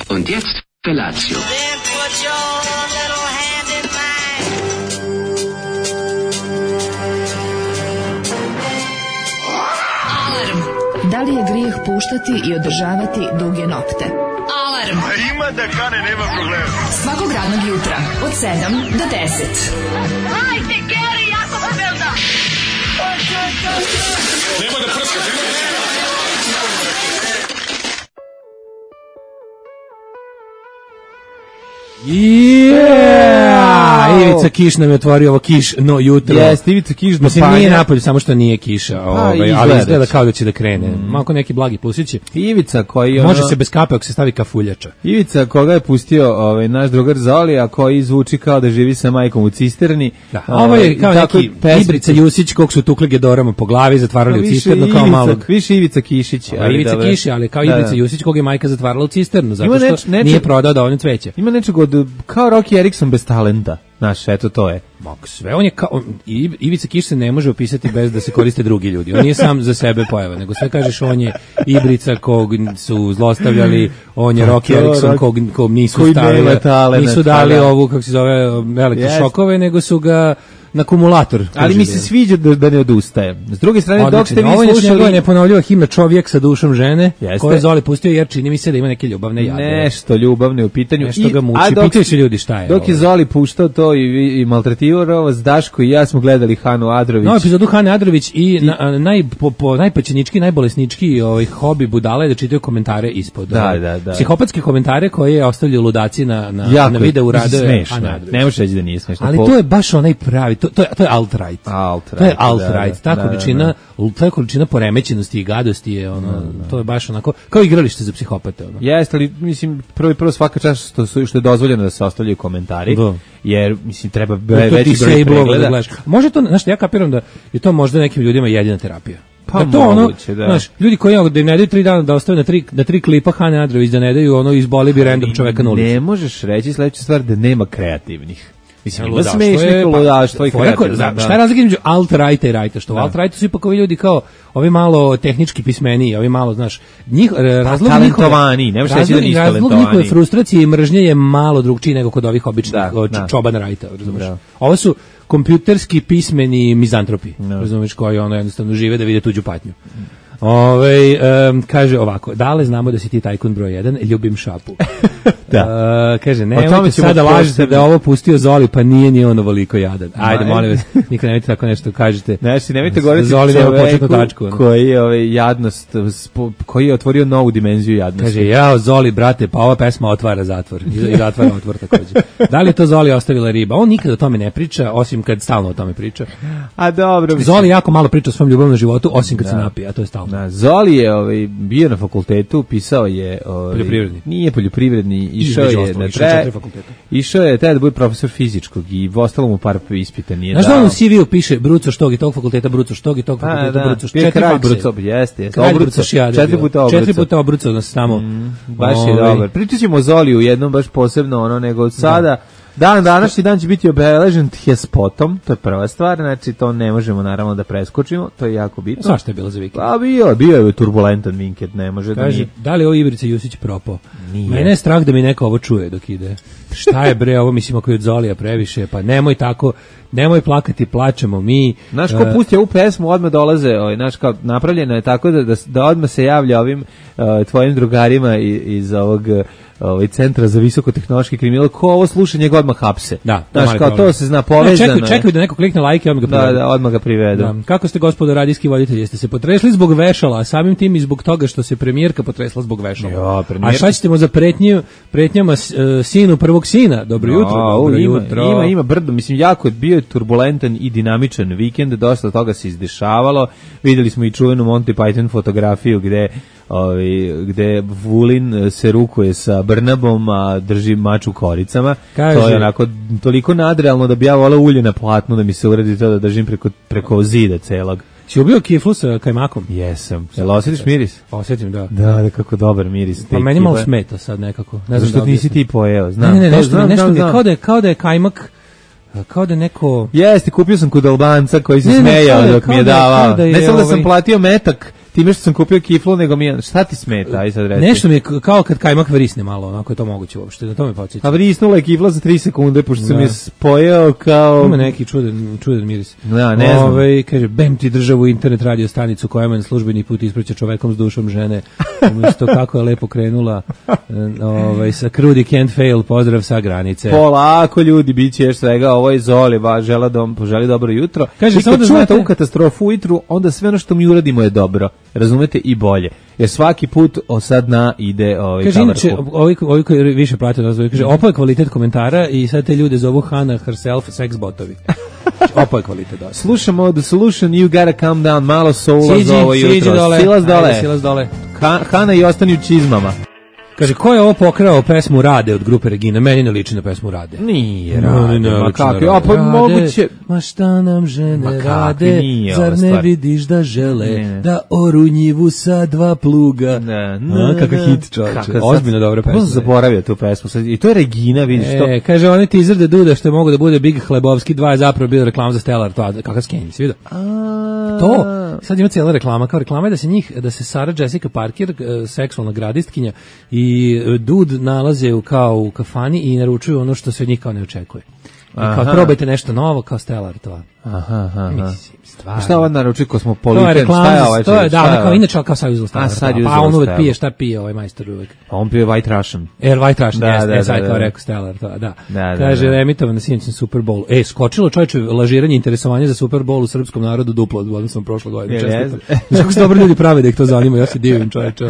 Und jetzt Felatio. Then put your little hand in mine. Alarm. Da li je grijeh puštati i održavati duge nokte? Alarm. A ima da kane, nema problema. Svakog radnog jutra od 7 do 10. Hajde, Geri, jako se velda. Nema da prska, nema da prska. Ivica Kiš nam je otvorio ovo kišno jutro. Jeste, Ivica Kiš do Mislim, panja. nije napolju, samo što nije kiša, ali izgleda kao da će da krene. Malko neki blagi plusići. Ivica koji Može se bez kape ako se stavi kafuljača. Ivica koga je pustio naš drugar Zoli, a koji zvuči kao da živi sa majkom u cisterni. Da, ovo je kao neki Ibrica Jusić kog su tukli gedorama po glavi, zatvarali u cisternu kao malog. Više Ivica Kišić. Ivica Kiš, ali kao Ibrica Jusić kog je majka zatvarala u cisternu, zato što nije prodao dovoljno cveća. Ima nečeg od, kao Rocky Erickson bez talenta. Znaš, eto to je. Sve on je kao, Ivica Kiš se ne može opisati bez da se koriste drugi ljudi. On nije sam za sebe pojava, nego sve kažeš on je Ibrica kog su zlostavljali, on je Rocky Erickson kog nisu stavili, nisu dali ovu, kako se zove, elektrošokove, nego su ga na akumulator. Ali mi se sviđa da ne odustaje. S druge strane, dok ste vi slušali... Ovo je neponovljiva himna Čovjek sa dušom žene, koju je Zoli pustio, jer čini mi se da ima neke ljubavne jade. Nešto ljubavne u pitanju. Nešto ga muči, pitaju se ljudi šta je. Dok je Zoli puštao to i maltretirao vas, Daško i ja smo gledali Hanu Adrović. No, epizodu Hane Adrović i najpaćenički, najbolesnički hobi budala je da čitaju komentare ispod. Da. Psihopatske komentare koje ostavljaju ludaci na videu rade Hane Adrović. Ne možeš reći da nije smešno. Ali to je baš onaj pravi, to je alt-right. To je alt-right. Ta količina poremećenosti i gadosti je to je baš onako kao igralište za psihopate. Jeste, ali mislim prvo svaka čast što je dozvoljeno da se ostavljaju komentari. Jer mislim treba veći broj pregleda. Može to, znaš, ja kapiram da je to možda nekim ljudima jedina terapija. Pa da to moguće, da. Znaš, ljudi koji da im ne daju 3 dana da ostave na 3 klipa Hane Adrović, da ne daju izboli bi random čoveka na ulici. Ne možeš reći sledeća stvar da nema kreativnih. Mislim, ima smešnih ludaštva i kreativnih. Šta je razlika između alt-righta i righta? Što u alt-rightu su ipak ovi ljudi kao, ovi malo tehnički pismeniji, ovi malo, znaš, talentovani, nemaš reći da nisu talentovani. Razlog njihove frustracije i mržnje je malo drugčiji nego kod ovih običnih čoban rajta, razumiješ? Ovo su kompjuterski pismeni mizantropi, razumiješ, koji jednostavno žive da vide tuđu patnju. Kaže ovako, Dale, znamo da si ti tajkun broj 1, ljubim šapu. Kaže, nemojte sada lažete da je ovo pustio Zoli, pa nije ni on ovoliko jadan. Ajde, molim vas, nikad nemojte tako nešto kažete. Nemojte govoriti čoveku koji je jadnost, koji je otvorio novu dimenziju jadnosti. Kaže, jao Zoli, brate, pa ova pesma otvara zatvor. I zatvara otvor također. Da li je to Zoli ostavila riba? On nikad o tome ne priča, osim kad stalno o tome priča. A dobro. Zoli jako malo priča o svom ljubavnom životu, osim kad se napije, a to je stalno. Zoli je bio na fakultetu, pisao je poljoprivredni. Nije poljoprivredni, išao je da bude profesor fizičkog i ostalo mu par ispita nije dao. Znaš da on u CV-u piše Bruco Štog i tog fakulteta, Bruco Štog i tog fakulteta, Bruco Štog. 4 puta Obruco. 4 puta Obruco nas tamo. Baš je dobar. Pričat ćemo o Zoliju jednom baš posebno, nego od sada. Današnji dan će biti obeležen T-spotom, to je prva stvar, znači to ne možemo naravno da preskočimo, to je jako bitno. Zašto je bilo za vikend? Pa bio je turbulentan vikend, ne može da nije. Da li je ovo Ibrica Jusić propao? Nije. Mene je strah da mi neko ovo čuje dok ide. Šta je bre ovo, mislim ako je od Zolija previše, pa nemoj tako, nemoj plakati, plačemo mi. Znaš, ko pusti ovu pesmu, odmah dolaze, znaš, kao napravljeno je tako da odmah se javlja ovim tvojim drugarima iz ovog centra za visokotehnološki kriminal, ko ovo sluša njega odmah hapse. Da, znaš, kao to se zna povezano. Čekaju da neko klikne like i odmah ga privedu. Da, odmah ga privedu. Da. Kako ste, gospodo radijski voditelji, jeste se potresli zbog vešala, a samim tim i zbog toga što se premijerka potresla zbog vešala. A šta ćemo za pretnjama sinu prvog sina? Dobro jutro. Ima brdo, mislim, jako je bio turbulentan i dinamičan vikend, dosta toga se izdešavalo. Videli smo i čuvenu Monty Python fotografiju gde Vulin se rukuje sa Brnabom, a drži mač u koricama. To je onako toliko nadrealno da bi ja volao ulje na platnu da mi se uredi to da držim preko zida celog. Si ubio kiflu sa kajmakom? Jesam. Jel osjetiš miris? Osjetim, da. Da, kako dobar miris. Pa meni malo smeta sad nekako. Ne znam što nisi ti pojeo. Znam. Ne, nešto mi je kao da je kajmak, kao da neko... Jeste, kupio sam kod Albanca koji se smejao dok mi je davao. Ne samo da sam platio metak time što sam kupio kiflu, nego mi je, šta ti smeta, aj sad reci. Nešto mi je kao kad kajmak vrisne malo, onako je to moguće uopšte, na to me podsjeća. A vrisnula je kifla za 3 sekunde, pošto sam je spojao kao... Ima neki čudan miris. Da, ne znam. Kaže, bem ti državu internet radio stanicu koja me službeni put ispraća čovekom s dušom žene. Umjesto kako je lepo krenula sa Krudi can't fail, pozdrav sa granice. Polako ljudi, bit će još svega, ovo je Zoli, poželi dobro jutro. Kaže, i kad čujete ovu katastrofu ujutru, onda sve ono što mi uradimo je dobro. Razumete, i bolje. Jer svaki put sad ide kaže, inače, ovi koji više prate nas, kaže, opo je kvalitet komentara i sad te ljude zovu Hana herself sex botovi. Opo je kvalitet dosta. Slušamo The Solution, You Gotta Calm Down, malo soula za ovo jutro. Silaz dole. Hana i ostani u čizmama. Kaže, ko je ovo pokrao pesmu Rade od grupe Regina? Meni ne liči na pesmu Rade. Nije Rade, ma kako? A pa moguće... Ma šta nam žene rade, zar ne vidiš da žele da oru njivu sa 2 pluga? Kakav hit, čovječe. Ozbiljno dobra pesma. Ko zaboravio tu pesmu? I to je Regina, vidiš to? Kaže, oni teaser da Duda što je mogo da bude Big Hlebovski 2 je zapravo bio reklama za Stellar, kakav skenji, si vidio? To, sad ima cijela reklama, kao reklama je da se Sarah Jessica Parker, seksualna gradistkinja, i Dud nalaze kao u kafani i naručuju ono što se od njih kao ne očekuje. I kao probajte nešto novo, kao Stellar to. Aha. Mislim, stvarno. Šta ovo naruči Kosmopolitan? To je reklama, to je kao inače kao sad uzelo Stellar. Pa on uvek pije, šta pije ovaj majstor uvek? Pa on pije White Russian. White Russian, sad kao rekao Stellar, to, da. Kaže, emitovan na sinoćnom Super Bowlu. Skočilo čovječe lažiranje, interesovanje za Super Bowl u srpskom narodu duplo od odnosno prošle godine. Čestitam. Kako se dobro ljudi prave da ih to zanima, ja se divim čovječe.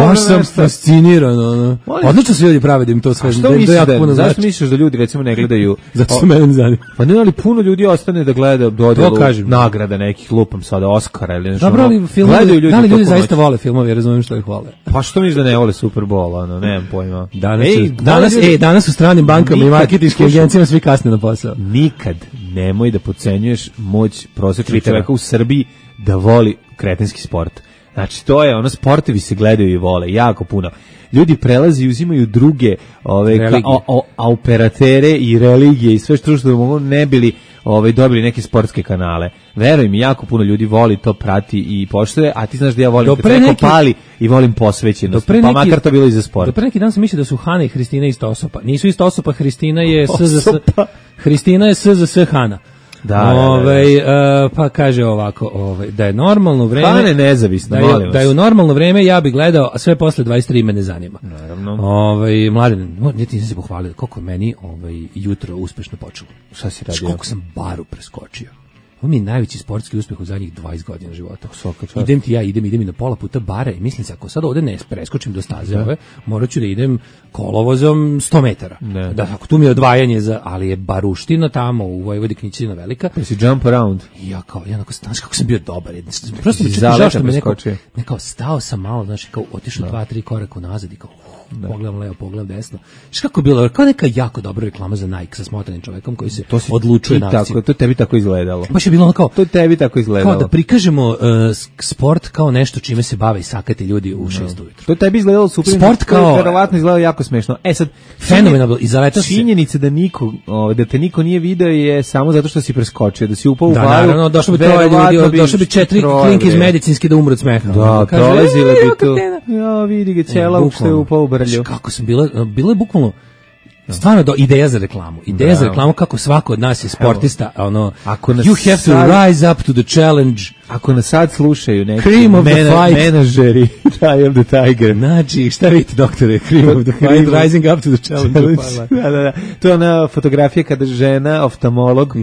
Baš sam fasciniran. Odlično se ljudi prave da im to sve zanima. Zašto misliš da ljudi recimo ne gledaju? Zato se mene zanima. Pa ne, ali puno ljudi ostane da gleda dodjelu nagrada nekih, lupam sada Oscara ili nešto. Dobro, ali filmovi, da li ljudi zaista vole filmove, razumijem što ih vole. Pa što misliš da ne vole Super Bowl, nemam pojma. Danas u stranim bankama i marketinškim agencijama svi kasne na posao. Nikad nemoj da podcenjuješ moć prosječnog čovjeka u Srbiji da voli kretenski sport. Znači, to je sportovi se gledaju i vole, jako puno. Ljudi prelazi i uzimaju druge operatere i religije i sve što mogu ne bili dobili neke sportske kanale. Veruj mi, jako puno ljudi voli to, prati i poštuje, a ti znaš da ja volim kad neko pali i volim posvećenost, pa makar to bilo i za sport. Do pre neki dan sam mislio da su Hana i Hristina isto osoba. Nisu isto osoba, Hristina je SZS Hana. Pa kaže ovako, da je normalno vreme, Hane nezavisno, da je u normalno vreme ja bih gledao, a sve posle 23 me ne zanima. Naravno. Mladen, ti sam se pohvalio koliko meni jutro uspešno počelo. Šta si radio? Koliko sam baru preskočio. Ovo mi je najveći sportski uspeh u zadnjih 20 godina života. Idem i na pola puta bara i mislim se, ako sad ovde ne preskočim do staze morat ću da idem kolovozom 100 metara. Da, ako tu mi je odvajanje, ali je baruština tamo u Vojvodi Knjićina velika. Pa si jump around. Ja znaš kako sam bio dobar. Prosto mi žao što me neko stao sam malo, znaš, kao otišao 2-3 koraka nazad i kao pogledam levo, pogledam desno. Znaš kako je bilo, kao neka jako dobra reklama za Nike sa smotanim čovekom koji se odlučuje na akciju. To tebi tako izgledalo. Baš je bilo kao, to tebi tako izgledalo. Kao da prikažemo sport kao nešto čime se bave i sakati ljudi u 6 ujutru. To tebi izgledalo super. Sport kao verovatno izgledalo jako smešno. Sad fenomenalno i zaleta se. Činjenica da te niko nije video je samo zato što si preskočio, da si upao u baru. Naravno, došlo bi 3 ljudi, došlo bi 4 klinke iz medicinske da umru od smeha. Da, prolazile bi tu. Ja, vidi ga cela uopšte upao u brlju. Kako sam bilo je bukvalno stvarno ideja za reklamu. Ideja za reklamu kako svako od nas je sportista, you have to rise up to the challenge. Ako nas sad slušaju neki Cream of the fight menadžeri, Eye of the Tiger. Znači, šta vidite, doktore? Cream of the fight, rising up to the challenge. Da. To je ona fotografija kada žena, oftalmolog,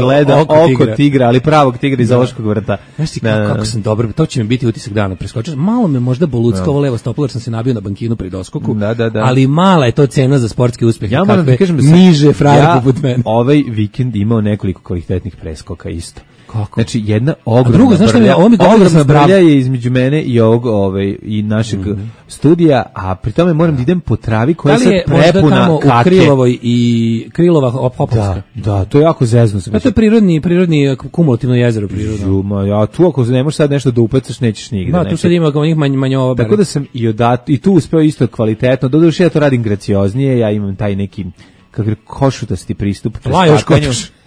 gleda oko tigra, ali pravog tigra iz zoološkog vrta. Znaš ti kako sam dobro, to će mi biti utisak dana. Preskočio, malo me možda boluckavo levo stopalo, jer sam se nabio na bankinu pri doskoku, ali mala je to cena za sportski uspeh. Ja moram da kažem da niže frajer poput mene. Ovaj vikend imao nekoliko kvalitetnih preskoka isto. Kako? Znači jedna ogromna brlja je između mene i ovog i našeg studija, a pri tome moram da idem po travi koja je prepuna kake. Da li je možda tamo u Krilovoj i Krilova Opolovska? Da, to je jako zezno. To je prirodni kumulativno jezero prirodno. Ja tu ako ne možeš sad nešto da upecaš, nećeš nigde. Da, tu sad ima kao njih manjova. Tako da sam i tu uspeo isto kvalitetno. Doduše ja to radim gracioznije, ja imam taj neki košutasti pristup.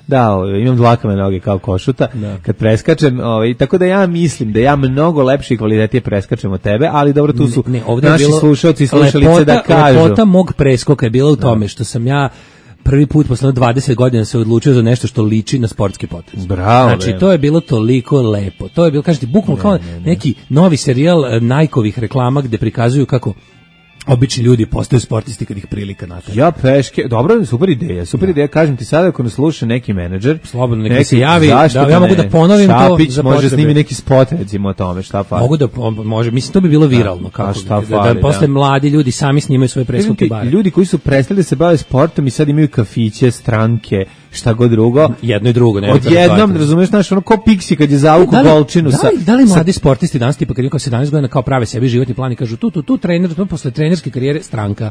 Da, imam dlakave noge kao košuta kad preskačem, tako da ja mislim da ja mnogo lepše i kvalitetnije preskačem od tebe, ali dobro, tu su naši slušalci i slušalice da kažu. Lepota mog preskoka je bila u tome što sam ja prvi put posle 20 godina se odlučio za nešto što liči na sportski potez. Bravo. Znači, to je bilo toliko lepo. To je bilo, kažete, bukvalno kao neki novi serijal Nike-ovih reklama gde prikazuju kako obični ljudi postaju sportisti kad ih prilika natrag. Ja peške, dobro, super ideja, kažem ti sada ako nas sluša neki menadžer, slobodno neki se javi, da ja mogu da ponovim Šapić, to. Može snimi neki spot recimo o tome, šta fali. Mogu da može, mislim to bi bilo viralno kako da posle mladi ljudi sami snimaju svoje preskoke bare. Ljudi koji su prestali da se bave sportom i sad imaju kafiće, stranke, šta god drugo. Jedno i drugo, ne. Odjednom, razumeš, znaš, ono ko Pixi kad je zavuku golčinu sa. Da li mladi sportisti danas tipa kad je kao 17 godina kao prave sebi životni plan i kažu tu trener, tu posle trenerske karijere stranka.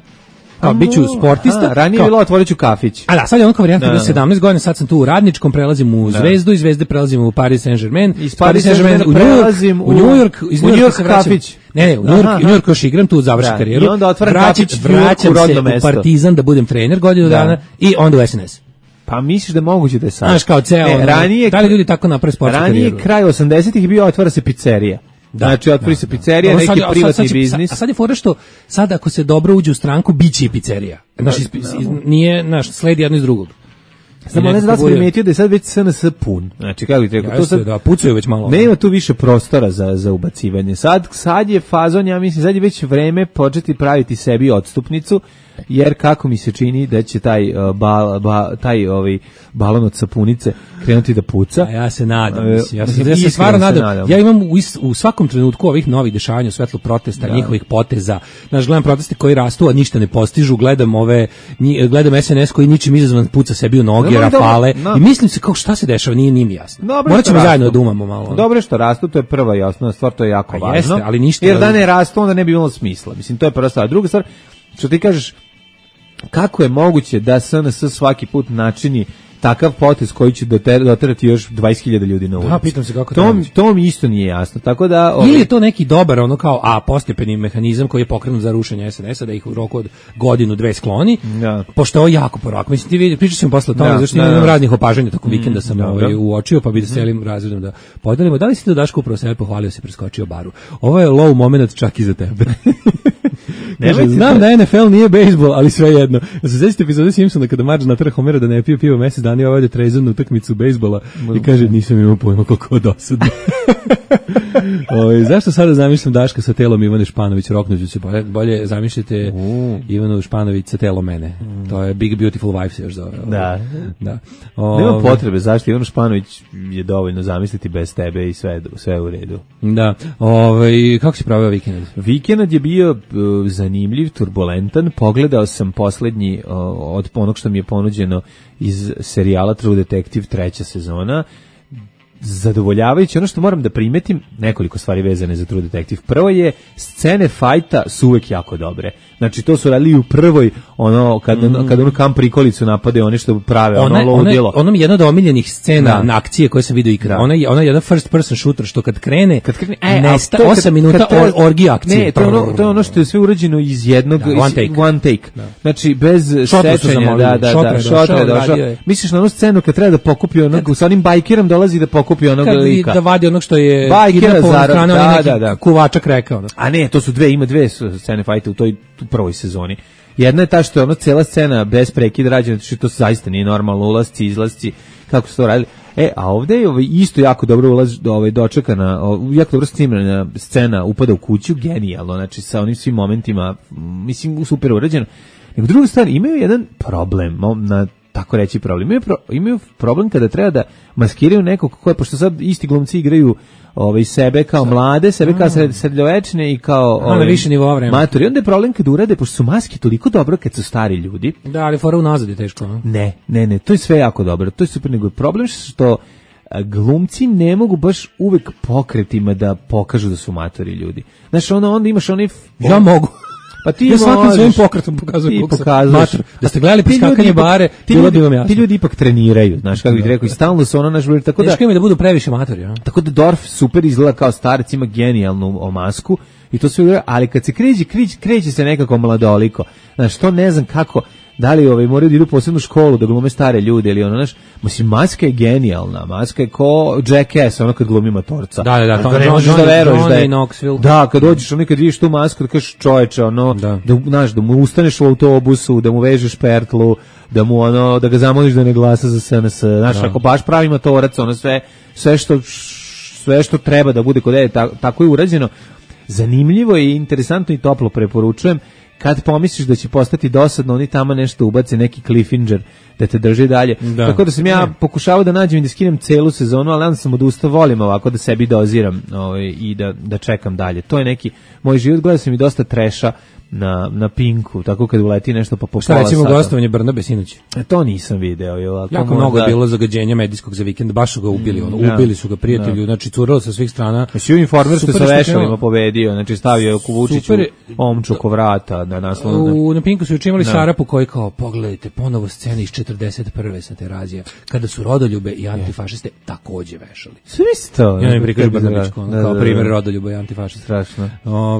Kao biću sportista. Ranije je bilo otvoriću kafić. A da, sad je on kao varijanta da 17 godina, sad sam tu u Radničkom, prelazim u Zvezdu, iz Zvezde prelazim u Paris Saint-Germain, iz Paris Saint-Germain prelazim u New York, iz New Yorka kafić. Ne, u New York još igram, tu završim karijeru. I onda otvaram kafić vraćam se u Partizan da budem trener godinu dana i onda u SNS. Pa misliš da moguće da je sad? Znaš, kao ceo, ranije, da li ljudi tako naprave sportsku karijeru? Ranije, kraj 80-ih bio, otvara se pizzerija. Znači, otvori se pizzerija, neki privatni biznis. A sad je fora što, sad ako se dobro uđe u stranku, bit će i pizzerija. Nije, sledi jedno iz drugog. Samo ne znam da sam primetio da je sad već SNS pun. Znači, kako ti rekao, to sad da pucaju već malo. Nema tu više prostora za ubacivanje. Sad je fazon, ja mislim, sad je već vreme početi praviti sebi odstupnicu, jer kako mi se čini da će taj balon od sapunice krenuti da puca. A ja se nadam, ja se stvarno nadam. Ja imam u svakom trenutku ovih novih dešavanja u svetlu protesta, njihovih poteza. Znaš, gledam proteste koji rastu, a ništa ne postižu, gledam SNS koji ničim izazvan puca sebi u noge, rafale, i mislim se kao šta se dešava, nije mi jasno. Morat ćemo zajedno da umamo malo. Dobro što rastu, to je prva i osnovna stvar, to je jako važno. Jeste, ali ništa. Jer da ne rastu, onda ne bi imalo smisla. Mislim, to je prva stvar. Druga stvar, što ti kažeš, kako je moguće da SNS svaki put načini takav potez koji će doterati još 20.000 ljudi na ulici? Da, pitam se kako to mi isto nije jasno. Tako da ili je to neki dobar postepeni mehanizam koji je pokrenut za rušenje SNS-a, da ih u roku od godinu, dve skloni. Da. Pošto je ovo jako porako. Mislim, ti vidi, pričat ćemo posle o tome, zašto imam raznih opažanja tokom vikenda sam uočio, pa bi da celim razredom da podelimo. Da li si to Daško upravo sebe pohvalio se preskočio baru? Ovo je low moment čak i za tebe. Znam da NFL nije bejsbol, ali sve jedno. Se sećate epizode Simpsona kada Marge natera Homera da ne pije pivo mesec dana i ovdje trezan na utakmicu bejsbola i kaže nisam imao pojma koliko dosadno. Zašto sada zamišljam Daška sa telom Ivane Španović, roknuću se, bolje zamišljate Ivanu Španović sa telom mene. To je Big Beautiful Wife se još zove. Da. Nema potrebe, zašto Ivanu Španović je dovoljno zamisliti bez tebe i sve u redu. Da. Kako si pravio vikend? Vikend je bio zanimljiv, turbulentan. Pogledao sam poslednji od onog što mi je ponuđeno iz serijala True Detective 3. sezona. Zadovoljavajući. Ono što moram da primetim, nekoliko stvari vezane za True Detective. Prvo je, scene fajta su uvek jako dobre. Znači, to su radili u prvoj, kad onu kam prikolicu napade, one što prave, ludilo. Ono je jedna od omiljenih scena na akcije koje sam vidio ikada. Ona je jedan first person shooter, što kad krene nesta 8 minuta orgija akcije. Ne, to je ono što je sve urađeno iz jednog, one take. Znači, bez sečenja, šotre došao. Misliš na onu scenu kad treba da pokupi onog, sa onim bajkerom dolazi da pokupi onog lika. Da vadi onog što je bajkera kuvačak rekao. A ne, to su ima dve scene fajta u toj prvoj sezoni. Jedna je ta što je cela scena bez prekida rađena, što to zaista nije normalno, ulasci, izlasci, kako su to radili. A ovdje je isto jako dobro dočekana, jako dobro snimljena scena upada u kuću, genijalno, znači sa onim svim momentima, mislim, super urađeno. Nego druga stvar, imaju jedan problem, tako reći problem. Imaju problem kada treba da maskiraju nekog koje, pošto sad isti glumci igraju sebe kao mlade, sebe kao srednjovečne i kao više nivoa vremena. Matori. Onda je problem kad urade, pošto su maske toliko dobro kad su stari ljudi. Da, ali fora unazad je teško. No? Ne, to je sve jako dobro. To je super, nego je problem što glumci ne mogu baš uvek pokretima da pokažu da su matori ljudi. Znaš, onda imaš onaj... Ja mogu. Pa ti ja svakim svojim pokretom pokazujem mater. Da ste gledali piskakanje bare, bilo bi vam jasno. Ti ljudi ipak treniraju, znaš, kako bih rekao, i stalno su naš broj, tako da... Teško im da budu previše matori, ja? Tako da Dorf super izgleda kao starac, ima genijalnu masku, i to sve, ali kad se kreće se nekako mladoliko. Znaš, to ne znam kako... da li moraju da idu u posebnu školu da glume stare ljude ili ono, znaš, mislim, maska je genijalna, maska je ko Jackass, ono kad glumi matorca. Da, to ne možeš da veruješ da je Knoxville. Da, kad dođeš, ono kad vidiš tu masku, da kažeš čoveče, ono, da mu ustaneš u autobusu, da mu vežeš pertlu, da mu ono, da ga zamoliš da ne glasa za SNS, znaš, ako baš pravi matorac, ono sve što treba da bude kod tako je urađeno. Zanimljivo i interesantno i toplo preporučujem. Kad pomisliš da će postati dosadno, oni tamo nešto ubace, neki cliffhanger da te drži dalje. Tako da sam ja pokušavao da nađem i da skinem celu sezonu, ali onda sam odustao, volim ovako da sebi doziram i da čekam dalje. To je neki moj život, gledao sam i dosta treša na Pinku, tako kad uleti nešto pa po pola sata. Šta recimo gostovanje Brnabe sinoć? To nisam video. Jako mnogo je bilo zagađenja medijskog za vikend, baš su ga ubili, ubili su ga prijatelju, znači curalo sa svih strana. Svi Informer što sa vešalima pobedio, znači stavio je Vučiću omču oko vrata na naslovnu. Na Pinku su učinili Šarapu koji kao, pogledajte, ponovo scene iz 41. sa Terazija, kada su rodoljube i antifašiste takođe vešali. Sve isto. Ja mi prikažu Brnabićko, kao primjer rodoljuba i antifašista. Strašno.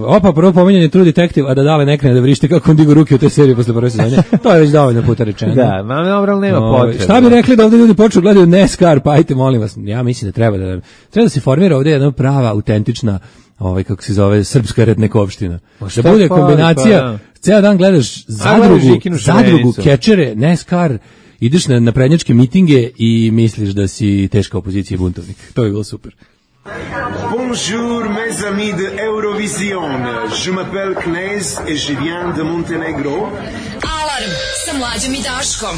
Opa, prvo pominjanje True Detective, a da dale ne krene da vrište kako on digo ruke u toj seriji posle prve sezone. To je već dovoljno puta rečeno. Da, dobro, nema potrebe. Šta bi rekli da ovdje ljudi počnu gledaju NASCAR, pa ajte, molim vas. Ja mislim da treba da se formira ovdje jedna prava, autentična, kako se zove, srpska rednekovština. Da bude kombinacija, ceo dan gledaš zadrugu, kečere, NASCAR, ideš na prednjačke mitinge i misliš da si teška opozicija i buntovnik. To je bilo super. Bonjour mes amis de Eurovision. Je m'appelle Knez et je viens de Montenegro. Alarm sa Mlađom i Daškom.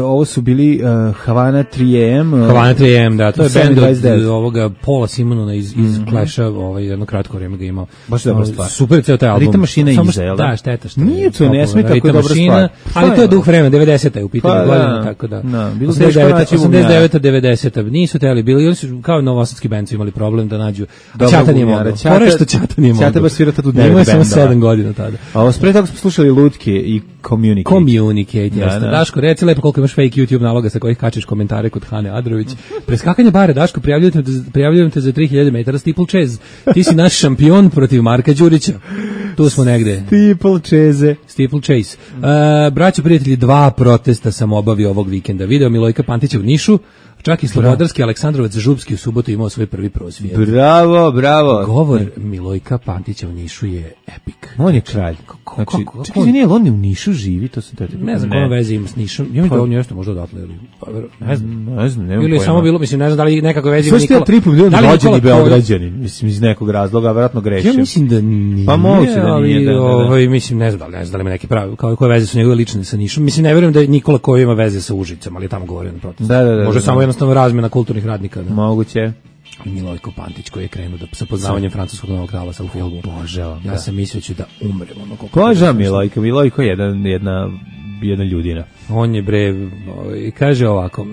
Ovo su bili Havana 3AM. Havana 3AM, da, to je band od ovoga Paula Simonona iz Clash-a, jedno kratko vreme ga imao. Baš dobra stvar. Super ceo taj album. Ritam mašina iza, jel da? Da, šteta što nije to, ne smije tako dobra stvar. Ali to je duh vremena, 90-a je u pitanju godina, tako da. 89-a, 90-a, nisu teli bili, oni su kao novosadski band su imali problem da nađu. Ćata nije mogao. Pore što Ćata nije mogao. Ćata baš svira tad u 9 benda. Imao samo 7 godina tada. A pre toga smo slušali Lutke i Communicate, jeste. Daško, reci lepo koliko imaš fake YouTube naloga sa kojih kačiš komentare kod Hane Adrović. Preskakanje bare, Daško, prijavljujem te za 3000 metara steeple chase. Ti si naš šampion protiv Marka Đurića. Tu smo negde. Steeple chase. Braćo, prijatelji, 2 protesta sam obavio ovog vikenda. Video Milojka Pantića u Nišu, čak i Slobodarski Aleksandrovac Župski u subotu imao svoj prvi prosvjed. Bravo. Govor Milojka Pantića u Nišu je epic. On je kralj. Čekaj, nije, on u Nišu živi, to sam te... Ne znam koja veze ima s Nišom. Ja mi da on nešto možda odatle, ili... Ne znam. Nemam ili samo bilo, mislim, ne znam da li nekako veze ima Nikola... Sve ste 3,5 miliona rođeni Beograđanin, mislim, iz nekog razloga, vjerojatno grešim. Ja mislim da nije, pa moguće da nije. Mislim, ne znam da li ima neki pravi, koje veze su njegove lične sa Nišom. Mislim, ne vjerujem da je Nikola koji ima veze sa Užicom, ali je tamo govorio na protestu. Može samo jednostavno razmjena kulturnih radnika. Moguće. Milojko Pantić koji je krenuo sa poznavanjem francuskog novog talasa u filmu. Ja sam mislio ću da umrem. Božavam Milojko je jedna ljudina. On je kaže ovako,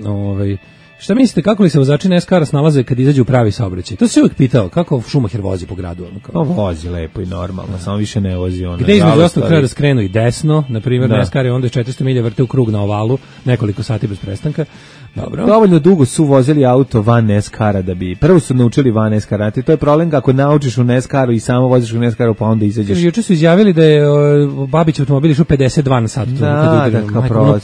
šta mislite, kako li se vozači NASCAR-a snalaze kad izađu u pravi saobraćaj? To se uvijek pitao, kako Schumacher vozi po gradu? Vozi lepo i normalno, samo više ne vozi. Gde između ostalog treba da skrenu i desno, na primjer NASCAR je onda 400 milja vrte u krug na ovalu, nekoliko sati bez prestanka. Dobro. Dovoljno dugo su vozili auto van NASCAR-a da bi, prvo su naučili van NASCAR-a, to je problem ako naučiš u NASCAR-u i samo voziš u NASCAR-u pa onda izađeš. Juče su izjavili da je Babić automobil išao 52 na sat.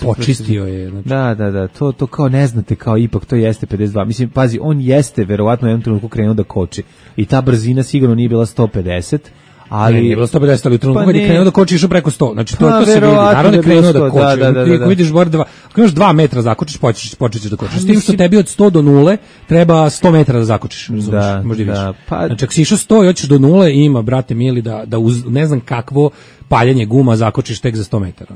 Počistio je. Da, to kao ne znate, kao ipak to jeste 52. Mislim, pazi, on jeste verovatno u jednom trenutku krenuo da koči i ta brzina sigurno nije bila 150, ali nije bilo 150, ali u trenutku kad je krenuo da koči išao preko 100. Znači to se vidi. Naravno je krenuo da koči. Ako vidiš gore ako imaš 2 metra zakočiš, počećeš da kočiš. S tim što tebi od 100 do 0 treba 100 metara da zakočiš. Možda vidiš. Znači ako si išao 100 i hoćeš do 0 ima, brate mili, da uz ne znam kakvo paljenje guma zakočiš tek za 100 metara.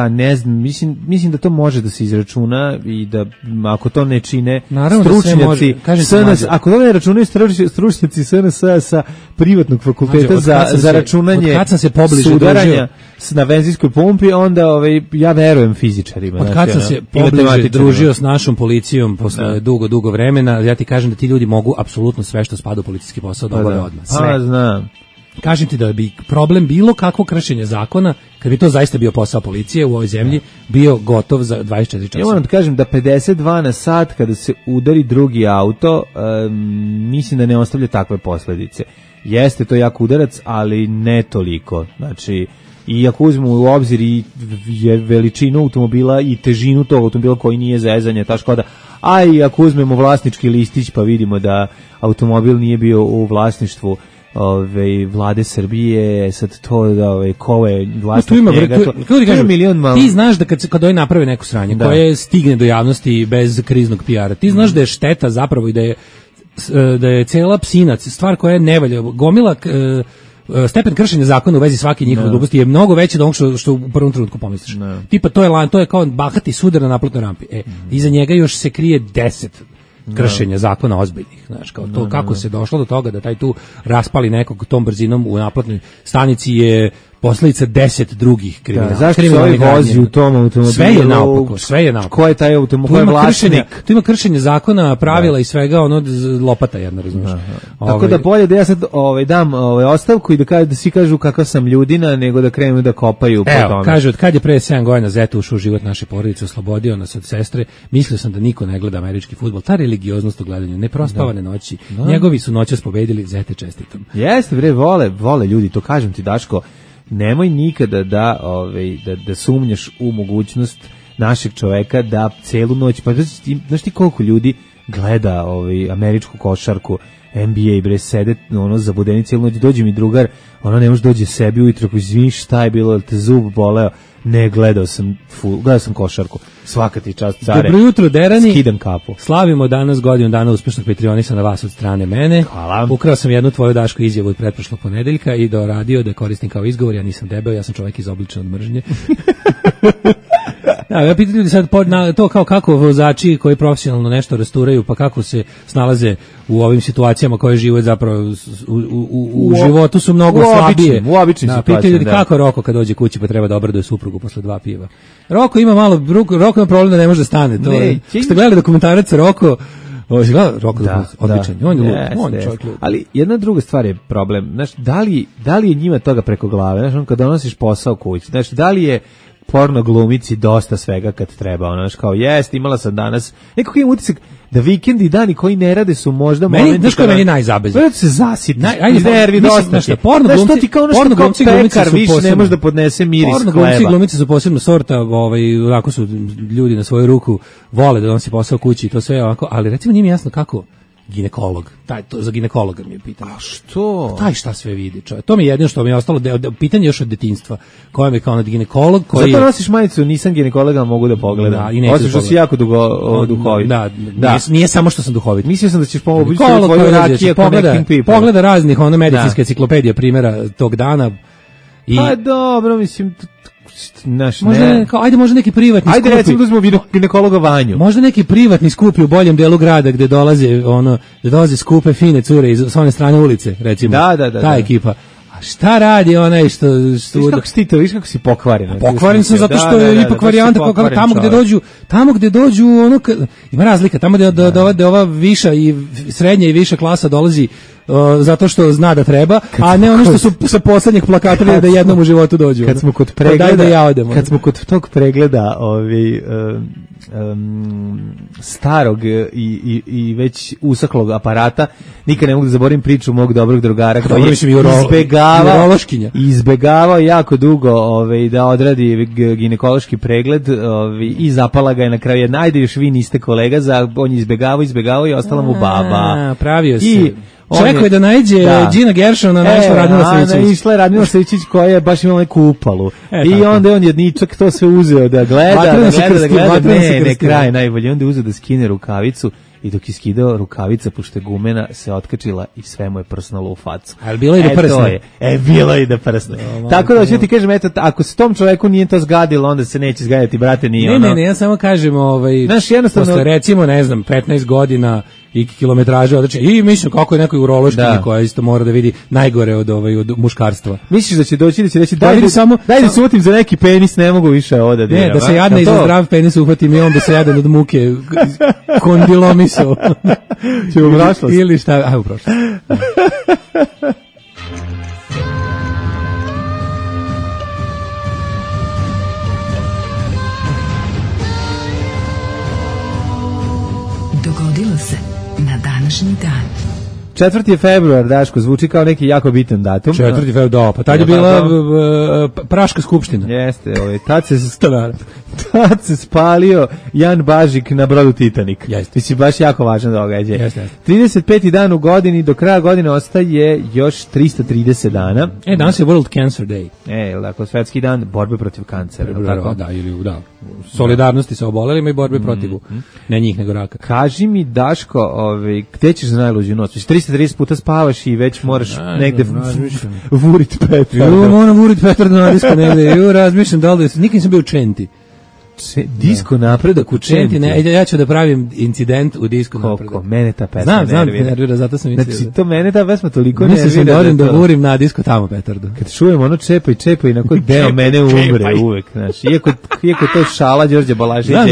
Ne znam, mislim da to može da se izračuna i da ako to ne čine stručnjaci SNS, ako to ne računaju stručnjaci SNS sa privatnog fakulteta za računanje sudaranja na benzinskoj pumpi, onda ja verujem fizičarima. Od kad sam se pobliže družio s našom policijom posle dugo vremena, ja ti kažem da ti ljudi mogu apsolutno sve što spada u policijski posao da obave odmah. Sve. Znam. Kažem ti da bi problem bilo kakvo kršenje zakona, kad bi to zaista bio posao policije u ovoj zemlji, bio gotov za 24 časa. Ja moram da kažem da 52 na sat kada se udari drugi auto, mislim da ne ostavlja takve posledice. Jeste to jak udarac, ali ne toliko. Znači, I ako uzmemo u obzir i veličinu automobila i težinu tog automobila koji nije zezanje, ta Škoda, a i ako uzmemo vlasnički listić pa vidimo da automobil nije bio u vlasništvu vlade Srbije, sad to da ko je vlasnik njega, to je milion malo. Ti znaš da kad oni naprave neku sranje koje stigne do javnosti bez kriznog PR-a, ti znaš da je šteta zapravo i da je cela psinac, stvar koja je nevalja, gomila stepen kršenja zakona u vezi svake njihove gluposti je mnogo veći od onog što u prvom trenutku pomisliš. Tipa to je kao bahati sudar na naplatnoj rampi. Iza njega još se krije 10 kršenja zakona ozbiljnih, znaš, kao to kako se došlo do toga da taj tu raspali nekog tom brzinom u naplatnoj stanici je posledica 10 drugih kriminala. Zašto se ovaj vozi u tom automobilu? Sve je naopako. Ko je taj automobil? Ko je vlasnik? Tu ima kršenje zakona, pravila i svega, ono lopata jedna, razumiješ. Tako da bolje da ja sad dam ostavku i da svi kažu kakav sam ljudina, nego da krenu da kopaju po tome. Kaže, od kad je pre 7 godina Zeta ušao u život naše porodice, oslobodio nas od sestre, mislio sam da niko ne gleda američki fudbal. Ta religioznost u gledanju, neprospavane noći, njegovi su noćas pobedili, Zete čestitam. Jeste, bre, vole ljudi, to kažem ti, Daško. Nemoj nikada da sumnjaš u mogućnost našeg čoveka da celu noć, pa znaš ti koliko ljudi gleda američku košarku, NBA, bre, sede zabudeni celu noć, dođe mi drugar, ne može dođe sebi ujutro, izvini šta je bilo, te zub boleo, ne, gledao sam košarku, svaka ti čast, care. Dobro jutro, derani, skidam kapu. Slavimo danas godinu dana uspešnog Patreonisa na vas od strane mene. Hvala. Ukrao sam jednu tvoju, Daško, izjavu od pretprošlog ponedeljka i doradio da koristim kao izgovor, ja nisam debel, ja sam čovjek izobličen od mržnje. Ja pitam ljudi sad to kao kako vozači koji profesionalno nešto rasturaju, pa kako se snalaze u ovim situacijama koje žive zapravo u životu su mnogo slabije. U običnim situacijama. Pitaju ljudi kako Roko kad dođe kući pa treba da obraduje suprugu posle 2 piva. Roko ima problem da ne može da stane. To je. Ste gledali dokumentarac Roko? Roko odličan. On je čovjek. Ali jedna druga stvar je problem. Znaš, da li je njima toga preko glave? Znaš, kad donosiš posao kući, znaš, da li je porno glumici dosta svega kad treba, znaš, kao jest, imala sam danas, nekako imam utisak da vikendi i dani koji ne rade su možda momenti... Znaš koji je meni najzabezniji? Vrlo se zasiti, nervi dosta ti. Porno glumci pekar više ne može da podnese miris hleba. Porno glumci i glumice su posebno sorta, onako su ljudi na svoju ruku, vole da donosi posao kući i to sve ovako, ali recimo nije mi jasno kako ginekolog. To za ginekologa mi je pitanje. A što? Taj šta sve vidi, čovjek. To mi je jedino što mi je ostalo pitanje još od detinjstva. Koja mi kao ginekolog koji... Zato nosiš majicu, nisam ginekologa, mogu da pogledam. Osim što si jako duhovit. Nije samo što sam duhovit. Mislio sam da ćeš pomoći tvoju rakije Connecting People. Pogleda raznih medicinske enciklopedije primjera tog dana. Pa dobro, mislim... Možda neki privatni skupi. Ajde recimo da uzmemo ginekologa Vanju. Možda neki privatni skupi u boljem delu grada gde dolaze skupe fine cure iz one strane ulice, recimo. Ta ekipa. A šta radi onaj što viš kako si pokvaren. Pokvaren sam zato što je ipak varijanta tamo gde dođu ima razlika, tamo gde ova viša i srednja i viša klasa dolazi zato što zna da treba, a ne ono što su sa poslednjeg plakata da jednom u životu dođu. Kad smo kod tog pregleda starog i već usaklog aparata, nikad ne mogu da zaboravim priču mog dobrog drugara koji je izbegavao jako dugo da odradi ginekološki pregled i zapala ga je na kraju. Ajde još vi niste kolega, on je izbegavao i ostala mu baba. Pravio se. Čekao je da najde Gina Gershona, našla Radmila Savićić. Išla je Radmila Savićić koja je baš imala neku upalu. I onda je on jedničak to sve uzeo da gleda. Ne, kraj najbolje. Onda je uzeo da skine rukavicu i dok je skidao rukavica, pošto je gumena, se otkačila i sve mu je prsnalo u facu. Ali bilo je da prsne. Bilo je da prsne. Tako da ću ti kažem, eto, ako se tom čoveku nije to zgadilo, onda se neće zgaditi, brate, nije ono. Ne, ja samo kažem, znaš, jednostavno, posle recimo, 15 godina i kilometraže određe. I mislim kako je nekoj urološkinji koja isto mora da vidi najgore od muškarstva. Misliš da će doći da će reći daj da se uvatim za neki penis, ne mogu više ovo da diram. Ne, da se jadna i za zdrav penis uhvatim i on da se jadan od muke kondilomiso. Će u prošlost. Ili šta, u prošlost. Dogodilo se na današnji dan. 4. je februar, Daško, zvuči kao neki jako bitan datum. 4. februar, da, pa tad je bila Praška skupština. Jeste, tad se spalio Jan Bažik na brodu Titanic. Jeste. Mislim, baš jako važan događaj. Jeste. 35. dan u godini, do kraja godine ostaje još 330 dana. Danas je World Cancer Day. Dakle, svetski dan borbe protiv kancera. Tako? Da, ili da. Solidarnosti sa obolelima i borbe protiv, ne njih nego raka. Kaži mi, Daško, gde ćeš za najluđu noć? 330 puta spavaš i već moraš negde vurit petar. Moram vurit petar na disko negde. Razmišljam da li nikad nisam bio u Čenti. Disko napredak u Čenti. Ja ću da pravim incident u disko napredak. Koliko mene ta pesma nervira, zato sam mislio. Znači, to mene ta pesma toliko nervira. Mislim da odem da vurim na disko tamo petardu. Kad čujem ono čepaj i na koji deo mene umre uvek. Znači, iako to šala Đorđe Balašića,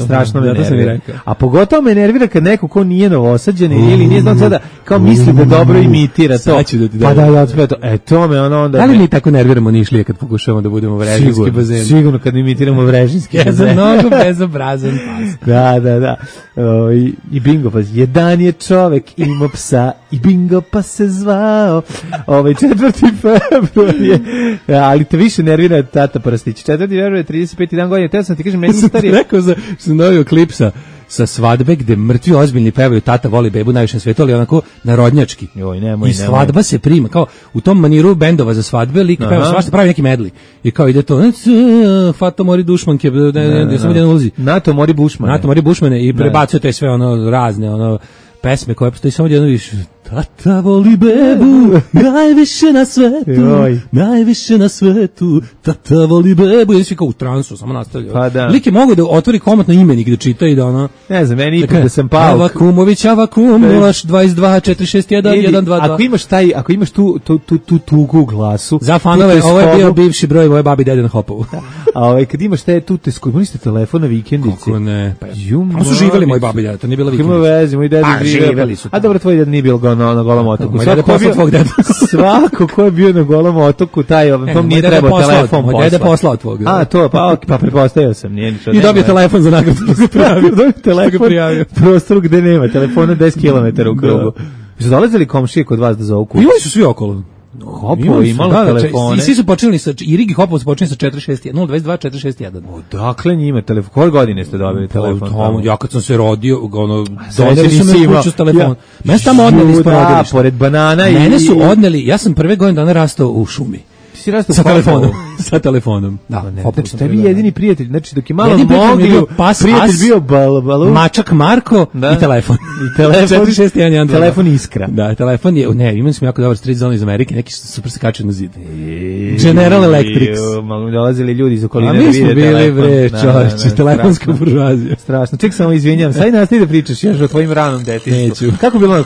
strašno me nervira. A pogotovo me nervira kad neko ko nije novosađen ili nije znam sada, kao misli da dobro imitira to. Pa da, to me ono onda... Da li mi tako nerviramo Nišlije kad pokušamo da budemo vrežinski bazen? Sigurno kad imitiramo vrežinski. Ja sam mnogo bezobrazan pas. Da. I bingo pas. Jedan je čovek imao psa i bingo pa se zvao. 4. februar je. Ali te više nervira tata Prstić. 4. februar je 35. dan godine. Teo sam ti kažem, meni starije. Rekao sam novio klip sa svadbe gde mrtvi ozbiljni pevaju tata voli bebu najviše na svetu, ali onako narodnjački. I svadba se prima, kao u tom maniru bendova za svadbe, lik peva svašta, pravi neki medli. I kao ide to, Fato mori dušmanke, samo jedan ulazi. NATO mori bušmane i prebacuje te sve ono razne pesme koje postoji samo jedno više. Tata voli bebu, najviše na svetu, tata voli bebu. I svi kao u transu, samo nastavljaju. Pa da. Lik je mogu da otvori komotno imenik da čita i da ono... Ne znam, meni ipak da sam pao. Avakumović, 022 461 122. Ako imaš tu tugu u glasu... Za fanove, ovo je bio bivši broj moje babi dede na Hopovu. A kad imaš tu te skojimo, niste telefon na vikendici. Kako ne? Tamo su živeli moji babi dede, to nije bila vikendica. Ima veze, moj dede živeli su. A dobro, tvoj dede nije bilo na Golom otoku. Svako ko je bio na Golom otoku, tom nije trebao telefon poslao. Moj dede poslao tvog. A, to, pa prepostavio sam. I dobio telefon za nagradu. Dobio telefon u prostoru gde nema telefona 10 km u krugu. Su dolazili komšije kod vas da zovu kuću? Imali su svi okolo. Hopo imalo telefone. I svi su počeli i Rigi Hopov su počeli sa 461 022 461. Odakle njima telefon? Koje godine ste dobili telefon? Ja kad sam se rodio, doneli su me kuću s telefonom. Mene su tamo odneli ispod rodilišta. Pored banana. Mene su odneli, ja sam prve godine dana rastao u šumi. Sa telefonom. Da, znači tebi jedini prijatelj, znači dok je malo mogli, prijatelj bio Mačak Marko i telefon. I telefon 46112. Telefon Iskra. Da, telefon je, imali smo jako dobar street zone iz Amerike, neki super se kačaju na zid. General Electric. Dolazili ljudi iz okoline da vide telefon. A mi smo bili, čovječe, telefonska buržuazija. Strašno. Ček samo izvinjam, sad nastavi da pričaš još o tvojim ranom detinjstvu. Kako bilo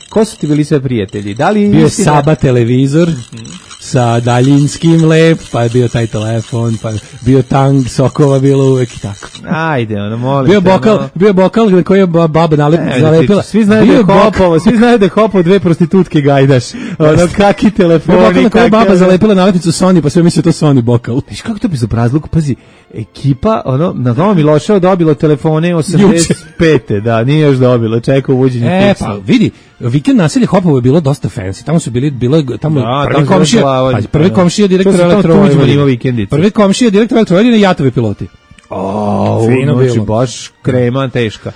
ko su ti bili sve prijatelji? Bio je Saba televizor sa daljinskim lep, pa je bio taj telefon, pa je bio tang, sokova bilo uvek i tako. Ajde, molim. Bio bokal koji je baba nalepila. Svi znaju da je Hopov dve prostitutke gajdaš. Kaki telefoni. Bio bokal na koji je baba zalepila nalepnicu Sony, pa sve mislio to Sony bokal. Viš kako to bi zabrazluk, pazi, ekipa, na Novom Miloševo dobilo telefone 85. Da, nije još dobilo, čeka uvođenje pa vidi, vikend naselje Hopovo je bilo dosta fancy, tamo su tamo prvi komšija direktor Elektrovojvodine. Prvi komšija direktor Elektrovojvodine Jatovi piloti. Znači baš krema teška.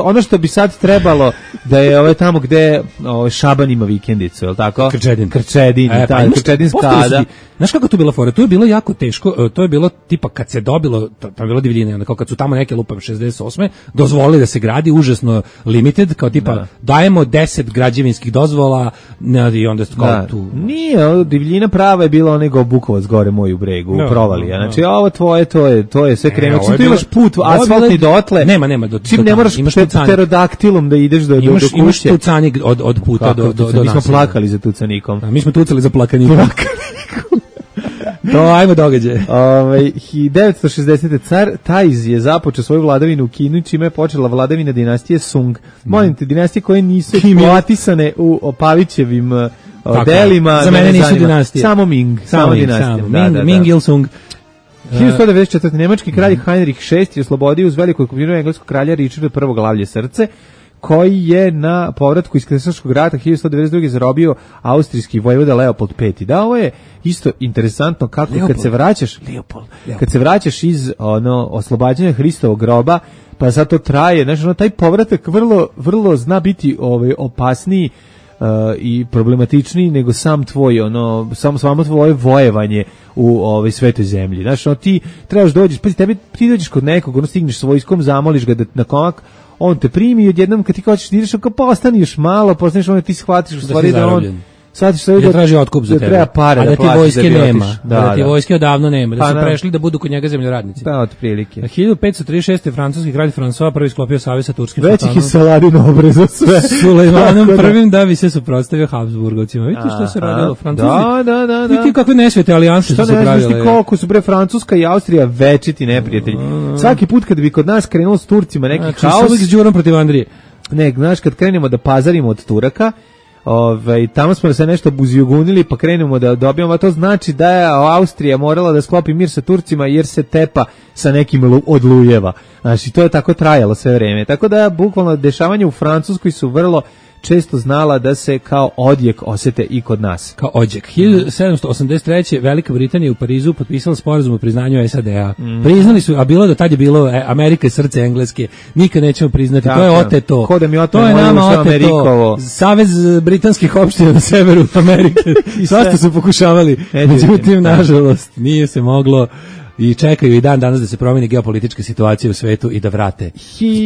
Ono što bi sad trebalo da je tamo gde Šaban ima vikendicu, je li tako? Krčedin, Krčedinskada. Znaš kako to bila fora? To je bilo jako teško, to je bilo tipa kad se dobilo, tamo je bilo divljine, onda kao kad su tamo neke lupam 68. dozvolili da se gradi, užasno limited, kao tipa dajemo 10 građevinskih dozvola i onda kao tu. Nije, divljina prava je bila onaj Bukovac gore moj u bregu, u Provalija. Znači ovo tvoje, to je sve krema. Čim tu imaš put asfaltni dotle, nema, čim ne moraš pterodaktilom da ideš do kuće. Imaš tucanik od puta do naselja. Mi smo plakali za tucanikom. Mi smo tucali za plakanikom. Ajmo događaje. 1960. car Tajz je započeo svoju vladavinu u Kinu, čime je počela vladavina dinastije Sung. Molim te, dinastije koje nisu eksploatisane u Pavićevim delima. Za mene nisu dinastije. Samo Ming. Samo dinastije. Ming il Sung. 1194. Nemački kralj Heinrich VI je oslobodio uz velikog kupovinu engleskog kralja Richarda I glavlje srce, koji je na povratku iz Krstaškog rata 1192. zarobio austrijski vojvoda Leopold V. Da, ovo je isto interesantno kako Leopold. Kad se vraćaš iz oslobađanja Hristovog groba, pa sad to traje, znači taj povratak vrlo zna biti opasniji i problematičniji nego sam tvoj samo tvoje vojevanje u svetoj zemlji. Znači ti trebaš dođeš, pa ti dođeš kod nekog, stigneš s vojskom, zamoliš ga da na komak, on te primi i odjednom kad ti hoćeš da ideš, kao postaniš malo, ti shvatiš u stvari da on shvatiš da traži otkup za tebe, treba pare, a da ti vojske nema, da ti vojske odavno nema, da su Pa, prešli da budu kod njega zemljoradnici. Da, otprilike. 1536. francuski kralj François prvi sklopio savez sa turskim Većih i Saladin obreza sve. Sulejmanom prvim da bi se suprotstavio Habsburgovcima. Vidite što se radilo, Francuzi. Da. Vidite kakve nesvete alijanse su pravile. Što ne znaš koliko su Francuska i Austrija večiti neprijatelji. Svaki put kad bi kod nas krenulo s Turcima neki haos. Znači, s Đurom protiv Andrije. Ne, znaš, kad krenemo da pazarimo od Turaka, tamo smo se nešto buzijugunili pa krenemo da dobijamo, a to znači da je Austrija morala da sklopi mir sa Turcima jer se tepa sa nekim od lujeva. Znači, to je tako trajalo sve vreme. Tako da, bukvalno, dešavanja u Francuskoj su vrlo često znala da se kao odjek osete i kod nas. Kao odjek. 1783. Velika Britanija u Parizu potpisala sporazum o priznanju SAD-a. Priznali su, a bilo da tad je bilo Amerika je srce Engleske. Nikad nećemo priznati. Tako, to je oteto. Ko da mi to je nama oteto. Amerikovo. Savez britanskih opština na severu Amerike. Svašta su pokušavali. Međutim, nažalost, nije se moglo. I čekaju i dan danas da se promeni geopolitička situacija u svetu i da vrate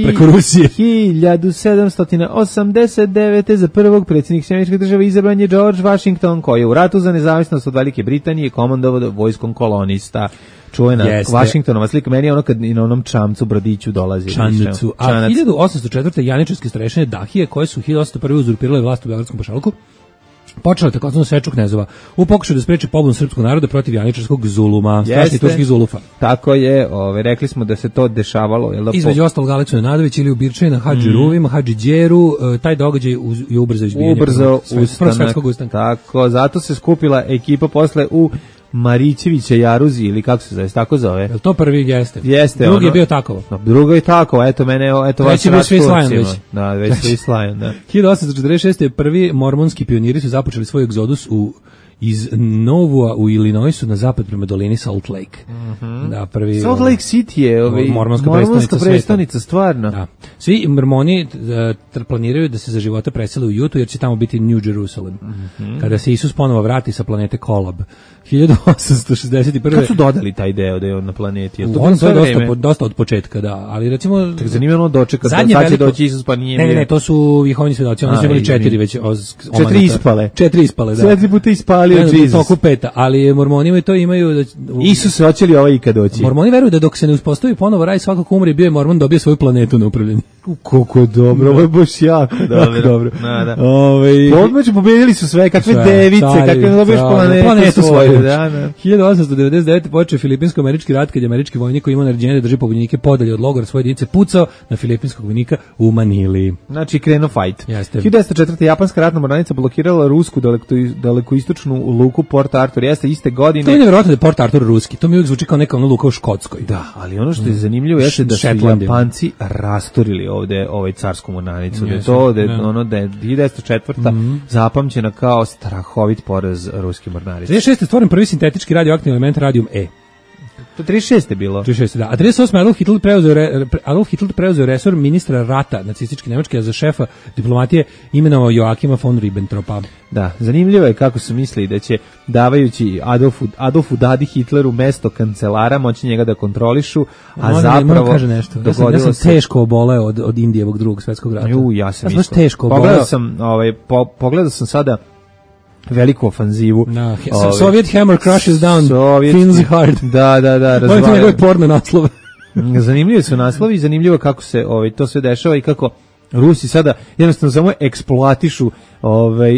preko Rusije. 1789. za prvog predsjednik Američke države izabran je George Washington, koji je u ratu za nezavisnost od Velike Britanije komandovao vojskom kolonista. Čuvena Washingtonova slika, meni je ono kad i na onom čamcu brodiću dolazi. Čamcu. A 1804. janičarske starešine Dahije, koje su 1801. uzurpirale vlast u Beogradskom pašalku, počela takozvanu seču knezova u pokušaju da spreči pobunu srpskog naroda protiv janičarskog zuluma, strašnih turskih zulufa. Tako je, rekli smo da se to dešavalo. Između ostalog Aleksu Nenadović ili Ubirčaj na Hadži Ruvima, Hadži Đeru, taj događaj je ubrzao izbijanje prvog svetskog ustanka. Tako, zato se skupila ekipa posle u Marićevića Jaruzi, ili kako se zove, tako zove. Je to prvi jeste? Jeste. Drugi je bio Takovo. Drugo je Takovo, eto mene, eto vas već je Slajan već. Da, već je Slajan, da. 1846. prvi mormonski pioniri su započeli svoj egzodus iz Novua u Illinoisu na zapad prema dolini Salt Lake. Da, prvi Salt Lake City je mormonska predstavnica stvarno. Da. Svi mormoni planiraju da se za života presele u Jutu jer će tamo biti New Jerusalem. Kada se Isus ponovo vrati sa planete Kolab. 1861. Kad su dodali taj deo da je on na planeti? On je dosta od početka, da. Ali recimo... Tak zanimljivo dočeka, sad će doći Isus pa nije... Ne, to su Jehovini svedoci, oni su imali 4 već omanata. 4 ispale, da. 4 puta ispalio Jesus. Toku peta, ali mormoni to imaju... Isus se hoće li ovaj ikad doći? Mormoni veruju da dok se ne uspostavi ponovo raj, svako ko umre bio je mormon dobio svoju planetu na upravljanje. Koliko dobro, ovo je baš jako dobro. Odmeđu pobedili su sve, kakve device, kakve dobiješ planetu svoju. 1899. počeo filipinsko-američki rat kad je američki vojnik koji imao naređenje da drži pobunjenike podalje od logora svoje jedinice pucao na filipinskog vojnika u Manili. Znači krenuo fight. 1904. japanska ratna mornarica blokirala rusku dalekoistočnu luku Port Arthur. Jeste iste godine. To je nevjerojatno da je Port Arthur ruski. To mi uvijek zvuči kao neka luka u Škotskoj. Da, ali ono što je zanimljivo jeste da su Japanci rasturili ovde carsku mornaricu. Da je 1904. zapamćena kao strahovit poraz ruske mornarice. 36. stvoren prvi sintetički radioaktivni element radium E. To 36 je bilo. 36, da. A 38. Adolf Hitler preuzeo resor ministra rata nacističke Nemačke, a za šefa diplomatije imenovao Joakima von Ribbentropa. Da, zanimljivo je kako su mislili da će, davajući Adolfu Dadi Hitleru mesto kancelara, moći njega da kontrolišu, a zapravo kaže nešto. Ja sam teško oboleo od Indijevog drugog svjetskog rata. Ja sam isto. Pogledao sam sada veliku ofanzivu. Soviet hammer crushes down Finns heart. Da. Ovo je njegove porno naslove. Zanimljivo su naslovi i zanimljivo kako se to sve dešava i kako Rusi sada jednostavno samo eksploatišu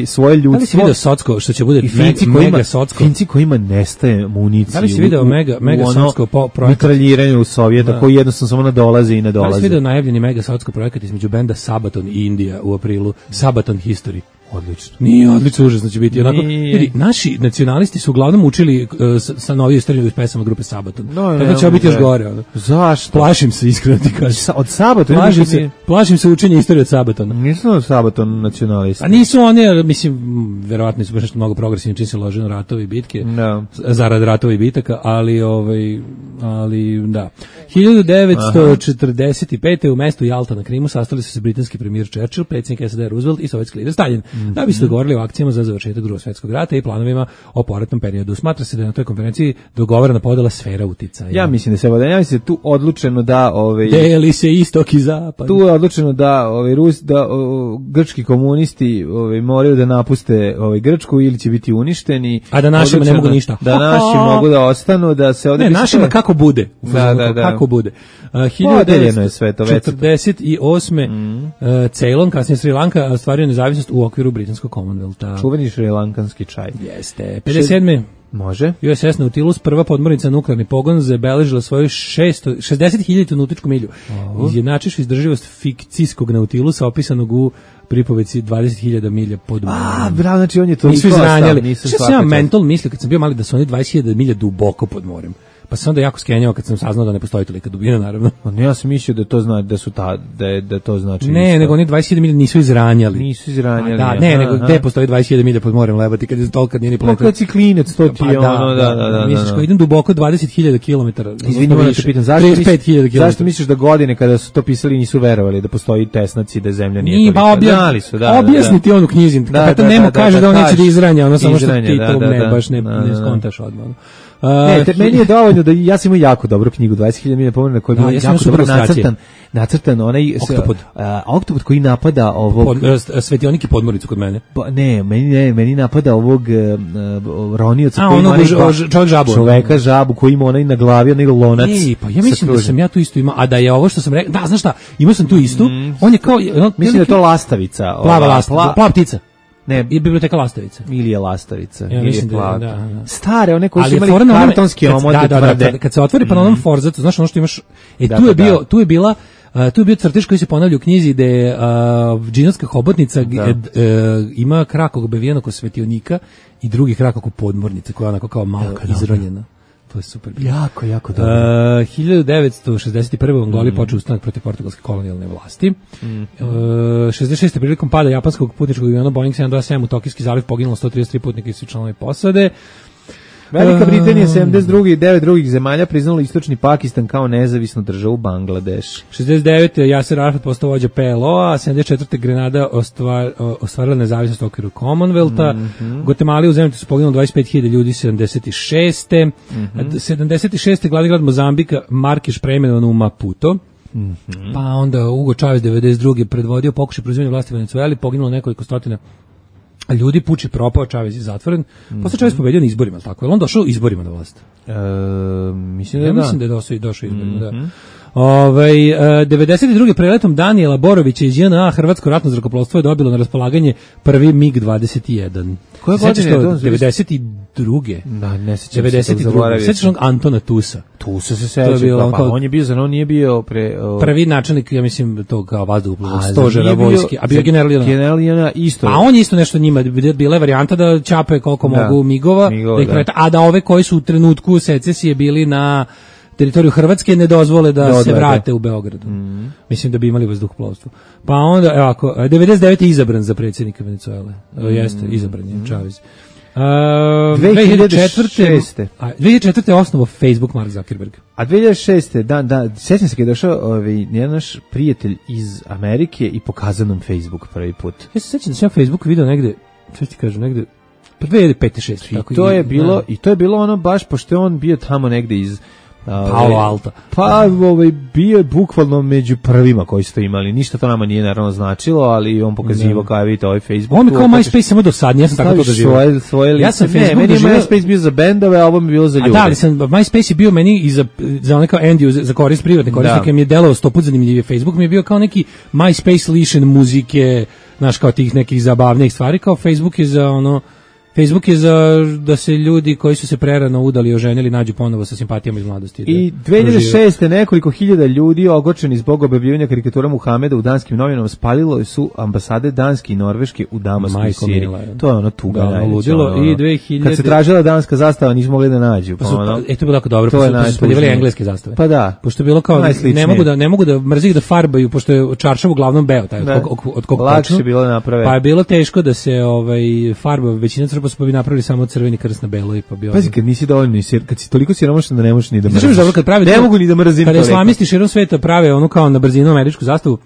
svoje ljudstvo. Da li si vidio Socko, što će bude mega Socko? Finci kojima nestaje municije. Da li si vidio mega Socko projekat? Mitraljiranju u Sovjeta, koji jednostavno samo nadolazi i nadolazi. Da li si vidio najavljeni mega Socko projekat između benda Sabaton i Indija u aprilu? Sabaton History. Odlično. Nije odlično, užasno će biti. Onako, vidi, naši nacionalisti su uglavnom učili sa novije strane pesama grupe Sabaton. Tako da će biti još gore. Ono. Zašto? Plašim se, iskreno ti kažem. Od Sabatona? Plašim se učenja istorije od Sabatona. Nisu od Sabaton nacionalisti. A nisu oni, mislim, verovatno su baš nešto mnogo progresivni, čim se lože na ratovi i bitke, zarad ratova i bitaka, ali da. 1945. u mestu Jalta na Krimu sastali su se britanski premijer Churchill, predsjednik SAD Roosevelt i sovjetski lider Stalin, da bi se dogovorili o akcijama za završetak Drugog svjetskog rata i planovima o povratnom periodu. Smatra se da je na toj konferenciji dogovorena podela sfera uticaja. Ja mislim da se tu odlučeno da deli se istok i zapad. Tu je odlučeno da grčki komunisti moraju da napuste Grčku ili će biti uništeni, a da našima ne mogu ništa. Da naši mogu da ostanu, da se ovde našima kako bude. Kako bude. 1948. Ceylon, kasnije Sri Lanka, ostvario nezavisnost u okviru britanskog Commonwealtha. Čuveni šrilankanski čaj. Jeste. 57. Može. USS Nautilus, prva podmornica nuklearni pogon, zabeležila svoju 60.000 nautičku milju. Izjednačivši izdrživost fikcijskog Nautilusa opisanog u pripovedci 20.000 milja podmornice. Bravo, znači on je to nisu izranjali. Što sam ja mental mislio kad sam bio mali da su oni 20.000 milja duboko pod morem. Pa sam onda jako skenjao kad sam saznao da ne postoji tolika dubina, naravno. Ja sam mislio da to znači da to znači. Ne, nego oni 20.000 milja nisu izranjali. Nisu izranjali. Da, ne, nego gde postoji 20.000 milja pod morem lebati kad je toliko nije ni poletio. Kad si klinec, to ti je ono, da. Misliš ko idem duboko 20.000 km. Izvini, moram te pitam, zašto misliš da godine kada su to pisali nisu verovali da postoji tesnac i da zemlja nije toliko? Objasni ti onu knjizi. Kad Nemo kaže da on neće da izranja, ono samo što ti to baš ne skontaš odmah. Meni je dovoljno da ja sam imao jako dobru knjigu 20.000 milja pomorena koja je bila jako dobro nacrtan onaj oktopod koji napada ovog svetionik i podmornicu kod mene. Meni napada ovog ronioca koji ima čoveka žabu koji ima onaj na glavi onaj lonac. Pa ja mislim da sam ja tu isto imao, a da je ovo što sam rekao, da znaš šta, imao sam tu istu. On je kao mislim da je to lastavica, plava ptica. Ne, i biblioteka Lastavica. Ili je Lastavica, ja ili je plava. Da. Stare, one koji su imali kartonski omot. Kad se otvori pa na onom forzatu, znaš ono što imaš, tu je bio crtež koji se ponavlja u knjizi gde je džinovska hobotnica ima krak obevijen oko svetionika i drugi krak oko podmornice koja je onako kao malo izronjena. To je super. Jako dobro. 1961. u Angoli počeo ustanak protiv portugalske kolonijalne vlasti. 66. prilikom pada japanskog putničkog aviona Boeing 727 u Tokijski zaliv poginulo 133 putnika i svi članovi posade. Velika Britanija 72. i 9 drugih zemalja priznalo istočni Pakistan kao nezavisnu državu Bangladeš. 69. Yasser Arafat postao vođa PLO-a, 74. Grenada ostvarila nezavisnost u okviru Commonwealtha. Guatemala u zemlji su poginulo 25.000 ljudi 76. 76. glavni grad Mozambika Markeš preimenovan u Maputo. Pa onda Hugo Chavez 92. predvodio pokušaj preuzimanja vlasti u Venezueli, poginulo nekoliko stotina ljudi, puč je propao, Chavez je zatvoren. Posle Chavez pobedio na izborima, tako je. On došao izborima na vlast. Mislim da je došao izborima, da. 92. preletom Danijela Borovića iz JNA Hrvatsko ratno zrakoplovstvo je dobilo na raspolaganje prvi MiG-21. Koje godine je to? 92. Da, ne sećam se. 92. Sećaš onog Antona Tusa? Tusa se seća, pa on je bio, on nije bio prvi načelnik, ja mislim, tog kao vazduhoplovnog stožera vojske, a bio general isto. A on je isto nešto njima, bila je varijanta da čape koliko mogu migova, a da ove koji su u trenutku secesije bili na teritoriju Hrvatske ne dozvole da se vrate u Beogradu. Mislim da bi imali vazduhoplovstvo. Pa onda, evo ako, 99. je izabran za predsjednika Venezuele. Jeste, izabran je Chavez. 2004. je osnovao Facebook Mark Zuckerberg. A 2006. Sjećam se kad je došao jedan naš prijatelj iz Amerike i pokazao nam Facebook prvi put. Ja se sjećam da sam Facebook video negde, što ti kažem, negde 2005-2006. I to je bilo ono baš, pošto je on bio tamo negde iz Palo Alto. Pa bio je bukvalno među prvima koji su to imali. Ništa to nama nije naravno značilo, ali on pokazivao kao vidite ovaj Facebook. On je kao MySpace samo dosadnije, ja sam tako to doživio. Ja sam Facebook meni je MySpace bio za bendove, a ovo mi je bilo za ljude. Da, ali MySpace je bio meni i za onaj kao end user, za korist privatne korisnike, mi je delovao 100 put zanimljivije. Facebook mi je bio kao neki MySpace lišen muzike, znaš, kao tih nekih zabavnih stvari, kao Facebook je za ono Facebook je za da se ljudi koji su se prerano udali i oženili nađu ponovo sa simpatijama iz mladosti. I 2006. nekoliko hiljada ljudi ogorčeni zbog objavljivanja karikatura Muhameda u danskim novinama spalilo su ambasade danske i norveške u Damasku i Siriji. To je ono tuga. Da, ludilo. I 2000... Kad se tražila danska zastava, nisu mogli da nađu. Pa to je bilo tako dobro, to su spaljivali engleske zastave. Pa da. Pošto je bilo kao, ne mogu da mrzih da farbaju, pošto je čaršav uglavnom beo, taj od kog lakše bilo da naprave. Pa je bilo teško da se farba, većina crkva su pa bi napravili samo crveni krst na belo i pa bi... Pazi, kad nisi dovoljno, kad si toliko siromašan da ne možeš ni da mrziš. Ne mogu ni da mrzim. Kada islamisti širom sveta prave ono kao na brzinu američku zastavu,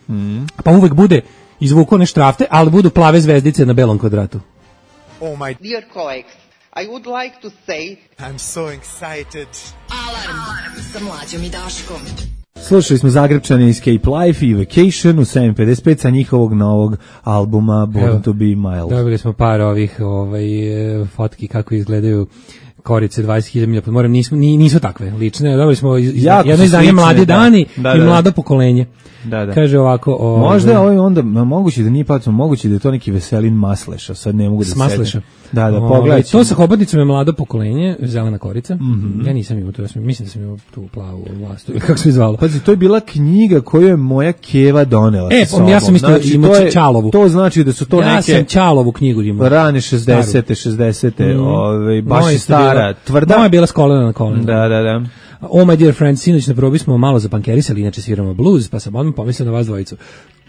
pa uvek bude izvuku one štrafte, ali budu plave zvezdice na belom kvadratu. Oh my dear colleagues, I would like to say I'm so excited. Alarm sa Mlađom i Daškom. Slušali smo Zagrebčane Escape Life i Vacation u 7.55 sa njihovog novog albuma Born to be Mild. Dobili smo par ovih fotki kako izgledaju korice 20.000 pod morem, nisu takve lične. Dobili smo jedno izdanje Mladi dani i Mlado pokolenje. Da. Kaže ovako... Možda je onda, moguće da nije pacom, moguće da je to neki Veselin Masleša, sad ne mogu da se Masleša. Da, pogledaj. To sa hobotnicom je Mlado pokolenje, zelena korica. Ja nisam imao to, mislim da sam imao tu plavu vlastu, kako se zvalo. Pazi, to je bila knjiga koju je moja keva donela sa sobom. Ja sam isto imao Čalovu. To znači da su to neke... Ja sam Čalovu knjigu imao. Rane 60. Baš je stara, tvrda. Moja je bila s kolena na kolena. Da. Oh my dear friends, sinoć na probi smo malo zapankerisali, inače sviramo blues, pa sam odmah pomislio na vas dvojicu.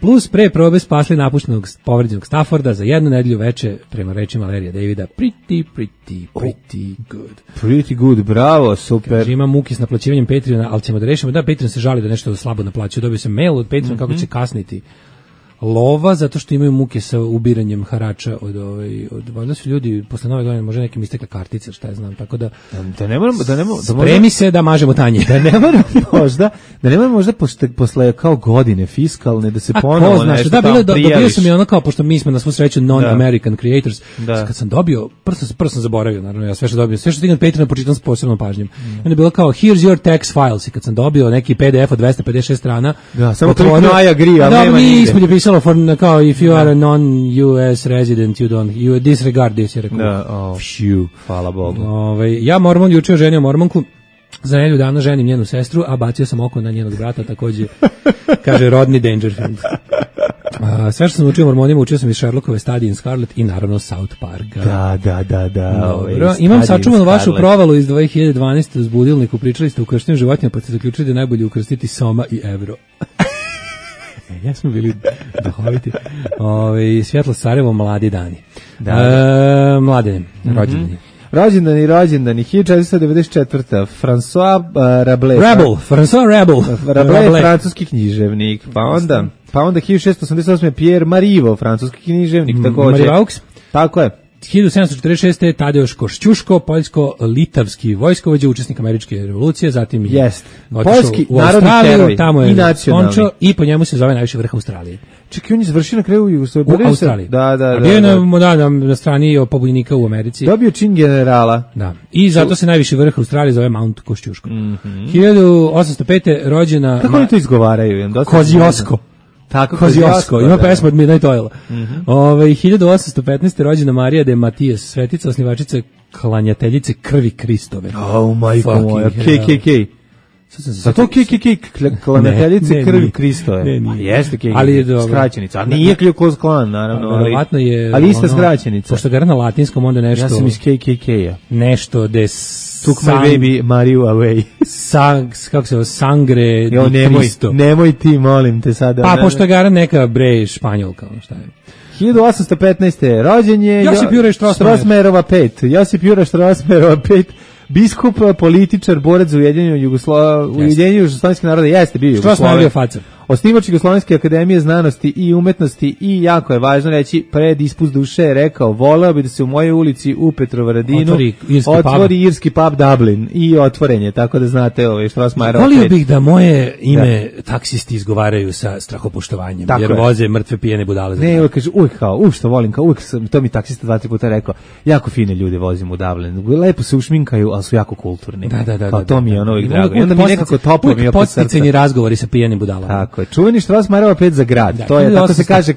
Plus pre probe spasli napuštenog povređenog Stafforda za jednu nedelju veče, prema rečima Larrya Davida, pretty good. Pretty good, bravo, super. Kaže, imam muki s naplaćivanjem Patreona, ali ćemo da rešimo. Da, Patreon se žali da nešto slabo naplaćuje. Dobio sam mail od Patreona kako će kasniti lova, zato što imaju muke sa ubiranjem harača od valjda su ljudi posle nove godine možda nekim istekle kartice, šta ja znam, tako da spremi se da mažemo tanje. Da ne moramo možda posle kao godine fiskalne da se ponovo nešto tamo prijaviš. Dobio sam i ono kao, pošto mi smo na svu sreću non-American creators, kad sam dobio, prvo sam zaboravio, naravno, ja sve što dobio, sve što stignem Patreon počitam s posebnom pažnjom. Onda je bilo kao, here's your tax files, i kad sam dobio neki PDF od 256 strana, samo to I agree, ali nema nigde. Kao if you are a non-US resident, you disregard this, je rekao. Hvala Bogu. Ja mormon juče ženio mormonku, za nedelju dana ženim njenu sestru, a bacio sam oko na njenog brata, takođe, kaže Rodney Dangerfield. Sve što sam učio mormonima, učio sam iz Sherlockove, Study in Scarlet i naravno South Parka. Da. Dobro, imam sačuvanu vašu provalu iz 2012. uz budilniku, pričali ste o ukrštenim životinjama, pa ste zaključili da je najbolje ukrstiti soma i evro. Ja smo bili duhoviti. Svjetlo Sarajevo, Mladi dani. Mladene, rođendani. Rođendani, 1494. François Rabelais. François Rabelais. Rabelais, francuski književnik. Pa onda 1688. Pierre Marivaux, francuski književnik, također. Marivaux? Tako je. 1746. Tadeusz Košćuško, poljsko-litavski vojskovođa, učesnik američke revolucije, zatim je poljski u Australiju, tamo je nacionalni i po njemu se zove najviši vrh Australije. Čekaj, on je završio na kraju u Australiji. Da. Bio je na strani pobunjenika u Americi. Dobio čin generala. Da. I zato se najviši vrh Australije zove Mount Košćuško. 1805. rođena... Kako oni to izgovaraju? Koziosko. Tako, Koziosko, ima pesma od Midnight Oil. 1815. rođena Marija de Matijas, svetica, osnivačica klanjateljice krvi Kristove. Majko moja, KKK. Zato KKK, klanjateljice krvi Kristove. Ne. Jeste KKK, ali skraćenica. A nije Kljukos klan, naravno. Ali ista skraćenica. Pošto ga na latinskom, onda nešto... Ja sam iz KKK-a. Nešto de... Took my baby Mariu away. Kako se ovo, sangre di Cristo. Nemoj ti, molim te sada. Pa, pošto ga neka španjolka, šta je. 1815. rođen je Josip Juraj Strossmayerova 5. Josip Juraj Strossmayerova 5. Biskup, političar, borac za ujedinjenje jugoslovenskih naroda, jeste bio Jugosloven. Osnivač Jugoslovenske akademije znanosti i umetnosti i jako je važno reći, pred ispust duše je rekao, voleo bi da se u mojoj ulici u Petrovaradinu otvori irski pub Dublin i otvoren je, tako da znate Strossmayerova 5. Volio bih da moje ime taksisti izgovaraju sa strahopoštovanjem, jer voze mrtve pijene budale. Ne, kaže, uvijek što volim, uvijek to mi taksista 2-3 puta rekao, jako fine ljude vozim u Dublin, lepo se ušminkaju, ali su jako kulturni. Da. To mi je ono uvijek drago. I onda mi nekako toplo mi je oko srca. Podsticajni razgovori sa pijenim budalama. Tako je. Čuveni Strossmayerova 5 za grad. Da, to je 1800. tako se kaže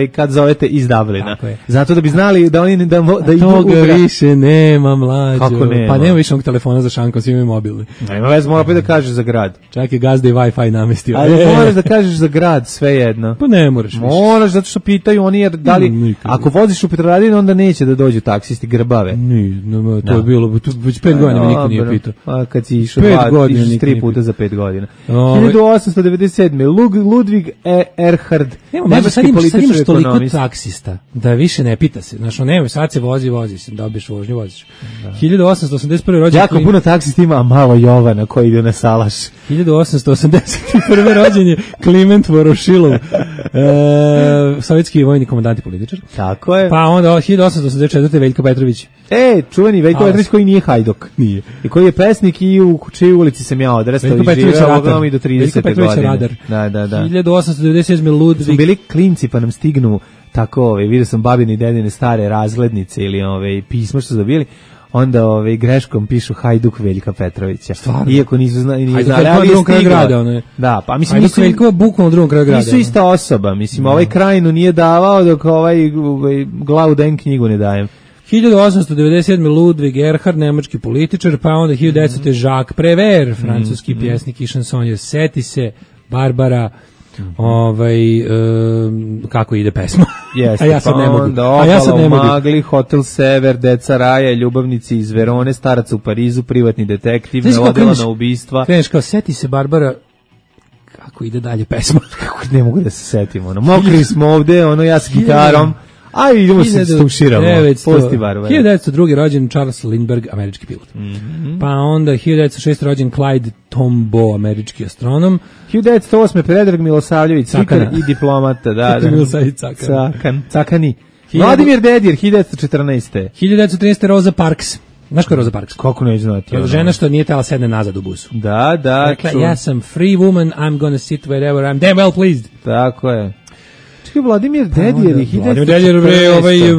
kad zovete iz Dublina. Zato da bi znali da oni da idu u toga grad. više nema, mlađo. Kako nema? Pa nema više onog telefona za šankom, svi imaju mobilni. Nema veze, mora opet da kažeš za grad. Čak je gazda i Wi-Fi namestio. Ali moraš da kažeš za grad, sve jedno. Pa ne moraš više. Moraš, zato što pitaju oni, jer da li, ako voziš u Petrovaradinu, onda neće da dođu taksisti grbave. To je bilo, već 5 godina me niko nije pitao. A kad si išao 3 puta za 5 godina. 1897. Ludvig Erhard, nemački političar i ekonomist. Toliko taksista da više ne pita se. Znaš, nema, sad se vozi, dobiješ vožnju, voziš. 1881. rođen... Jako puno taksista ima, a malo Jovana koji ide na salaš. 1881. rođen je Kliment Vorošilov, sovjetski vojni komandant i političar. Tako je. Pa onda 1884. Veljko Petrović. Čuveni Veljko Petrović koji nije hajduk. Nije. I koji je pesnik i u čijoj ulici sam ja odrastao i živeo i do 30. godine. Radar. Da. 1897. Ludvig. Smo bili klinci pa nam stignu tako, vidio sam babine i dedine stare razglednice ili pisma što su dobili. Onda greškom pišu Hajduk Veljka Petrovića. Stvarno? Iako nisu znali, ali je stigla. Da, pa mislim Hajduk Veljko je bukvalno u drugom kraju grada. Nisu ista osoba, mislim, ovaj Krajinu nije davao dok glavu dajem knjigu ne dajem. 1897. Ludvig Erhard, nemački političar, pa onda 1900. Jacques Prévert, francuski pjesnik i šansonjer. Seti se Barbara, kako ide pesma. Jeste, a ja sad ne mogu. Magli, Hotel Sever, Deca Raja, Ljubavnici iz Verone, Starac u Parizu, Privatni detektiv, Neodolana ubistva. Kreneš kao, seti se Barbara, kako ide dalje pesma. Kako ne mogu da se setim, mokri smo ovde, ja s gitarom. Aj, idemo se stuširamo. Pusti Barbara. 1902. rođen Charles Lindbergh, američki pilot. Pa onda 1906. rođen Clyde Tombaugh, američki astronom. 1908. Predrag Milosavljević, slikar i diplomata. Da. Cakani. Vladimir Dedijer, 1914. 1913. Rosa Parks. Znaš ko je Rosa Parks? Kako neću znati. Žena što nije tela sedne nazad u busu. Da. Rekla, ja sam free woman, I'm gonna sit wherever I'm damn well pleased. Tako je. Vladimir Dedijer je 1914. Vladimir Dedijer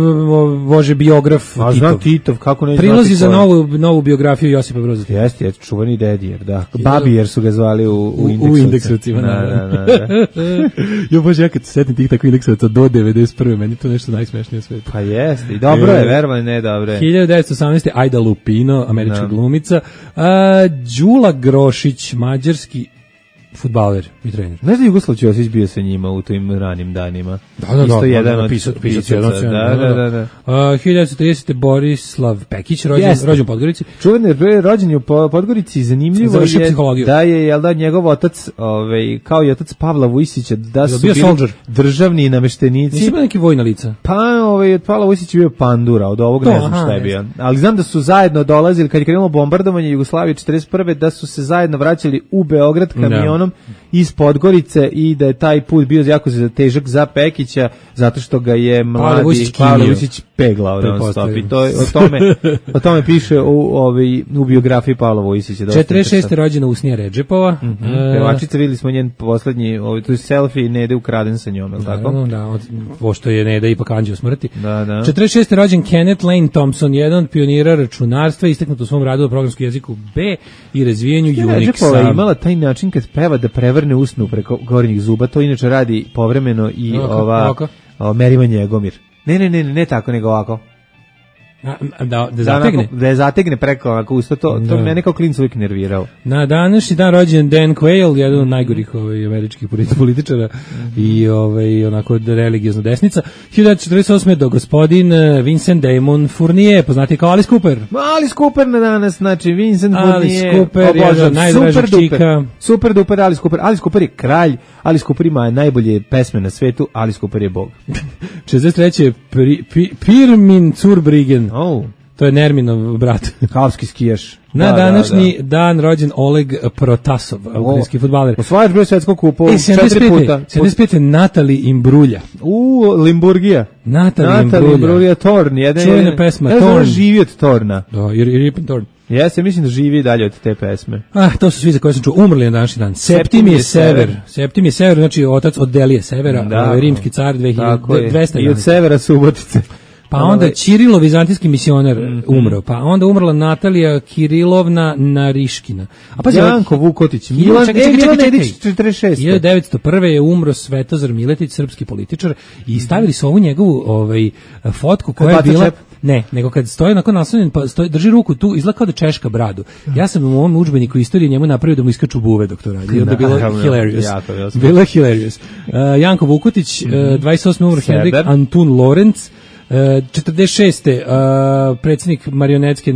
vože biograf Titov. Znam Titov, kako ne prilozi za novu biografiju Josipa Broza. Jeste, čuveni Dedijer, da. Babijer su ga zvali u indeksovcima. Da. Jo, bože, ja kad se setim tih takvih indeksovaca do 91. meni to nešto najsmešnije sve. Pa jeste, i dobro je, verovali, ne dobro je. 1918. Aida Lupino, američka glumica. Đula Grošić, mađarski fudbaler i trener. Ne znam, Jugoslav Ćosić bio sa njima u tim ranim danima. Da. Isto jedan od pisac. Da. 1930. Borislav Pekić, rođen u Podgorici. Čuven je rođen u Podgorici, zanimljivo je da je njegov otac, kao i otac Pavla Vujsića, da su bili državni nameštenici. Nisu bili neki vojna lica? Pa, od Pavla Vujsića bio pandura, od ovog ne znam šta je bio. Ali znam da su zajedno dolazili, kad je krenulo bombardovanje Jugoslavije 41. da su se zajedno vraćali u Beograd kamionom iz Podgorice i da je taj put bio jako težak za Pekića zato što ga je mladi Pavle Vujsić peglao non-stop i o tome piše u biografiji Pavla Vujsića. 46. rođena Usnija Redžepova. Pevačica, videli smo njen poslednji to je selfie Nede ukraden sa njom, je li tako? Da, pošto je Neda ipak anđeo smrti. Da. 46. rođen Kenneth Lane Thompson, jedan od pionira računarstva, istaknut u svom radu o programskom jeziku B i razvijenju Unixa. Redžepova je imala taj način kad peva da prevrne usnu preko gornjih zuba, to inače radi povremeno i Merivan Njegomir. Ne tako, nego ovako. Da zategne? Da je zategne preko ovako usta, to mene kao klinac uvijek nervirao. Na današnji dan rođen Dan Quayle, jedan od najgorih američkih političara i onako religijozna desnica. 1948. do gospodin Vincent Damon Fournier, poznati kao Alice Cooper. Alice Cooper na danas, znači Vincent Fournier. Alice Cooper, jedan od najdražih čika. Super duper Alice Cooper. Alice Cooper je kralj, Alice Cooper ima najbolje pesme na svetu, Alice Cooper je bog. 63. Pirmin Zurbriggen. To je Nerminov brat. Kalski skijaš. Na današnji dan rođen Oleg Protasov, ukrajinski fudbaler. Osvajač broj svetskog kupa 4 puta. 75. Natali Imbrulja. Limburgija. Natali Imbrulja, Torn. Čuvena pesma, Torn. Živi od Torna. Da, Rippin Torn. Ja se mislim da živi dalje od te pesme. To su svi za koje sam čuo. Umrli na današnji dan. Septimije Sever. Septimije Sever, znači otac od Delije Severa, rimski car 2200. I od Severa Subotice. Pa onda Ćirilo, vizantijski misioner, umro. Pa onda umrla Natalija Kirilovna Nariškina. A pa Janko Vukotić, Milan Nedić 46. 1901. je umro Svetozar Miletić, srpski političar, i stavili su ovu njegovu fotku koja je bila... Ne, nego kad stoji onako naslonjen, pa drži ruku tu, izgleda kao da češka bradu. Ja sam u ovom udžbeniku istorije njemu napravio da mu iskaču buve dok to radi. I onda je bilo hilarious. Bilo je hilarious. Janko Vukotić, 28. umro Henrik Antun Lorenz, 46. predsjednik marionetske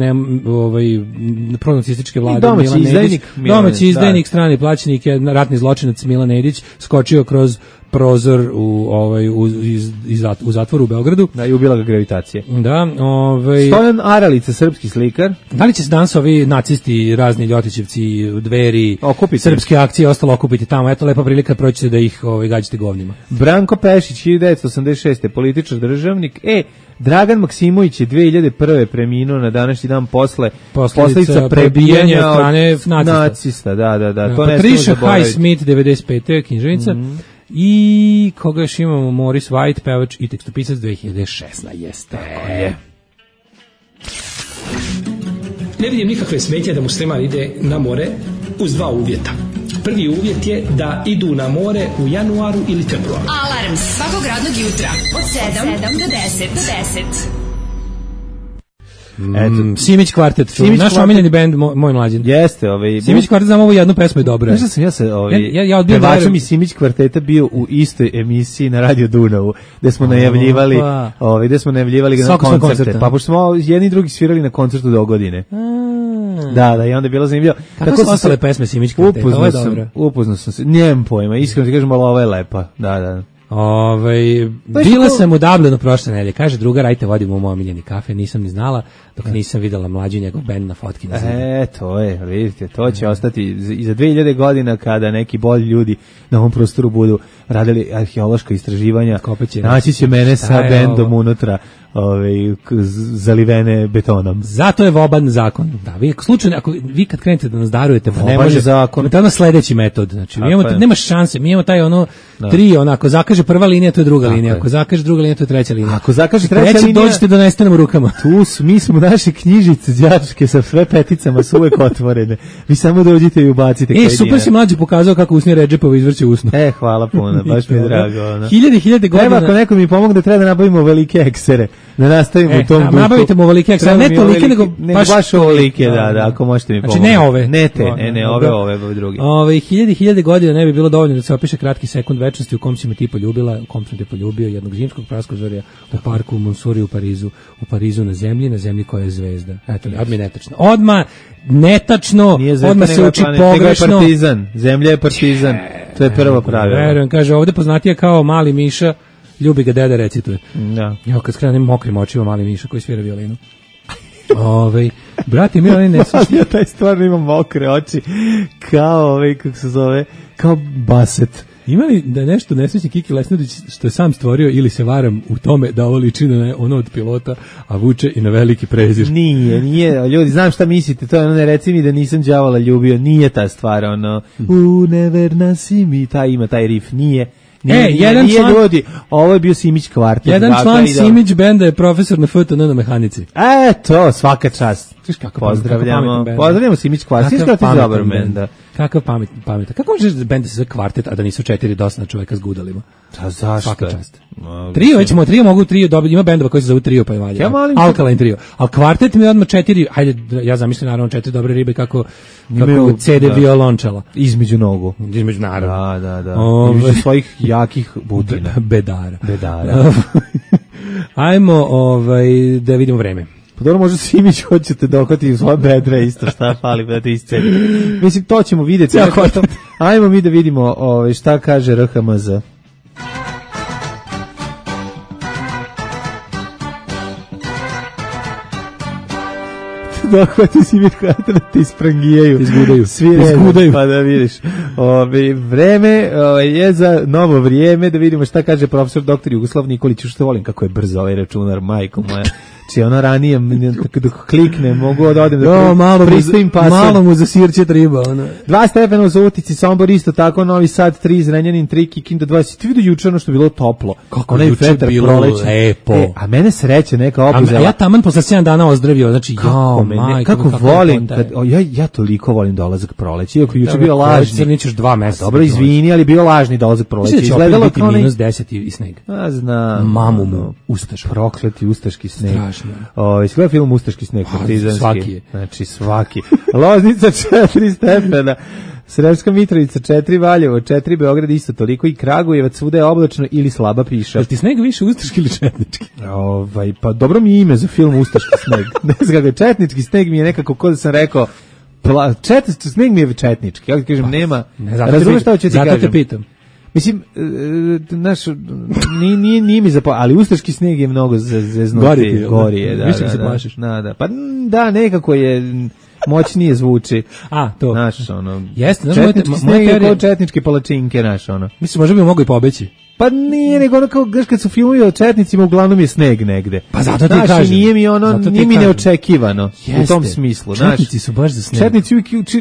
pronacističke vlade domaći izdajnik, strani plaćenik, ratni zločinac Milan Nedić skočio kroz prozor u zatvoru u Beogradu. Da, i ubila ga gravitacija. Da, Stojan Aralica, srpski slikar. Da li će se danas ovi nacisti, razni ljotićevci, Dveri, srpske akcije ostalo okupiti tamo? Eto, lepa prilika, proćete da ih gađate govnima. Branko Pešić, 1986. političar, državnik. Dragan Maksimović je 2001. preminuo na današnji dan posljedica prebijanja od strane nacista. Da. Patricia Highsmith, 95. književnica. I koga još imamo? Morris White, pevač i tekstopisac, 2016. Tako je. Ne vidim nikakve smetnje da musliman ide na more uz dva uvjeta. Prvi uvjet je da idu na more u januaru ili februaru. Alarm svakog radnog jutra od 7 do 10. Simić kvartet, naš omiljeni bend, moj mlađin. Jeste, Simić kvartet, znam ovu jednu pesmu je dobra. Znaš da sam ja pevačom i Simić kvarteta bio u istoj emisiji na Radio Dunavu, gde smo najavljivali na koncerte. Pa pošto smo jedni i drugi svirali na koncertu do godine. Da, i onda je bilo zanimljivo. Kako su ostale pesme Simić kvarteta? Ovo je dobro. Upoznao sam se, nemam pojma, iskreno ti kažem, ali ovo je lepa. Da. Bila sam u Dublinu prošle nedelje, kaže drugar, ajte vodimo u moj omiljeni kafe, nisam ni znala dok nisam videla mlađu njegov bend na fotki na zidu. To je, vidite, to će ostati i za 2000 godina kada neki bolji ljudi na ovom prostoru budu radili arheološka istraživanja, naći će mene sa bendom unutra, zalivene betonom. Zato je voban zakon. Da, vi kad krenete da nas darujete, pa ne može zakon. To je ono sledeći metod. Znači, nema šanse. Mi imamo taj tri, ako zakaže prva linija, to je druga linija. Ako zakaže druga linija, to je treća linija. Ako zakaže treća linija, dođete do nestanem rukama. Mi smo naše knjižice đačke sa sve peticama su uvek otvorene. Vi samo dođite i ubacite. Super si mlađi pokazao kako usnije Redžepova izvrće usnu. Hvala puno, baš mi je drago. Hiljade godina. Ako neko mi pomogne, treba da nabavimo velike eksere. Da nastavimo u tom duhu. Nabavite mu ovolike eksere, ne tolike, nego baš ovolike, da, ako možete mi pomoći. Znači ne ove. Ove drugi. 1000 godina ne bi bilo dovoljno da se opiše kratki sekund večnosti u kom si me ti poljubila, u kom sam te poljubio, jednog zimskog praskozorja u parku u Monsuri u Parizu na zemlji koja je zvezda. Eto, odmah netačno. Odmah se uči pogrešno. Zemlja je partizan. To je prvo pravilo. Verujem, kaže, ovde poznatija kao Mali Miša, ljubi ga deda, recituje. Da. Evo kad skrenem mokrim očima Mali Miša koji svira violinu. Brate, mi oni ne slušaju. Ja taj stvarno ima mokre oči kao kako se zove, kao Baset. Ima li da nešto nesrećni Kiki Lesnadić što je sam stvorio ili se varam u tome da ovo liči na ono od pilota, a vuče i na veliki prezir? Nije, ljudi, znam šta mislite, to je ne reci mi da nisam đavola ljubio, nije ta stvar, neverna si mi, ima taj rif, nije ljudi, ovo je bio Simić kvartet. Jedan član Simić benda je profesor na FTN na mehanici. To, svaka čast. Pozdravljamo Simić kvartet. Dobar benda. Kakav pametan. Kako možeš bend da se zove kvartet, a da nisu 4 dosna čoveka s gudalima? Zašto? Svaka čast. Trio mogu trio dobiti, ima bendova koji se zove trio pa je valja. Alkaline trio. Al kvartet mi je odmah 4, ajde, ja zamišljam naravno 4 dobre ribe kako CD violončela. Između nogu. Između naravno. Da. Između svojih jakih butina. Bedara. Ajmo da vidimo vreme. Pa dobro, možda Simić hoćete dohvati u svoje bedre isto šta fali da te isceli. Mislim, to ćemo vidjeti. Ajmo mi da vidimo šta kaže RHMZ. Dohvati Simić kvartet da te isprangijaju. Izgudaju. Pa da vidiš. Vreme je za novo vrijeme, da vidimo šta kaže profesor dr. Jugoslav Nikolić, što volim kako je brzo ovaj računar, majko moja. Či ono ranije, dok klikne, mogu da odem da pristavim pasor. Malo mu zasirće triba. 2 stepena u Subotici, Sombor isto tako, Novi Sad 3, Zrenjanin 3, Kikinda 20. Ti vidio juče ono što je bilo toplo. Kako juče bilo lepo. A mene sreće neka obuzela. A ja taman posle 7 dana ozdravio, znači kako volim, ja toliko volim dolazak proleća, iako juče bio lažni. Nećeš 2 meseca. Dobro, izvini, ali bio lažni dolazak proleća. Izgledalo kao -10 i sneg. A znam. Mamu mu, Ustaš. Prokleti ustaški sneg. Strašno. Izgleda film Ustaški sneg, partizanski. Svaki je. Znači, svaki. Loznica 4 stepena. Sremska Mitrovica 4, Valjevo 4, Beograd isto toliko i Kragujevac, svuda je oblačno ili slaba piša. Jel ti sneg više ustaški ili četnički? Pa dobro mi je ime za film Ustaški sneg. Ne znam kako, četnički sneg mi je nekako, ko da sam rekao, sneg mi je četnički, ja kažem, nema, razumeš šta hoću ti kažem? Zato te pitam. Mislim, naš, nije mi ali ustaški sneg je mnogo zeznuti. Gori je, da. Više se plašiš. Da. Pa da, nekako je moćnije zvuči. To. Naš, ono, jeste, četnički sneg je kao četničke palačinke, naš, ono. Mislim, možda bi mogo i pobeći. Pa nije, nego ono kao, kad su filmovi o četnicima, uglavnom je sneg negde. Pa zato ti kažem. Nije mi neočekivano u tom smislu. Četnici su baš za sneg.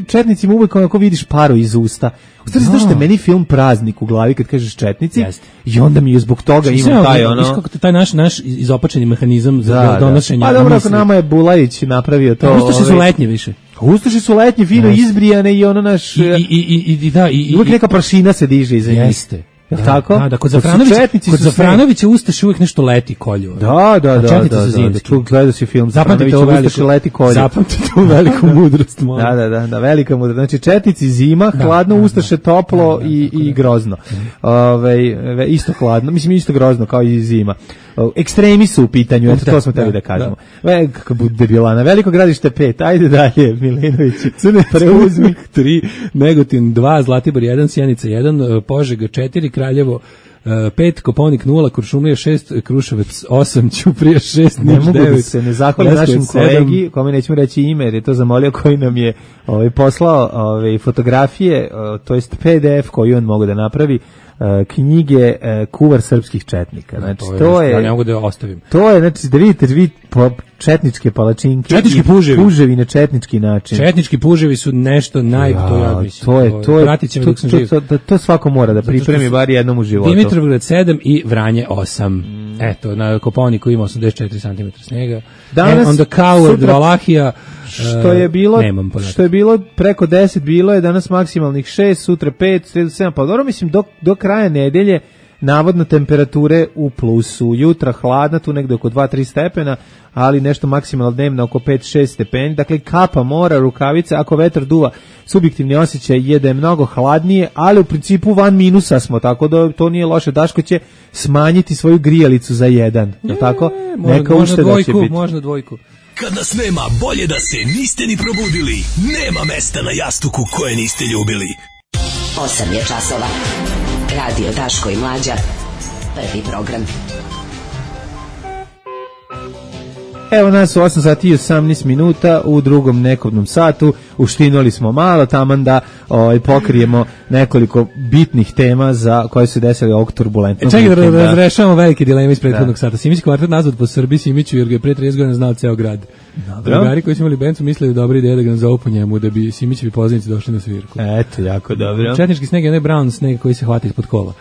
Četnicima uvek onako vidiš paru iz usta. Znaš što je meni film Praznik u glavi kad kažeš četnici i onda mi je zbog toga imam taj ono... Viš kako taj naš izopačeni mehanizam za donošenje... Pa dobro, ako nama je Bulajić napravio to... Ustaše su letnje više. Ustaše su letnje, fino izbrijane i ono naš... I uvijek neka prašina se diže iza njih. Jeste. Jel tako? Da, kod Zafranovića Ustaše uvijek nešto leti kolju. Da. Gledao si film Zafranovića, Ustaše leti kolju. Zapamtite tu veliku mudrost. Da, velika mudrost. Znači, četnici zima, hladno, Ustaše toplo i grozno. Isto hladno, mislim isto grozno kao i zima. Ekstremi su u pitanju, eto to smo teli da kažemo. Kako bude bilana. Veliko gradište 5, ajde dalje, Milenović. Preuzmi 3, Negotin 2, Zlatibor 1, Sjenica 1, Požega 4, Kraljevo 5, Koponik 0, Kuršumlija 6, Kruševac 8, Ćuprija 6, Niš 9. Ne mogu da se ne zahvalim našem kolegi, kome nećemo reći ime, jer je to zamolio, koji nam je poslao fotografije, to jest PDF koji on mogu da napravi, knjige Kuvar srpskih četnika. Znači, to je... Ja ne mogu da ostavim. To je, znači, da vidite četničke palačinke. Četnički puževi. Puževi na četnički način. Četnički puževi su nešto to svako mora da pripremi bar jednom u životu. Dimitrovgrad 7 i Vranje 8. Eto, na Koponiku ima 84 cm snega. Danas, onda Coward, Valahija, što je bilo preko 10, bilo je danas maksimalnih 6, sutra 5, sredu 7, pa dobro, mislim, do kraja nedelje navodno temperature u plusu, jutra hladna, tu negde oko 2-3 stepena, ali nešto maksimalno dnevno oko 5-6 stepeni, dakle kapa mora, rukavice, ako vetar duva, subjektivni osjećaj je da je mnogo hladnije, ali u principu van minusa smo, tako da to nije loše. Daško će smanjiti svoju grijalicu za 1, je tako? Neka ušteda će biti. Možda dvojku. Kad nas nema, bolje da se niste ni probudili. Nema mesta na jastuku koje niste ljubili. 8 je časova. Radio Daško i Mlađa. Prvi program. Evo nas u 8 sati i 18 minuta u drugom nekovnom satu. Uštinuli smo malo taman da pokrijemo nekoliko bitnih tema za koje se desili ovog turbulentnog vikenda. Čekaj da razrešavamo velike dileme iz prethodnog sata. Simić kvartet nazvat po Srbiji Simiću jer ga je pre 30 godina znao ceo grad. Drugari koji su imali bencu mislili da dobra ideja da ga nazovu po njemu da bi Simićevi poznanici došli na svirku. Eto, jako dobro. Četnički sneg je onaj brown sneg koji se hvata ispod kola.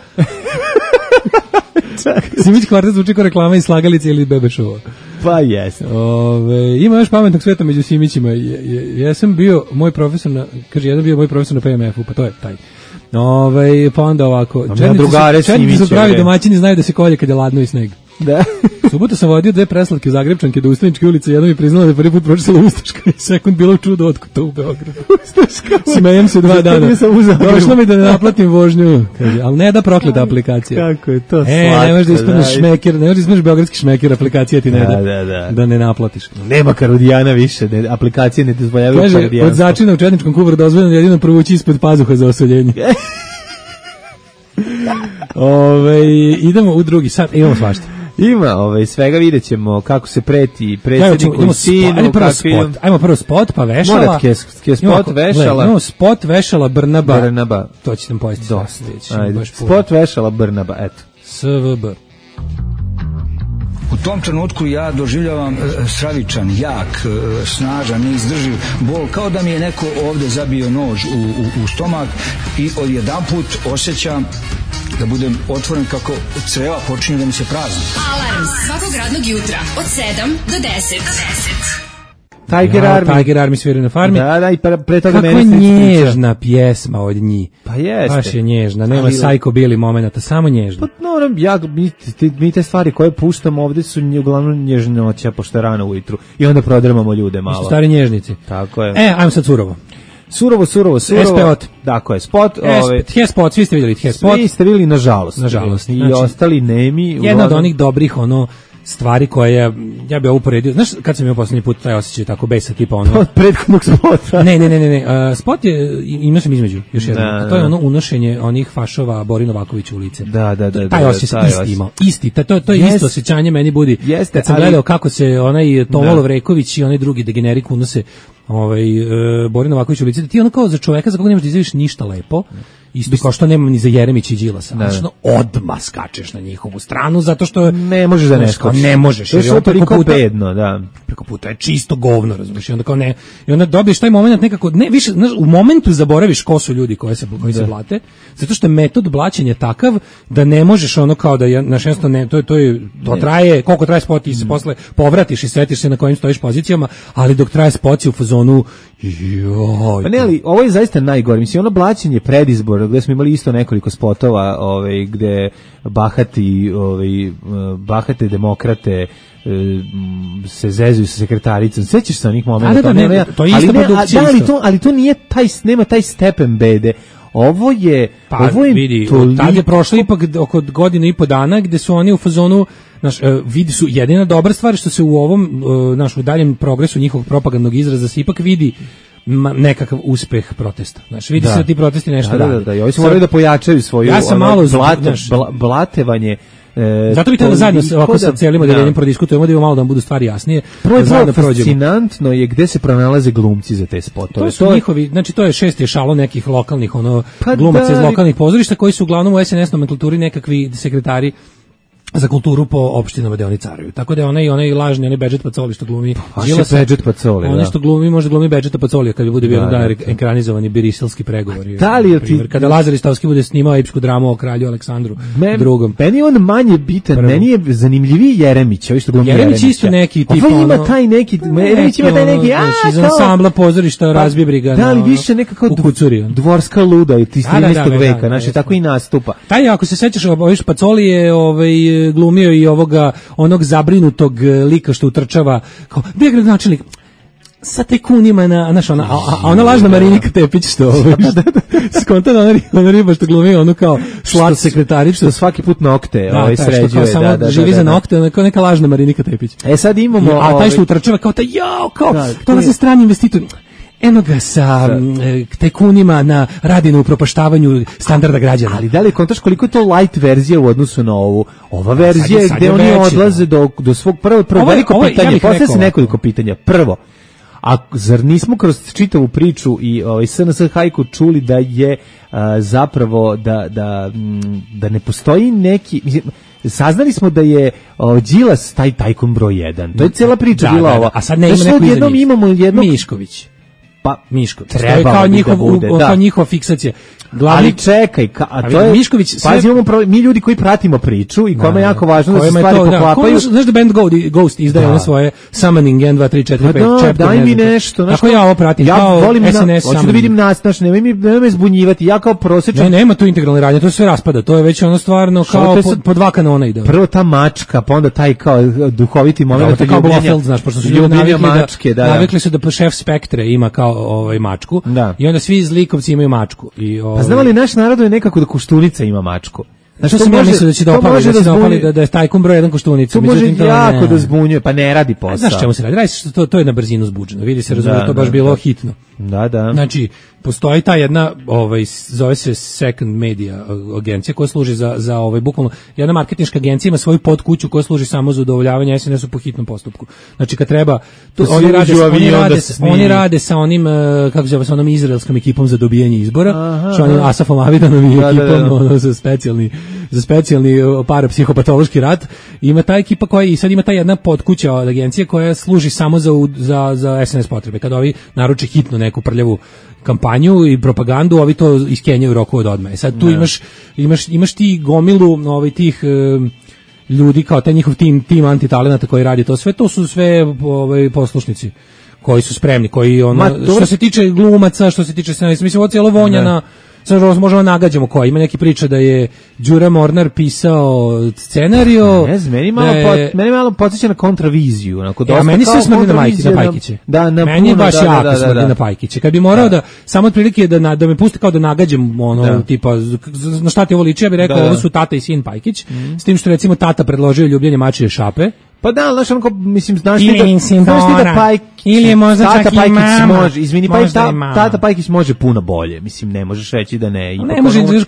Simić kvartet zvuči kao reklama iz Slagalice ili Bebešova. Pa jes. Ima još pametnog sveta među Simićima. Ja sam bio moj profesor na PMF-u, pa to je taj. Pa onda ovako. Četnici su pravi domaćini, znaju da se kolje kad je ladno i sneg. Da. Subotu sam vodio 2 preslatke Zagrebčanke do Ustaničke ulice, jedna mi priznala da je prvi put pročitala Ustaška i sekund bilo čudo otkud to u Beogradu. Ustaška. Smejem se 2 dana. Došlo mi da ne naplatim vožnju, kaže, ali ne da prokleta aplikacija. Kako je to slatko. Ne možeš da ispadneš šmeker, ne možeš da ispadneš beogradski šmeker, aplikacija ti ne da ne naplatiš. Nema Karodijana više, aplikacije ne dozvoljavaju Karodijanstvo. Kaže, od začina u Četničkom Kuvaru dozvoljeno jedino provući ispod pazuha za osoljenje. Idemo u drugi sat, imamo svašta. Ima, svega vidjet ćemo kako se preti predsjedniku i sinu. Ajmo prvo spot, pa Vešala. Morat spot Vešala. Imamo spot Vešala Brnaba. To će nam pojesti. Dosta. Spot Vešala Brnaba, eto. SVB. U tom trenutku ja doživljavam stravičan, jak, snažan, neizdrživ bol, kao da mi je neko ovde zabio nož u stomak i odjedanput osjećam da budem otvoren kako creva počinju da mi se prazni. Alarm svakog radnog jutra od 7 do 10. Tiger Army sviraju na farmi. Da, i pre toga kako je nježna pjesma od njih. Pa jeste. Baš je nježna, nema Psycho Billy momenata, samo nježna. Pa mi te stvari koje puštamo ovde su uglavnom nježnoća, pošto je rano ujutru. I onda prodrmamo ljude malo. Stari nježnici. Tako je. Ajmo sad surovo. Surovo. SPOT. Tako je, spot. Spot, svi ste vidjeli spot. Svi ste vidjeli, nažalost. Nažalost. I ostali nemi. Jedna od onih dobrih, stvari koje ja bih uporedio. Znaš, kad sam imao poslednji put taj osjećaj tako besa, tipa od prethodnog spota. Ne. Spot je, imao sam između, još jedno. A to je unošenje onih fašova Boris Novaković u lice. Da. Taj osjećaj se isti imao. Isti, to je isto osjećanje meni budi. Kad sam gledao kako se onaj Tomo Lovreković i onaj drugi degenerik unose Boris Novaković u lice, ti kao za čoveka za koga nemaš da izjaviš ništa lepo, isto kao što nemam ni za Jeremića i Đilasa, znači odmah skačeš na njihovu stranu zato što ne možeš da ne skačeš. Ne možeš, jer je toliko bedno, da. Preko puta je čisto govno, razumiješ, i onda kao ne, i onda dobiješ taj moment nekako, ne više, znaš, u momentu zaboraviš ko su ljudi koji se blate, zato što je metod blaćenja takav da ne možeš kao da naš jednostavno ne, to traje, koliko traje spot, ti se posle povratiš i setiš se na kojim stojiš pozicijama, ali dok traje spot si u fazonu pa ne, ali ovo je zaista najgore. Mislim, ono blaćenje predizbora, gde smo imali isto nekoliko spotova, gde bahate demokrate se zezuju sa sekretaricom. Sećaš se onih momenta? To je isto produkcija. Ali to nije nema taj stepen bede. Ovo je vidi, tad je prošlo ipak oko godinu i po dana gde su oni u fazonu, vidi su jedina dobra stvar što se u ovom u daljem progresu njihovog propagandnog izraza se ipak vidi nekakav uspeh protesta. Vidi se da ti protesti nešto rade. Da, i ovi su morali da pojačaju svoju blatevanje. Zato bi trebalo zajedno ovako sa cijelim odeljenjem prodiskutujemo da malo da vam budu stvari jasnije. Prvo fascinantno je gde se pronalaze glumci za te spotove. To su njihovi, znači to je šesti ešalo nekih lokalnih glumaca iz lokalnih pozorišta koji su uglavnom u SNS nomenklaturi nekakvi sekretari za kulturu po opštinama gde oni caruju. Tako da je onaj lažni, onaj Bedžet Pacoli što glumi Đilasa. Bedžet Pacoli, ono što glumi, možda glumi Bedžeta Pacolija kad bude bio dan ekranizovani biriselski pregovori. Kada Lazar Istovski bude snimao epsku dramu o kralju Aleksandru II. Meni on manje bitan, meni je zanimljiviji Jeremić, što glumi Jeremić isto neki tip. Ovo ima taj neki, Jeremić ima taj neki, iz ansambla pozorišta razbije briga. Da li više nekako dvorska luda iz 13. veka, znači tako i nastupa. Taj, ako se sećaš, Pacoli je glumio i onog zabrinutog lika što utrčava kao bio gradonačelnik sa tajkunima ona lažna Marinika Tepić što skontano ona riba što glumi ono kao slat sekretarić što svaki put nokte sređuje samo živi za nokte kao neka lažna Marinika Tepić. Sad imamo a taj što utrčava kao to je strani investitor. Eno ga sa tajkunima radi na upropaštavanju standarda građana. Ali da li kontaš koliko je to light verzija u odnosu na ovu? Ova verzija je gde oni odlaze do svog prvo veliko pitanje, postavlja se nekoliko pitanja. Prvo, a zar nismo kroz čitavu priču i SNS hajku čuli da je zapravo da ne postoji neki... Saznali smo da je Đilas taj tajkun broj 1. To je cijela priča bila ova. A sad ne ima neko iza njih. Imamo jednog... Mišković. Mišković. Treba kao njihova fiksacija. Ali čekaj, to je Mišković. Mi ljudi koji pratimo priču i kome je jako važno da se stvari poklapaju. Znaš da band Ghost izdaje one svoje summoning 1, 2, 3, 4, 5. Daj mi nešto. Tako ja ovo pratim. Ja volim SNS. Hoću da vidim nas, nemoj me zbunjivati. Ja kao prosječan. Nema tu integralne radnje, to sve raspada. To je već ono stvarno kao po dva kanona ide. Prvo ta mačka, pa onda taj kao duhoviti moment. Kao Blofeld, znaš, pošto su ljudi navikli su da šef Spektre ima kao mačku i onda svi zlikovci imaju mačku. Pa znamo li naš narod je nekako da Koštunica ima mačku? Znači, sam ja mislio da će dopali da je tajkun broj 1 Koštunica. To može jako da zbunjuje, pa ne radi posao. Znaš čemu se radi? To je na brzinu zbuđeno. Vidi se, razumije, to baš bilo hitno. Da. Znači, postoji ta jedna, zove se Second Media agencija koja služi za bukvalno, jedna marketinška agencija ima svoju podkuću koja služi samo za udovoljavanje SNS-u po hitnom postupku. Znači, kad treba, oni rade sa onim, kako se zove, sa onom izraelskom ekipom za dobijanje izbora, što onim Asafom Avidanom i ekipom, sa specijalni za specijalni parapsihopatološki rat, ima ta ekipa koja i sad ima ta jedna podkuća od agencije koja služi samo za SNS potrebe. Kada ovi naruče hitno neku prljavu kampanju i propagandu, ovi to iskenjaju roku od odmah. Sad tu imaš ti gomilu tih ljudi kao taj njihov tim antitalenata koji radi to sve, to su sve poslušnici koji su spremni, koji što se tiče glumaca, što se tiče scenarista, mislim ovo cijelo vonja na sad možemo nagađamo koja. Ima neki priča da je Đura Mornar pisao scenario. Ne znam, meni malo podsjeća na kontraviziju. A meni se smrdi na Pajkiće. Meni je baš jako smrdi na Pajkiće. Kad bi morao da, samo otprilike da me pusti kao da nagađam tipa, na šta ti ovo liči, ja bih rekao, ovo su tata i sin Pajkić, s tim što recimo tata predložio ljubljenje mačije šape. Pa da, znaš, onako, mislim, znaš ti da Pajkić, ili je možda čak i mama. Može, izvini, tata Pajkić može puno bolje, mislim, ne možeš reći da ne. Ne može, znaš,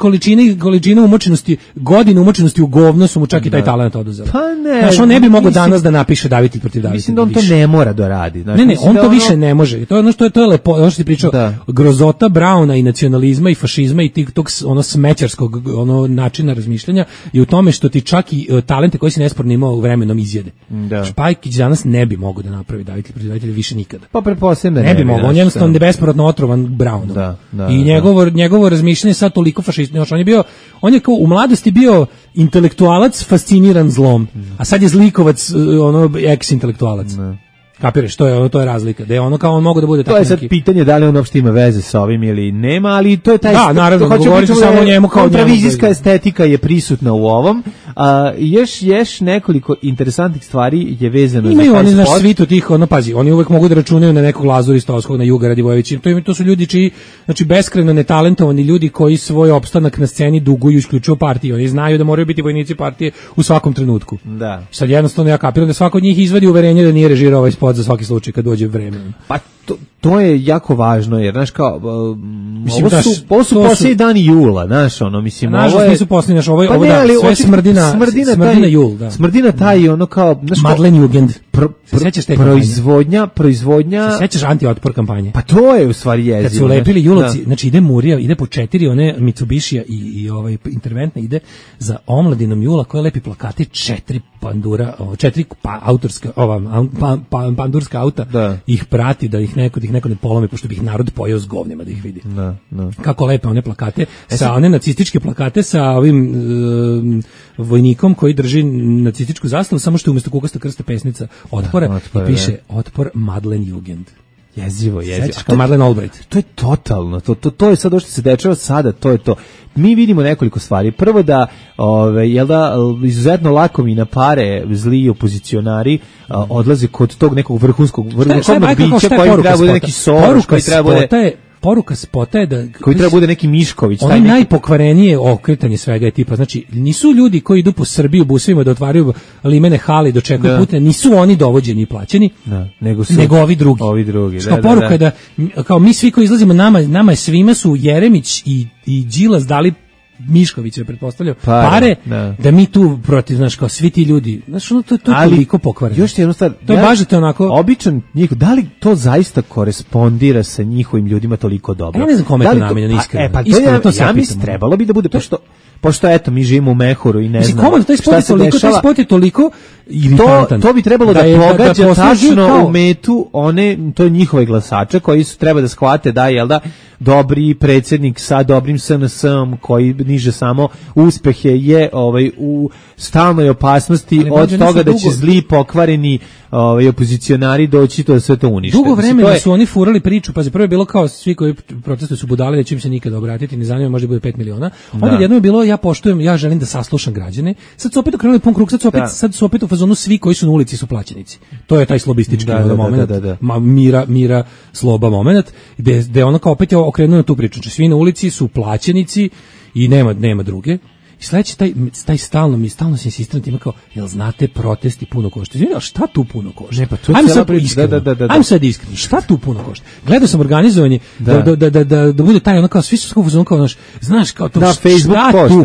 količina umočenosti, godine umočenosti u govno su mu čak i taj talent oduzeli. Pa ne. Znaš, on ne bi mogao danas da napiše Davitelj protiv Davitelja. Mislim da on to ne mora da radi. Ne, on to više ne može. To je ono što je lepo, ono što ti pričao, grozota Brauna i nacionalizma i fašizma i tog smećarskog načina razmišljanja je u tome što ti čak i talente koji si nesporno imao vremenom izjede. Pajkić danas ne bi mogao da napravi Davitelj protiv Davitelja više nikada. Pa pretpostavljam da ne bi mogao. On je jednostavno bespovratno otrovan Brownom. I njegovo razmišljanje sad toliko fašistično. On je kao u mladosti bio intelektualac fasciniran zlom, a sad je zlikovac, ex-intelektualac. Kapiraš, to je razlika. Da je ono kao on mogu da bude tako. To je sad pitanje da li on uopšte ima veze sa ovim ili nema, ali to je taj. Da, naravno, govorite samo o njemu kao kontravizijska estetika je prisutna u ovom. Još nekoliko interesantnih stvari je vezano. Imaju oni naš svitu tih, pazi, oni uvek mogu da računaju na nekog Lazura Stovskog, na Juga Radivojevića. To su ljudi čiji, znači beskrajno netalentovani ljudi koji svoj opstanak na sceni duguju isključivo partiji. Oni znaju da moraju biti vojnici partije u svakom trenutku. Da. Sad jednostavno ja kapiram da svako od njih izvadi uverenje da nije režirao ovaj spot za svaki slučaj kad dođe vreme. Pa to je jako važno, jer znaš kao ovo su posljednji dani jula, znaš, mislim, ovo je nisu posljednji, znaš, ovo sve smrdina jul, da. Smrdina taj ono kao, znaš, Madlenjugend. Sećaš te proizvodnja. Sećaš anti-otpor kampanje? Pa to je u stvari jezivo. Kad su lepili julovci, znači ide Murija, ide po 4 one Mitsubishija i interventna ide za omladinom jula koja lepi plakati 4 pandura, 4 autorska, pandurska auta, ih prati da ih neko ne polomi, pošto bi ih narod pojeo s govnima da ih vidi. Kako lepe one plakate, sa one nacističke plakate sa ovim vojnikom koji drži nacističku zastavu, samo što je umjesto kukasta krsta pesnica otpora i piše Otpor Madlenjugend. Jezivo. Sećaš kao Madeleine Albright. To je totalno, to je sad što se dešava sada, to je to. Mi vidimo nekoliko stvari. Prvo da, izuzetno lakomina pare, zli opozicionari odlaze kod tog nekog vrhunskog bića koji treba bude neki Soros, koji treba bude... Poruka spota je da koji treba bude neki Mišković, taj najpokvarenije okretanje svega je tipa, znači nisu ljudi koji idu po Srbiji u busevima da otvaraju limene hale i dočekuju putne, nisu oni dovođeni i plaćeni, nego ovi drugi. Što poruka je da kao mi svi koji izlazimo, nama je svima su Jeremić i Đilas dali Miškovića, pretpostavljao, pare da mi tu protiv, znaš, kao svi ti ljudi, znaš, to je toliko pokvareno. Još jednu stvar, to je bažete onako... Običan njih, da li to zaista korespondira sa njihovim ljudima toliko dobro? Ja ne znam kome je to namenjeno, iskreno. Ja mislim, trebalo bi da bude, pošto eto, mi živimo u mehuru i ne znam taj spot je toliko iritantan. To bi trebalo da pogađa tačno u metu to je njihove glasače koji su treba da shvate da, jel da, dobri predsjednik sa dobrim SNS-om koji niže samo uspehe je u stalnoj opasnosti od toga da će zli pokvareni opozicionari doći to da sve to unište. Dugo vremena su oni furali priču, pa prvo je bilo kao svi koji protestuju su budali, da će im se nikada obratiti, ne zanima, možda bude 5 miliona. Onda jedno je bilo, ja poštujem, ja želim da saslušam građane. Sad su opet okrenuli pun krug, sad su opet u fazonu svi koji su na ulici su plaćenici. To je taj slobistički moment, mira, sloba moment, gde ono kao opet je okrenuo na tu priču. Znači, svi na ulici su plaćenici i nema druge. I sledeći taj stalno se insistira ima kao, jel znate, protesti puno košta. Znači, šta tu puno košta? Ajmo sad iskreno. Šta tu puno košta? Gledao sam organizovanje da bude taj ono kao, svi su kao, znaš kao to, da, Facebook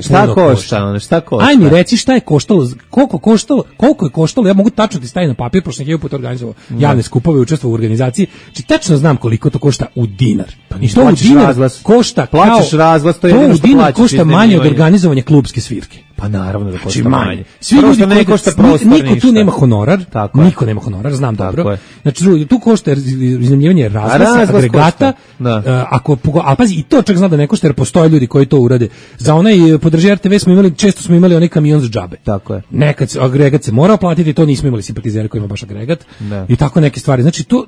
šta košta? Aj mi reci šta je koštalo, koliko je koštalo, ja mogu tačno ti staviti na papir, pošto sam 1000 puta organizovao javne skupove, učestvovao u organizaciji, znači tačno znam koliko to košta u dinar. I to u dinar košta, plaćaš razglas, to je jedino što plaćaš. Košta manje od organizovanja klubske svirke. Pa naravno da košta znači, manje. Svi ljudi ne košta prostor, niko tu nema honorar, tako niko nema honorar, znam tako dobro. Je. Znači tu košta iznajmljivanje razglasa, agregata, a pazi i to čak zna da ne košta jer postoje ljudi koji to urade. Za onaj podrži RTV često smo imali onaj kamion za džabe. Tako je. Nekad agregat se morao platiti, to nismo imali simpatizere koji ima baš agregat. I tako neke stvari. Znači to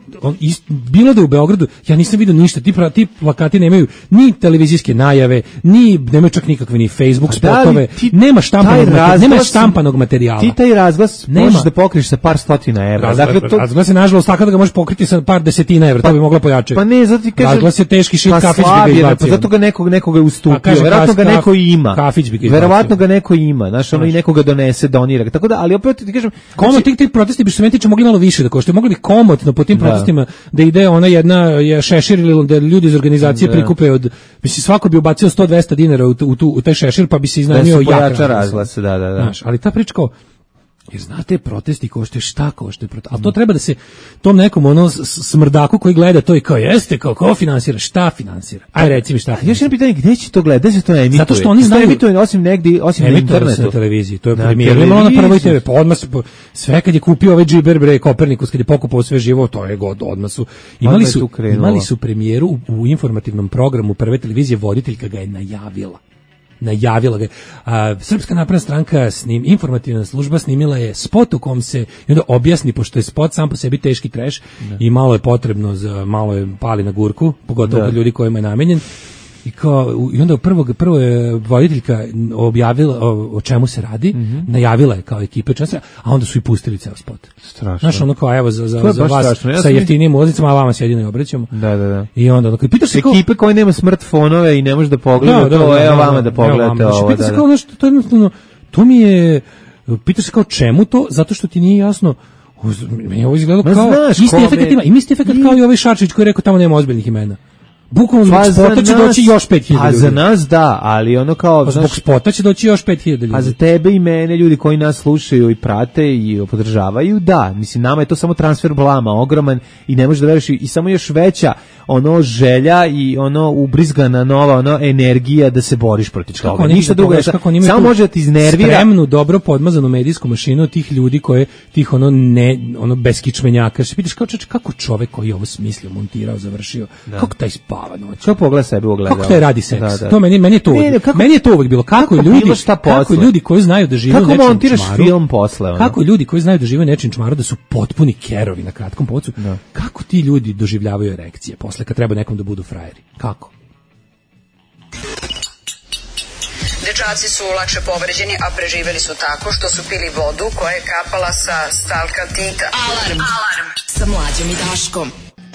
bilo da u Beogradu ja nisam vidio ništa. Ti plakati nemaju ni televizijske najave, ni nemaju čak nikakve ni Facebook spotove. Nema štampanog materijala. Ti taj razglas možeš da pokriješ sa par stotina evra. Razglas je nažalost tako da ga možeš pokriti sa par desetina evra, to bi mogla pojačati. Pa ne, zato ti kažem. Razglas je teški šit, kafić bi ga izbacio. Pa zato ga nekoga ustupio. Verovatno ga neko ima. Kafić bi ga izbacio. Verovatno ga neko ima. Znaš, ono i nekoga donese, donira. Tako da, ali opet ti kažem, ti protesti bi što se meni tiče mogli malo više da koštaju. Mogli bi komotno po tim protestima da ide ona jedna šešir ili da ljudi iz organizacije prikupe od, mislim svako bi ubacio 100-200 dinara u taj šešir pa bi se iznajmio jak razglas. Da. Znaš, ali ta priča kao, jer znate, protesti koštaju, šta koštaju protesti, ali to treba da se tom nekom ono smrdaku koji gleda to i kao jeste, kao ko finansira, šta finansira, aj reci mi šta finansira. Još jedno pitanje, gde će to gledati, gde se to emituje? Zato što oni znaju, emituje osim negdje, osim na internetu. Na televiziji, to je premijerno malo na Prvoj TV, pa odmah sve kad je kupio ovaj Džiber bre Kopernikus, kad je pokupao sve živo, to je god, odmah su imali su premijeru u informativnom programu Prve televizije, voditeljka ga je najavila ga. Srpska napredna stranka informativna služba snimila je spot u kom se i onda objasni, pošto je spot sam po sebi teški trash i malo je potrebno malo je pali na gurku, pogotovo kod ljudi kojima je namenjen. I onda prvo je voditeljka objavila o čemu se radi, najavila je kao ekipe časa, a onda su i pustili ceo spot. Strašno. Znaš, ono kao, evo, za vas sa jeftinijim ulaznicama, a vama se jedino obraćamo. Da. I onda, ono, pitaš se kao... Ekipe koje nema smartfonove i ne može da pogleda to, evo vama da pogledate ovo. Pitaš se kao, nešto, to je jednostavno, to mi je... Pitaš se kao čemu to, zato što ti nije jasno... Meni ovo izgledalo kao... Isti efekt kao i ovaj Šarčević koji je rekao tamo nema ozbiljnih imena. Bukvalno zbog spota će doći još 5.000 ljudi. A za nas da, ali ono kao... Zbog spota će doći još 5.000 ljudi. A za tebe i mene, ljudi koji nas slušaju i prate i podržavaju, da. Mislim, nama je to samo transfer blama, ogroman i ne možeš da veruješ i samo još veća ono želja i ono ubrizgana nova ono energija da se boriš protiv toga. Ništa drugo, samo može da ti iznervira. Spremnu, dobro podmazanu medijsku mašinu tih ljudi koje, tih ono beskičmenjaka. Se pitaš kako čovek koji ovo smislio, montirao, završio, kako taj spava noć. Kako pogleda sebe ogledalo. Kako taj radi seks. To meni je to. Meni je to uvek bilo kako ljudi koji znaju da žive u nečem čmaru. Kako montiraš film posle ono? Kako ljudi koji znaju da žive u nečem čmaru da su potpuni kerovi na kratkom pocu. Kako ti ljudi doživljavaju erekcije posle kad treba nekom da budu frajeri? Kako? Dečaci su lakše povređeni, a preživeli su tako što su pili vodu koja je kapala sa stalkatita. Alarm sa Mlađom i Daškom.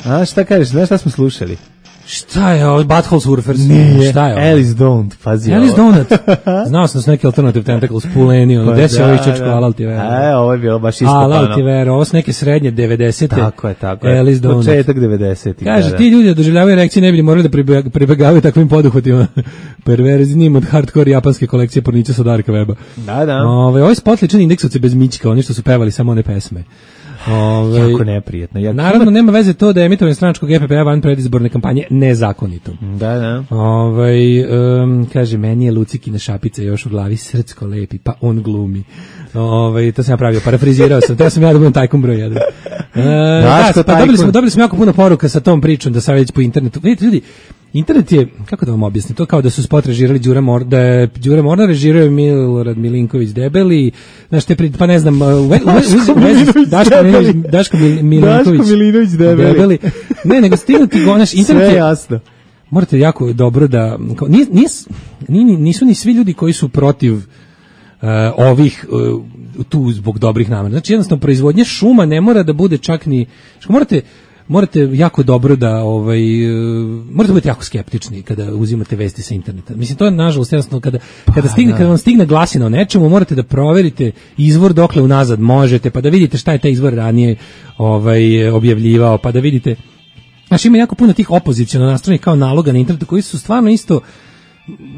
A šta kažeš, znaš šta smo slušali? Šta je ovo? Butthole Surfers? Nije, šta je ovo? Alice Don't, pazi Alice Donut. Znao sam da su neki Alternative Tentacles puleni, gde se ovi čočko, alal ti vera. Ovo je bilo baš ispopano. Alal ti vera, ovo su neke srednje 90-te. Tako je. Alice Donut. Početak 90-ih. Kaže, ti ljudi da doživljavaju erekcije ne bi morali da pribegavaju takvim poduhvatima perverznim od hardcore japanske kolekcije pornića sa Darka Weba. Da. Ovaj spot ličan indeksovci bez mićka, oni što su pevali samo one pesme. Jako neprijetno. Naravno, nema veze to da je emitovanje stranačkog GPP-a van predizborne kampanje nezakonito. Da. Kaže, meni je Lucikina šapica još u glavi srcko lepi, pa on glumi. To sam ja pravio, parafrizirao sam, to sam ja da budem tajkom broj 1. Dobili smo jako puno poruka sa tom pričom da sam već po internetu. Vidite, ljudi, internet je, kako da vam objasnim, to kao da su spot režirali da je Đure Mornar režirao Milorad Milinković Debeli, znaš te, pa ne znam, Daško Milinović Debeli. Ne, nego stignuti go, naš internet je... Sve jasno. Morate jako dobro da... Nisu ni svi ljudi koji su protiv ovih tu zbog dobrih namera. Znači jednostavno proizvodnja šuma ne mora da bude čak ni... Morate jako dobro da morate biti jako skeptični kada uzimate vesti sa interneta. Mislim, to je nažalost jednostavno kada vam stigne glasina o nečemu, morate da proverite izvor dokle unazad možete, pa da vidite šta je taj izvor ranije objavljivao, pa da vidite. Znači, ima jako puno tih opoziciono nastrojenih kao naloga na internetu koji su stvarno isto,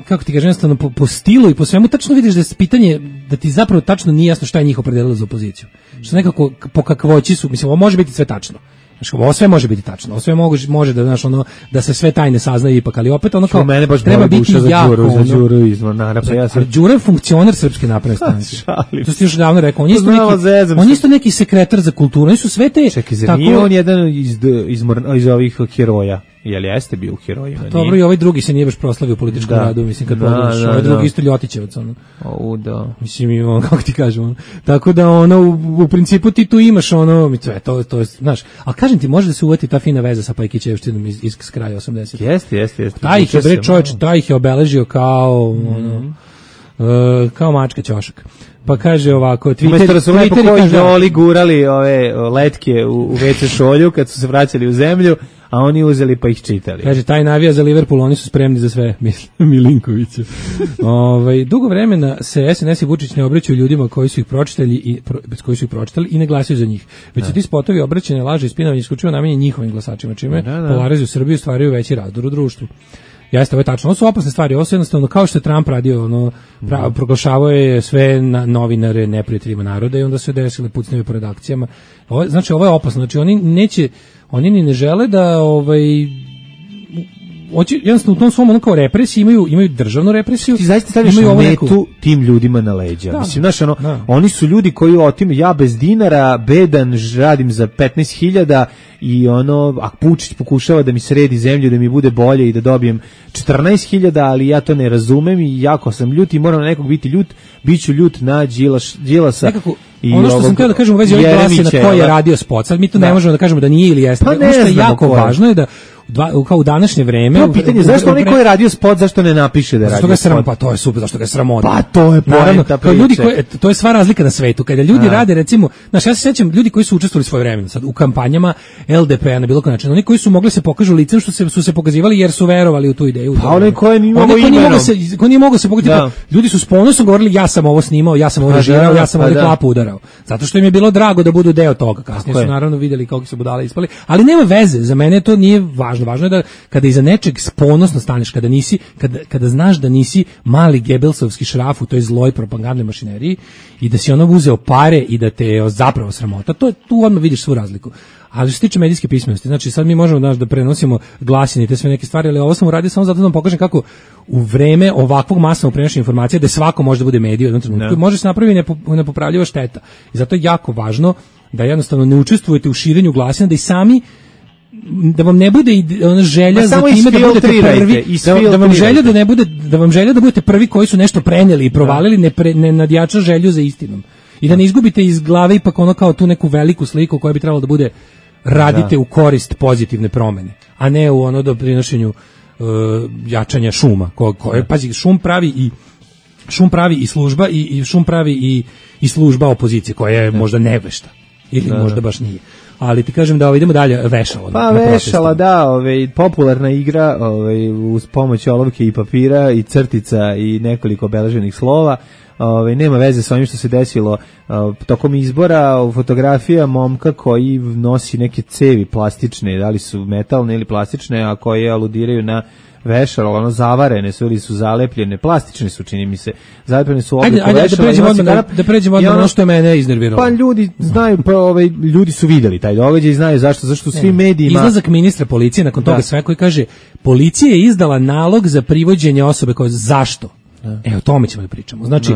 kako ti kažem, jednostavno po stilu i po svemu tačno vidiš da je pitanje, da ti zapravo tačno nije jasno šta je njih opredelilo za opoziciju. Što nekako po kakvoći su, mislim, ovo može biti sve tačno. Ovo sve može biti tačno, ovo sve može da, znaš, ono, da se sve tajne saznaju ipak, ali opet ono kao, mene baš treba biti jako, za Đuru izvan narapa. Ja sam... Đura je funkcioner Srpske napredne stranke. To si još davno rekao, on isto neki sekretar za kulturu, oni su sve te... Čekaj, zar nije on jedan iz ovih heroja? Jel jeste bio u herojima? Dobro, i ovaj drugi se nije baš proslavio u političkom radu, mislim, kad pogledaš, ovaj drugi isto Ljotićevac, ono. Da. Mislim, kako ti kažem, tako da, ono, u principu ti tu imaš, ono, to je, znaš, ali kažem ti, može da se uvati ta fina veza sa Pajkićevštinom iz kraja 80. Jeste. Taj ih je, bre, čovječ, taj ih je obeležio kao, ono, kao mačka ćošak. Pa kaže ovako, Twitter su lepo koji gurali ove letke u WC šolju kad su se vraćali u zemlju, a oni uzeli pa ih čitali. Kaže, taj navija za Liverpool, oni su spremni za sve, Milinkovića. Dugo vremena se SNS i Vučić ne obraćaju ljudima koji su ih pročitali i ne glasaju za njih. Već su ti spotovi obraćanja, laže i spinovanje isključivo namenjeni njihovim glasačima, čime polarizuju Srbiju i stvaraju veći razdor u društvu. Jeste, ovo je tačno. Ovo su opasne stvari. Ovo su jednostavno, kao što je Trump radio, proglašavao je sve novinare neprijateljima naroda i onda su desile pucnjeve po redakcijama. Znači, ovo je opasno. Znači, oni ni ne žele da jednostavno u tom svom kao represiji imaju državnu represiju. Ti zaista staviš metu tim ljudima na leđa. Da, mislim, znaš, oni su ljudi koji ja bez dinara, bedan, radim za 15.000 i a Pučić pokušava da mi sredi zemlju, da mi bude bolje i da dobijem 14.000, ali ja to ne razumem i jako sam ljut i moram na nekog biti ljut, bit ću ljut na Đilasa. Nekako, ono što sam htio da kažem u vezi ovih glasi na koji je radio spot, sad mi to ne možemo da kažemo da nije ili jeste. Pa ono što je jako važno je da kao u današnje vreme... To pitanje, zašto onaj koji je radio spot, zašto ne napiše da je radio spot? Pa to je super, zašto ga je sramota. Pa to je poenta priče. To je sva razlika na svetu. Kada ljudi rade, recimo, znaš, ja se sećam ljudi koji su učestvovali svoje vremena sad u kampanjama LDP-a na bilo koji način, oni koji su mogli se pokažu licem što su se pokazivali jer su verovali u tu ideju. Pa onaj koji nije mogao se pokazati. Ljudi su s ponosom govorili ja sam ovo snimao, ja sam ovo režirao, ja sam ovdje klapu udarao. Zato što im je bilo drago da budu deo toga. Kasnije su naravno vidjeli kako se budale ispali, ali nema veze, za mene to nije važno. Važno je da kada iza nečeg ponosno staneš, kada znaš da nisi mali gebelsovski šraf u toj zloj propagandnoj mašineriji i da si ono uzeo pare i da te zapravo sramota, tu odmah vidiš svu razliku. Ali što se tiče medijske pismenosti, znači sad mi možemo da prenosimo glasine i te sve neke stvari, ali ovo sam uradio samo zato da vam pokažem kako u vreme ovakvog masovnog prenošenja informacija da svako može da bude medij u jednom trenutku, može se napraviti nepopravljiva šteta. I zato je jako važno da jednostavno ne učestvujete u širenju glasina, da i sami da vam ne bude ona želja za time da budete prvi, da vam želja da budete prvi koji su nešto prenijeli i provalili, ne nadjača želju za istinom. I da ne izgubite iz glave ipak ono kao tu neku veliku sliku koja bi trebalo da bude radite u korist pozitivne promene, a ne u ono doprinošenju jačanja šuma. Pazi, šum pravi i služba i šum pravi i služba opozicije koja je možda nevešta ili možda baš nije. Ali ti kažem da idemo dalje, vešalo. Pa vešala, popularna igra uz pomoć olovke i papira i crtica i nekoliko obeleženih slova. Nema veze sa onim što se desilo tokom izbora. Fotografija momka koji nosi neke cevi plastične, da li su metalne ili plastične, a koje aludiraju na vešalo, zavarene su ili su zalepljene, plastične su, čini mi se, zalepljene su obliku vešala. Da pređemo odmah na ono što je mene iznerviralo. Pa ljudi znaju, ljudi su videli taj događaj i znaju zašto svi medijima... Izlazak ministra policije nakon toga sve koji kaže, policija je izdala nalog za privođenje osobe koja zašto? O tome ćemo da pričamo. Znači,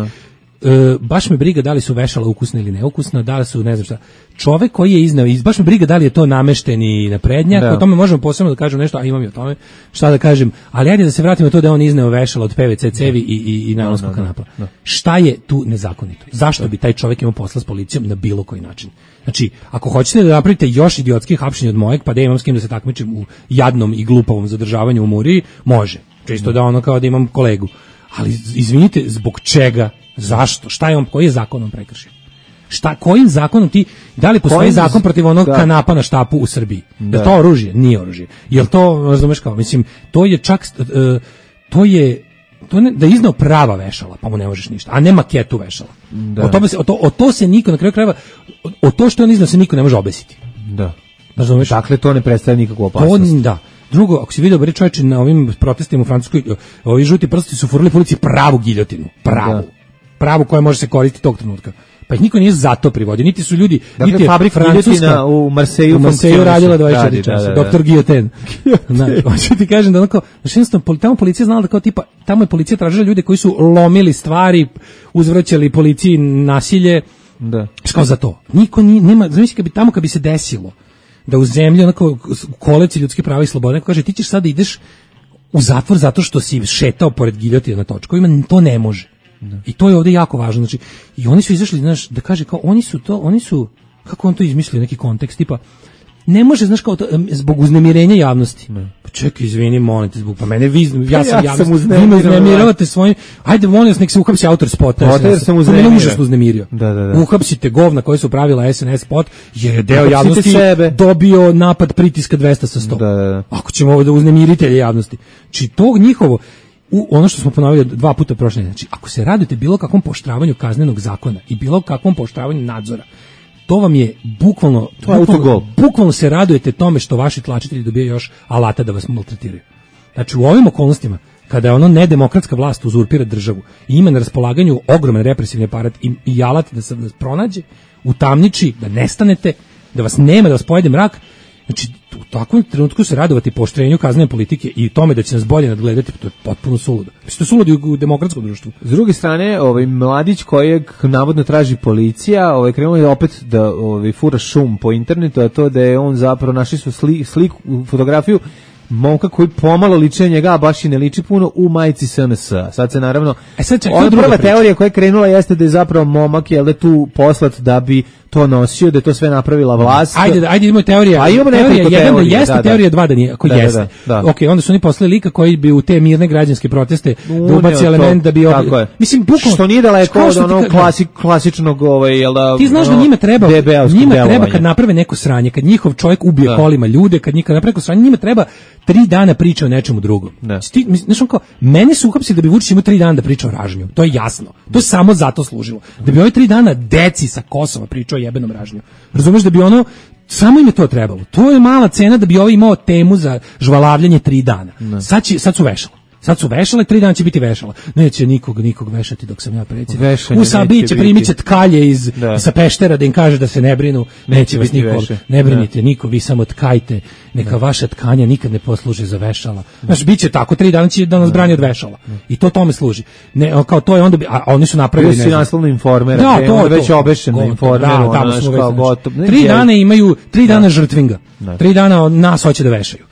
baš me briga da li su vešala ukusna ili neukusna, da li su, ne znam šta. Čovek koji je iznao, baš me briga da li je to namešteni naprednjak, o tome možemo posebno da kažem nešto, a imam i o tome šta da kažem, ali ajde da se vratimo to da on izneo vešala od PVC cevi i najlonskog kanapa. Šta je tu nezakonito? Zašto bi taj čovek imao posla s policijom na bilo koji način? Znači, ako hoćete da napravite još idiotskih hapšenja od mojeg, pa da imam s kim da se takmičim u jadnom i glupavom zadržavanju u Muriji, može. Čisto da ono kao da imam kolegu. Ali izvinite, zbog čega? Zašto? Šta je on, koji je zakon on prekršio? Kojim zakonom da li postoji zakon protiv onog kanapa na štapu u Srbiji? Da to oružje? Nije oružje. Jel to, razumeš kao, mislim, to je čak, da je iznao prava vešala, pa mu ne možeš ništa, a ne maketu vešala. O to se niko, na kraju krajeva, o to što on iznao se niko ne može obesiti. Da. Razumeš? Dakle, to ne predstavlja nikakvu opasnost. Da. Drugo, ako si vidio, čovječe, na ovim protestima u Francuskoj, ovi žuti prsti su furali po ulici pravu giljotinu. Pravu koja može se koristiti tog trenutka. Pa ih niko nije zato privodio, niti su ljudi, dakle, niti je Francuska u Marseju radila 24 časa, doktor Guillotin. Hoću ti kažem da onako, jednostavno, tamo policija znala da kao tipa, tamo je policija tražila ljude koji su lomili stvari, uzvraćali policiji nasilje, kao za to. Niko nema, znači kad bi se desilo da u zemlji onako koleci ljudske prava i slobode, neko kaže ti ćeš sad da ideš u zatvor zato što si šetao pored giljotina na točkovima, to ne može. I to je ovdje jako važno. Znači, i oni su izašli, znaš, da kaže kao oni su, kako on to izmislio, neki kontekst, tipa, ne može, znaš, kao to, zbog uznemirenja javnosti. Pa čekaj, izvini, molim te, pa mene ja sam javnost, vi me uznemiravate svojim, ajde, molim vas, nek se uhapsi autor spota. Jer sam uznemirio. Mene užasno uznemirio. Uhapsite govna koji su pravila SNS spot, jer je deo javnosti dobio napad pritiska 200 sa 100. Ako ćemo ovo da uznemiritelje javnosti. Či to njihovo, ono što smo ponovili 2 puta prošle, znači, ako se radite bilo kakvom poštravanju kaznenog zakona i bilo kakvom poštravanju nadzora, to vam je bukvalno se radujete tome što vaši tlačitelji dobijaju još alata da vas maltretiraju. Znači, u ovim okolnostima, kada je ono nedemokratska vlast uzurpira državu i ima na raspolaganju ogroman represivni aparat i alat da se vas pronađe, utamniči, da nestanete, da vas nema, da vas pojede mrak, znači, u takvom trenutku se radovati pooštrenju kaznene politike i tome da će nas bolje nadgledati, to je potpuno suludo. To je suludo u demokratskom društvu. S druge strane, mladić kojeg navodno traži policija, krenuo je opet da fura šum po internetu, a to da je on zapravo, našli su sliku, fotografiju momka koji pomalo liče njega, a baš i ne liči puno, u majici SNS. Sad se naravno, prva teorija koja je krenula jeste da je zapravo momak je tu poslat da bi to nosio, da je to sve napravila vlast. Ajde idemo teorija. A imamo nekoliko teorija. Jeste teorija 2 da nije, ako jeste. Ok, onda su oni poslali lika koji bi u te mirne građanske proteste da ubaci element da bi... Mislim, bukvalno... Što nije daleko od onog klasičnog... Ti znaš da njima treba kad naprave neko sranje, kad njihov čovjek ubije kolima ljude, kad naprave neko sranje, njima treba 3 dana priča o nečemu drugom. Znaš, on kao, mene su uhapsili da bi Vučić imao 3 dana da priča o ražnju. To je jasno. To je samo zato služilo. Da bi ove 3 dana deci sa Kosova pričao o jebenom ražnju. Razumeš da bi ono, samo im je to trebalo. To je mala cena da bi ovaj imao temu za žvalavljanje 3 dana. Sad su vešala. Sad su vešale, 3 dana će biti vešala. Neće nikog vešati dok sam ja predsjednik. U Sabi će primiće tkalje sa Peštera da im kaže da se ne brinu. Neće vas niko, ne brinite niko, vi samo tkajte. Neka vaša tkanja nikad ne posluže za vešala. Znaš, bit će tako, 3 dana će da nas brani od vešala. I to tome služi. Ne, kao to je onda, a oni su napravili... Bio si naslovno Informera, to je već obešeno Informeru. Da, tamo smo već. 3 dana imaju, 3 dana žrtvinga. 3 dana nas hoće da vešaju.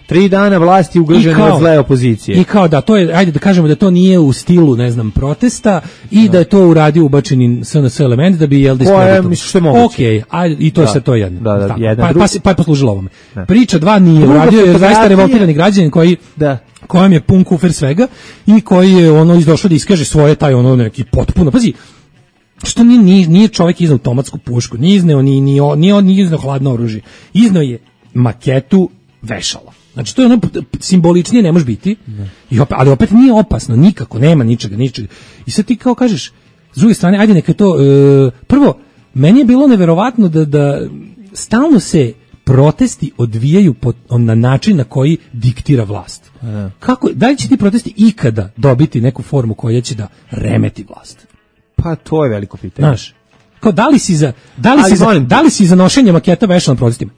3 dana vlasti ugrožene od zle opozicije. I kao da to je, ajde da kažemo da to nije u stilu, ne znam, protesta i da je to uradio ubačeni SNS element da bi jel diskreditovo. Što je moguće. Okej, ajde i to je to jedno. Da, pa je poslužilo ovome. Priča 2 nije uradio, jer zaista revoltirani građanin kojem je pun kufer svega i koji je izdošao da iskaže svoje taj neki potpuno, pazi, što nije čovjek izneo automatsku pušku, nije izneo hladno oružje, izneo je maketu vešala. Znači, to je simboličnije ne može biti, ali opet nije opasno, nikako, nema ničega. I sad ti kao kažeš, s druge strane, ajde neka to, prvo, meni je bilo neverovatno da stalno se protesti odvijaju na način na koji diktira vlast. Da li će ti protesti ikada dobiti neku formu koja će da remeti vlast? Pa to je veliko pitanje. Znaš, kao da li si za nošenje maketa vešala na protestima?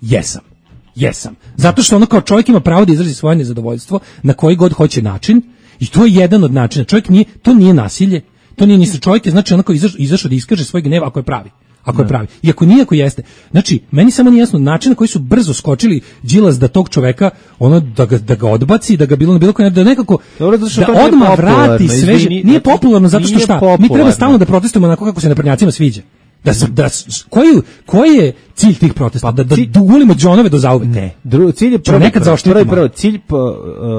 Jesam. Zato što kao čovjek ima pravo da izrazi svoje nezadovoljstvo na koji god hoće način i to je jedan od načina. To nije nasilje, to nije ništa. Čovjek je znači izašao da iskaže svoj gnev ako je pravi. I ako nije, ako jeste. Znači, meni samo nije jasno način na koji su brzo skočili Đilas da tog čoveka, da ga odbaci, da ga bilo koji, da nekako, da odmah vrati sveže. Nije popularno zato što šta? Mi treba stalno da protestujemo onako kako se naprednjacima sviđa. Koji je cilj tih protesta? Da dugulimo džonove do zauvek? Ne. Cilj je prvo cilj,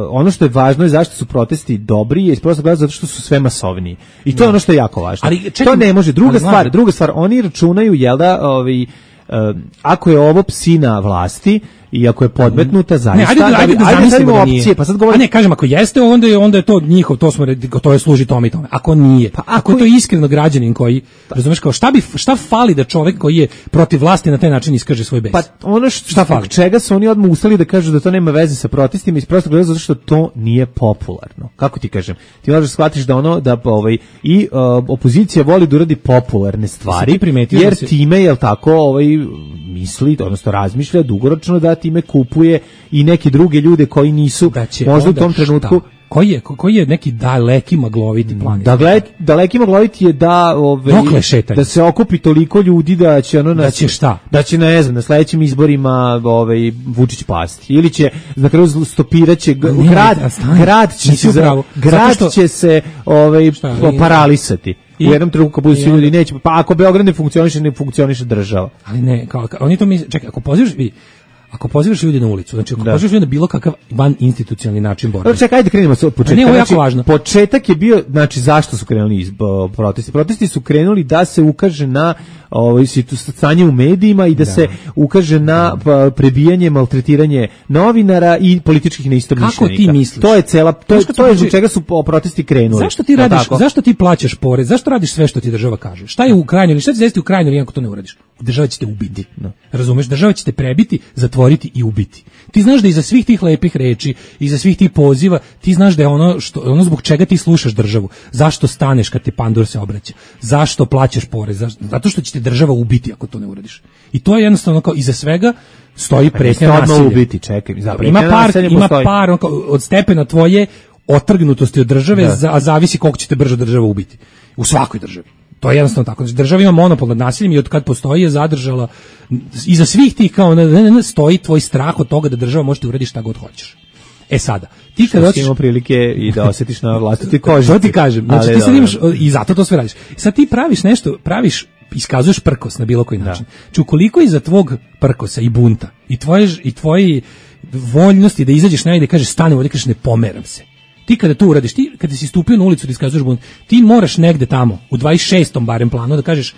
ono što je važno je zašto su protesti dobri, je prosto gledati zato što su sve masovniji. I to je ono što je jako važno. To ne može. Druga stvar, oni računaju, jel da, ako je ovo psina vlasti, i ako je podmetnuta zaista, ne, ajde da zamislimo da opcije, pa sad govorim. A ne, kažem, ako jeste, onda je to njihov, to je služi tome i tome. Ako nije, pa ako je to iskreno građanin koji, razumeš, kao šta fali da čovek koji je protiv vlasti na taj način iskaže svoj bes? Pa ono šta fali? Čega su oni odmah ustali da kažu da to nema veze sa protestima iz prostog razloga zato što to nije popularno. Kako ti kažem? Ti možeš shvatiti da opozicija voli da uradi popularne stvari, jer time, jel tako, misli, odnosno razmišlja dugoročno da time kupuje i neke druge ljude koji nisu možda u tom trenutku. Koji je neki daleki magloviti plan? Daleki magloviti je da se okupi toliko ljudi da će da će šta? Da će na sledećim izborima Vučić pasti. Ili će na kraju stopiraće grad će se paralisati. U jednom trenutku kad budu svi ljudi neće, pa ako Beograd ne funkcioniše država. Ali ne, oni to misle, čekaj, ako pozivaš ljudi na ulicu, znači ako pozivaš ljudi na bilo kakav van institucionalni način borbe. Čekaj, ajde krenemo od početka. Ne, ovo je jako važno. Početak je bio, znači zašto su krenuli protesti? Protesti su krenuli da se ukaže na stanje u medijima i da se ukaže na prebijanje, maltretiranje novinara i političkih neistomišljenika. Kako ti misliš? To je to je zbog čega su protesti krenuli. Zašto ti plaćaš porez? Zašto radiš sve što ti država kaže? Šta je u krajnjoj, šta će se desiti u krajnjoj ako to ne uradiš? Država će te ubiti. Razumeš? Država će te prebiti, zatvoriti i ubiti. Ti znaš da iza svih tih lepih reči, iza svih tih poziva, ti znaš da je ono zbog čega ti slušaš državu. Zašto staneš kad te pandur se obraća? Zašto plaćaš porez? Zato što će te država ubiti ako to ne uradiš. I to je jednostavno kao iza svega stoji pretnja nasilja. Ubiti, čekaj. Ima par od stepena tvoje otrgnutosti od države, a zavisi koliko će te brže država ubiti. U svakoj državi. To je jednostavno tako. Znači, država ima monopol nad nasiljem i od kad postoji je zadržala, iza svih tih kao stoji tvoj strah od toga da država može ti uraditi šta god hoćeš. E sada, ti kad hoćeš imamo prilike i da osjetiš na vlastitoj koži. To ti kažem. Znači ti sad imaš i zato to sve radiš. Sad ti praviš nešto, iskazuješ prkos na bilo koji način. Znači ukoliko iza tvog prkosa i bunta i tvoji voljnosti da izađeš na i da kažeš stani ovdje, kažeš ne pomeram se. Ti kada to uradiš, ti kada si stupio na ulicu da iskazuješ bunt, ti moraš negde tamo, u 26. barem planu da kažeš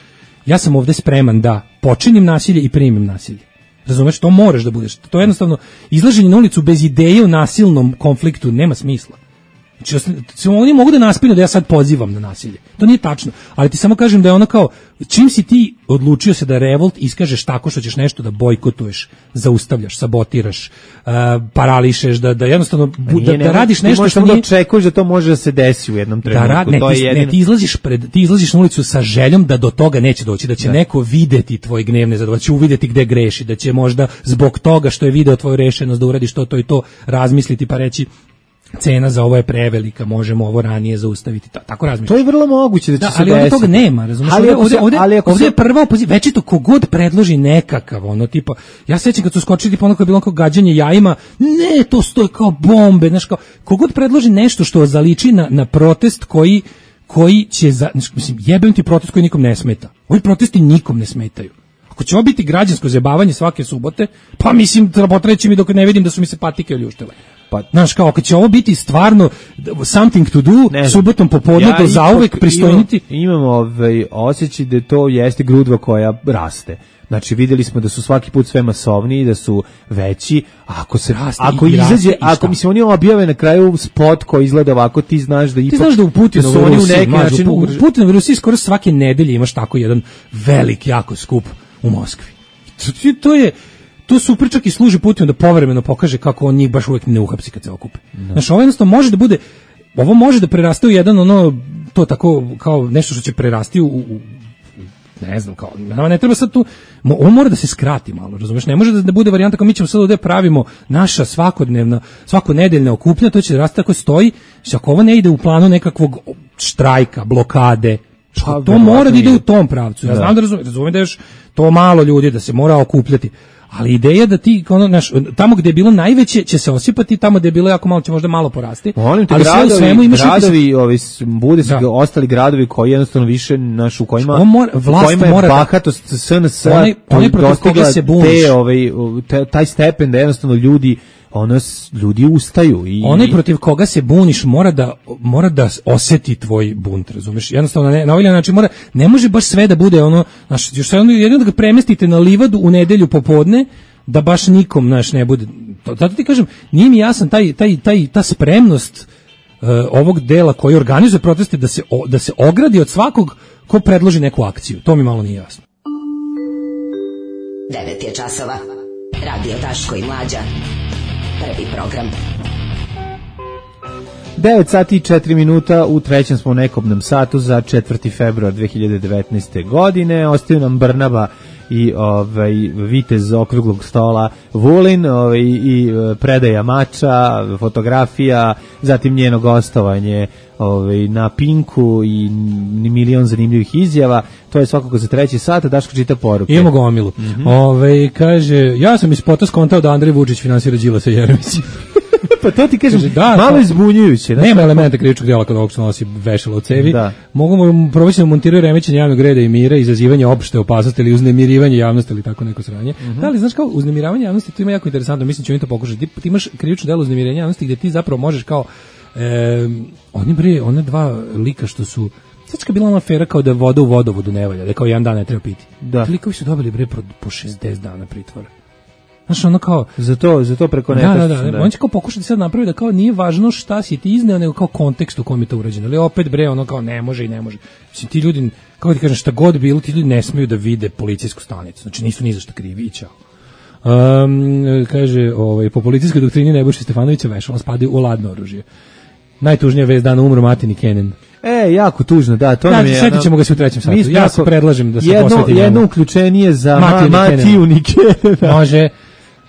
ja sam ovdje spreman da počinim nasilje i primim nasilje. Razumeš, to moraš da budeš. To je jednostavno izlaženje na ulicu bez ideje o nasilnom konfliktu nema smisla. Znači, oni mogu da naspinu da ja sad pozivam na nasilje. To nije tačno. Ali ti samo kažem da je ono kao, čim si ti odlučio se da revolt iskažeš tako što ćeš nešto da bojkotuješ, zaustavljaš, sabotiraš, parališeš, da jednostavno da radiš nešto što nije... Ti očekuješ da to može da se desi u jednom trenutku. Ti izlaziš na ulicu sa željom da do toga neće doći, da će neko videti tvoj gnev nezadovoljstvo, da će uvidjeti gde greši, da će možda zbog toga što je video tvoju rešenost da uradiš to i to razmisliti pa reći cena za ovo je prevelika, možemo ovo ranije zaustaviti, tako razmišljam. To je vrlo moguće da će se ali ovdje toga nema, razumiješ? Ovdje je prva opozicija, već je to kogod predloži nekakav, ono tipa, ja sećam kad su skočili tipa ono kao bilo kao gađanje jajima, ne, to stoje kao bombe, znaš kao, kogod predloži nešto što zaliči na protest koji će, mislim, jebem ti protest koji nikom ne smeta. Ovi protesti nikom ne smetaju. Ako će ovo biti građansko zajebavanje svake subote, pa mislim, potreći mi dok ne vidim da su mi se patike oljuštile. Pa, znaš, kao, kad će ovo biti stvarno something to do, subotom popodne do zauvek pristojniti. Imamo osjećaj da to jeste grudva koja raste. Znači, vidjeli smo da su svaki put sve masovniji, da su veći. Ako mislim, oni objave na kraju spot koji izgleda ovako, ti znaš da ipak... Ti znaš da u Putinovu Rusiji skoro svake nedelje imaš tako jedan velik, jako skup u Moskvi. To super čak i služi Putinu da povremeno pokaže kako on njih baš uvijek ne uhapsi kad se okupe. Znači, ovo jednostavno može da bude, ovo može da preraste u jedan to tako kao nešto što će prerasti u ne znam, kao, ne treba sad tu, ovo mora da se skrati malo, razumiješ, ne može da bude varijanta kao mi ćemo sad ovdje pravimo naša svakonedeljna okupnja, to će rasti tako stoji, što ako ovo ne ide u planu nekakvog štrajka, blokade, to mora da ide u tom pravcu. Ja znam da razumijem da još to malo ljudi da se mora okupljati, ali ideja da ti tamo gdje je bilo najveće će se osipati, tamo gdje je bilo jako malo će možda malo porasti. Molim te, bude se ostali gradovi koji jednostavno više u kojima je bahatost SNS dostigla taj stepen da jednostavno ljudi ustaju. Onaj protiv koga se buniš mora da osjeti tvoj bunt, razumiješ? Jednostavno na ovaj način ne može baš sve da bude još jedno da ga premestite na livadu u nedelju popodne, da baš nikom, znaš, ne bude. Zato ti kažem, nije mi jasan ta spremnost ovog dela koji organizuje proteste da se ogradi od svakog ko predloži neku akciju. To mi malo nije jasno. 9 je časova. Radio Daško i Mlađa. Prvi program. 9 sati i 4 minuta, u trećem smo u nekobnom satu za 4. februar 2019. godine. Ostaju nam Brnaba i vitez okruglog stola Vulin i predaja mača, fotografija, zatim njeno gostovanje na Pinku i milion zanimljivih izjava. To je svakako za treći sat. Daško čita poruke. Imamo gomilu. Kaže, ja sam iz spota skontao da Andrej Vučić finansira Đilasa i Jeremića. Pa to ti kažem, malo izbunjujuće. Nema elementa krivičnog djela kada ovog što nosi vešalo u cevi. Mogu mu proći da montiraju remećenje javnog reda i mira, izazivanje opšte opasnosti ili uznemirivanje javnosti ili tako neko sranje. Da li znaš kao uznemiravanje javnosti, to ima jako interesantno, mislim će oni to pokušati. Ti imaš krivično djelo uznemiravanja javnosti gdje ti zapravo možeš kao one dva lika što su sad bila ona afera kao da voda u vodovodu ne valja, da kao jedan dan ne treba piti. Likovi su dobili po 60 dana pritvora. Znaš, ono kao... Za to preko neta. Da. On će kao pokušati sad napraviti da kao nije važno šta si ti izneo, nego kao kontekst u kom je to urađeno. Ali opet ono kao ne može. Mislim, ti ljudi, kako ti kažem, šta god bilo, ti ljudi ne smiju da vide policijsku stanicu. Znači, nisu ni za šta krivi, čao. Kaže, po policijskoj doktrini Nebojše Stefanovića vešala spadaju u ladno oružje. Najtužnija vest dana umro Matini Kenan. Jako tužno, da, to nam je... Setit ćemo ga se u trećem satu. Ja se predlažem da se posveti njemu. Jedno uključenije za Matiju Nikena. Može.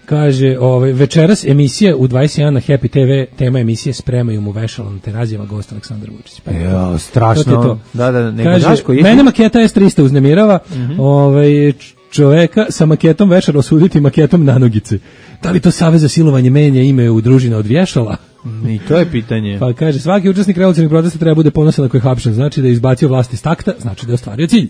Kaže, večeras emisija u 21 na Happy TV, tema emisije spremaju mu vešalo na terazijama gost Aleksandar Vučić. Strašno. Da, kaže, mene maketa S300 uznemirava, čoveka sa maketom večera osuditi maketom nanogice. Da li to Savez za silovanje menja ime u družina od vješala? I to je pitanje. Pa kaže, svaki učesnik revolucionarnih protesta treba bude ponosan ako je hapšen, znači da je izbacio vlast iz takta, znači da je ostvario cilj.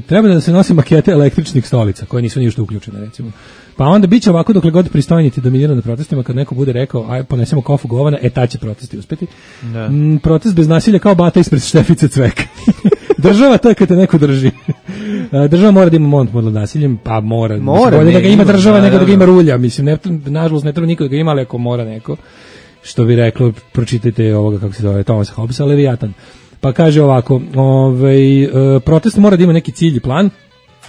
Treba da se nose makete električnih stolica, koje nisu ništa uključene, recimo. Pa onda bit će ovako dokle god pristojniti dominira na protestima, kad neko bude rekao, aj ponesemo kofu govana, tad će protesti uspeti. Protest bez nasilja kao bata ispred Štefice Cveka. Država to je kad te neko drži. Država mora da ima monopol nad nasiljem, pa mora bolje da ga ima država nego da ga ima rulja. Mislim, nažalost ne treba niko da ga ima, ali ako mora neko, što bi reklo, pročitajte ovoga, kako se zove, Thomasa Hobbesa, Leviatan. Pa kaže ovako, protest mora da ima neki cilj i plan.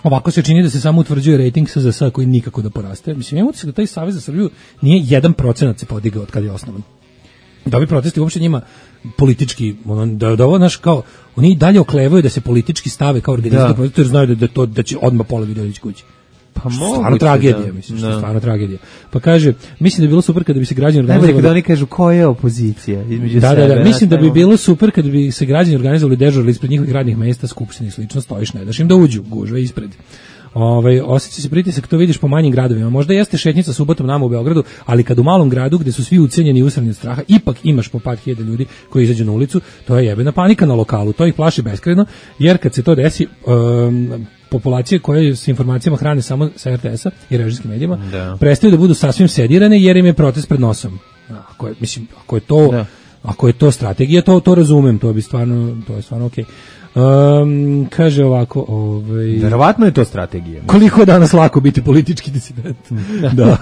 Ovako se čini da se samo utvrđuje rating SZS koji nikako da poraste. Mislim, imamo se da taj Savez za Srbiju nije 1% se podigao od kada je osnovan. Da ovi protesti uopšte njima politički, da ovo naš kao, oni dalje oklevaju da se politički stave kao organizacija protesta, jer znaju da će odmah pola ljudi otići kući. Pa stvarno tragedija, mislim, što je stvarno tragedija. Pa kaže, mislim da bi bilo super kada bi se građani organizovali... Najbolje kada oni kažu ko je opozicija između sebe. Da, mislim da bi bilo super kada bi se građani organizovali, dežurali ispred njihovih radnih mesta, skupštine i slično, stojiš, ne daš im da uđu, gužve ispred. Osjeća se pritisak, to vidiš po manjim gradovima. Možda jeste šetnica subotom nama u Beogradu, ali kad u malom gradu gde su svi ucenjeni i usrani od straha, ipak imaš po par hiljada ljudi koji izađu na ulicu, to je jebena panika na lokalu, to ih plaši beskrajno, jer kad se to desi, populacije koje s informacijama hrane samo sa RTS-a i režijskim medijima, prestaju da budu sasvim sedirane jer im je protest pred nosom. Ako je to strategija, to razumem, to je stvarno okej. Kaže ovako, verovatno je to strategija. Koliko je danas lako biti politički disident. Da.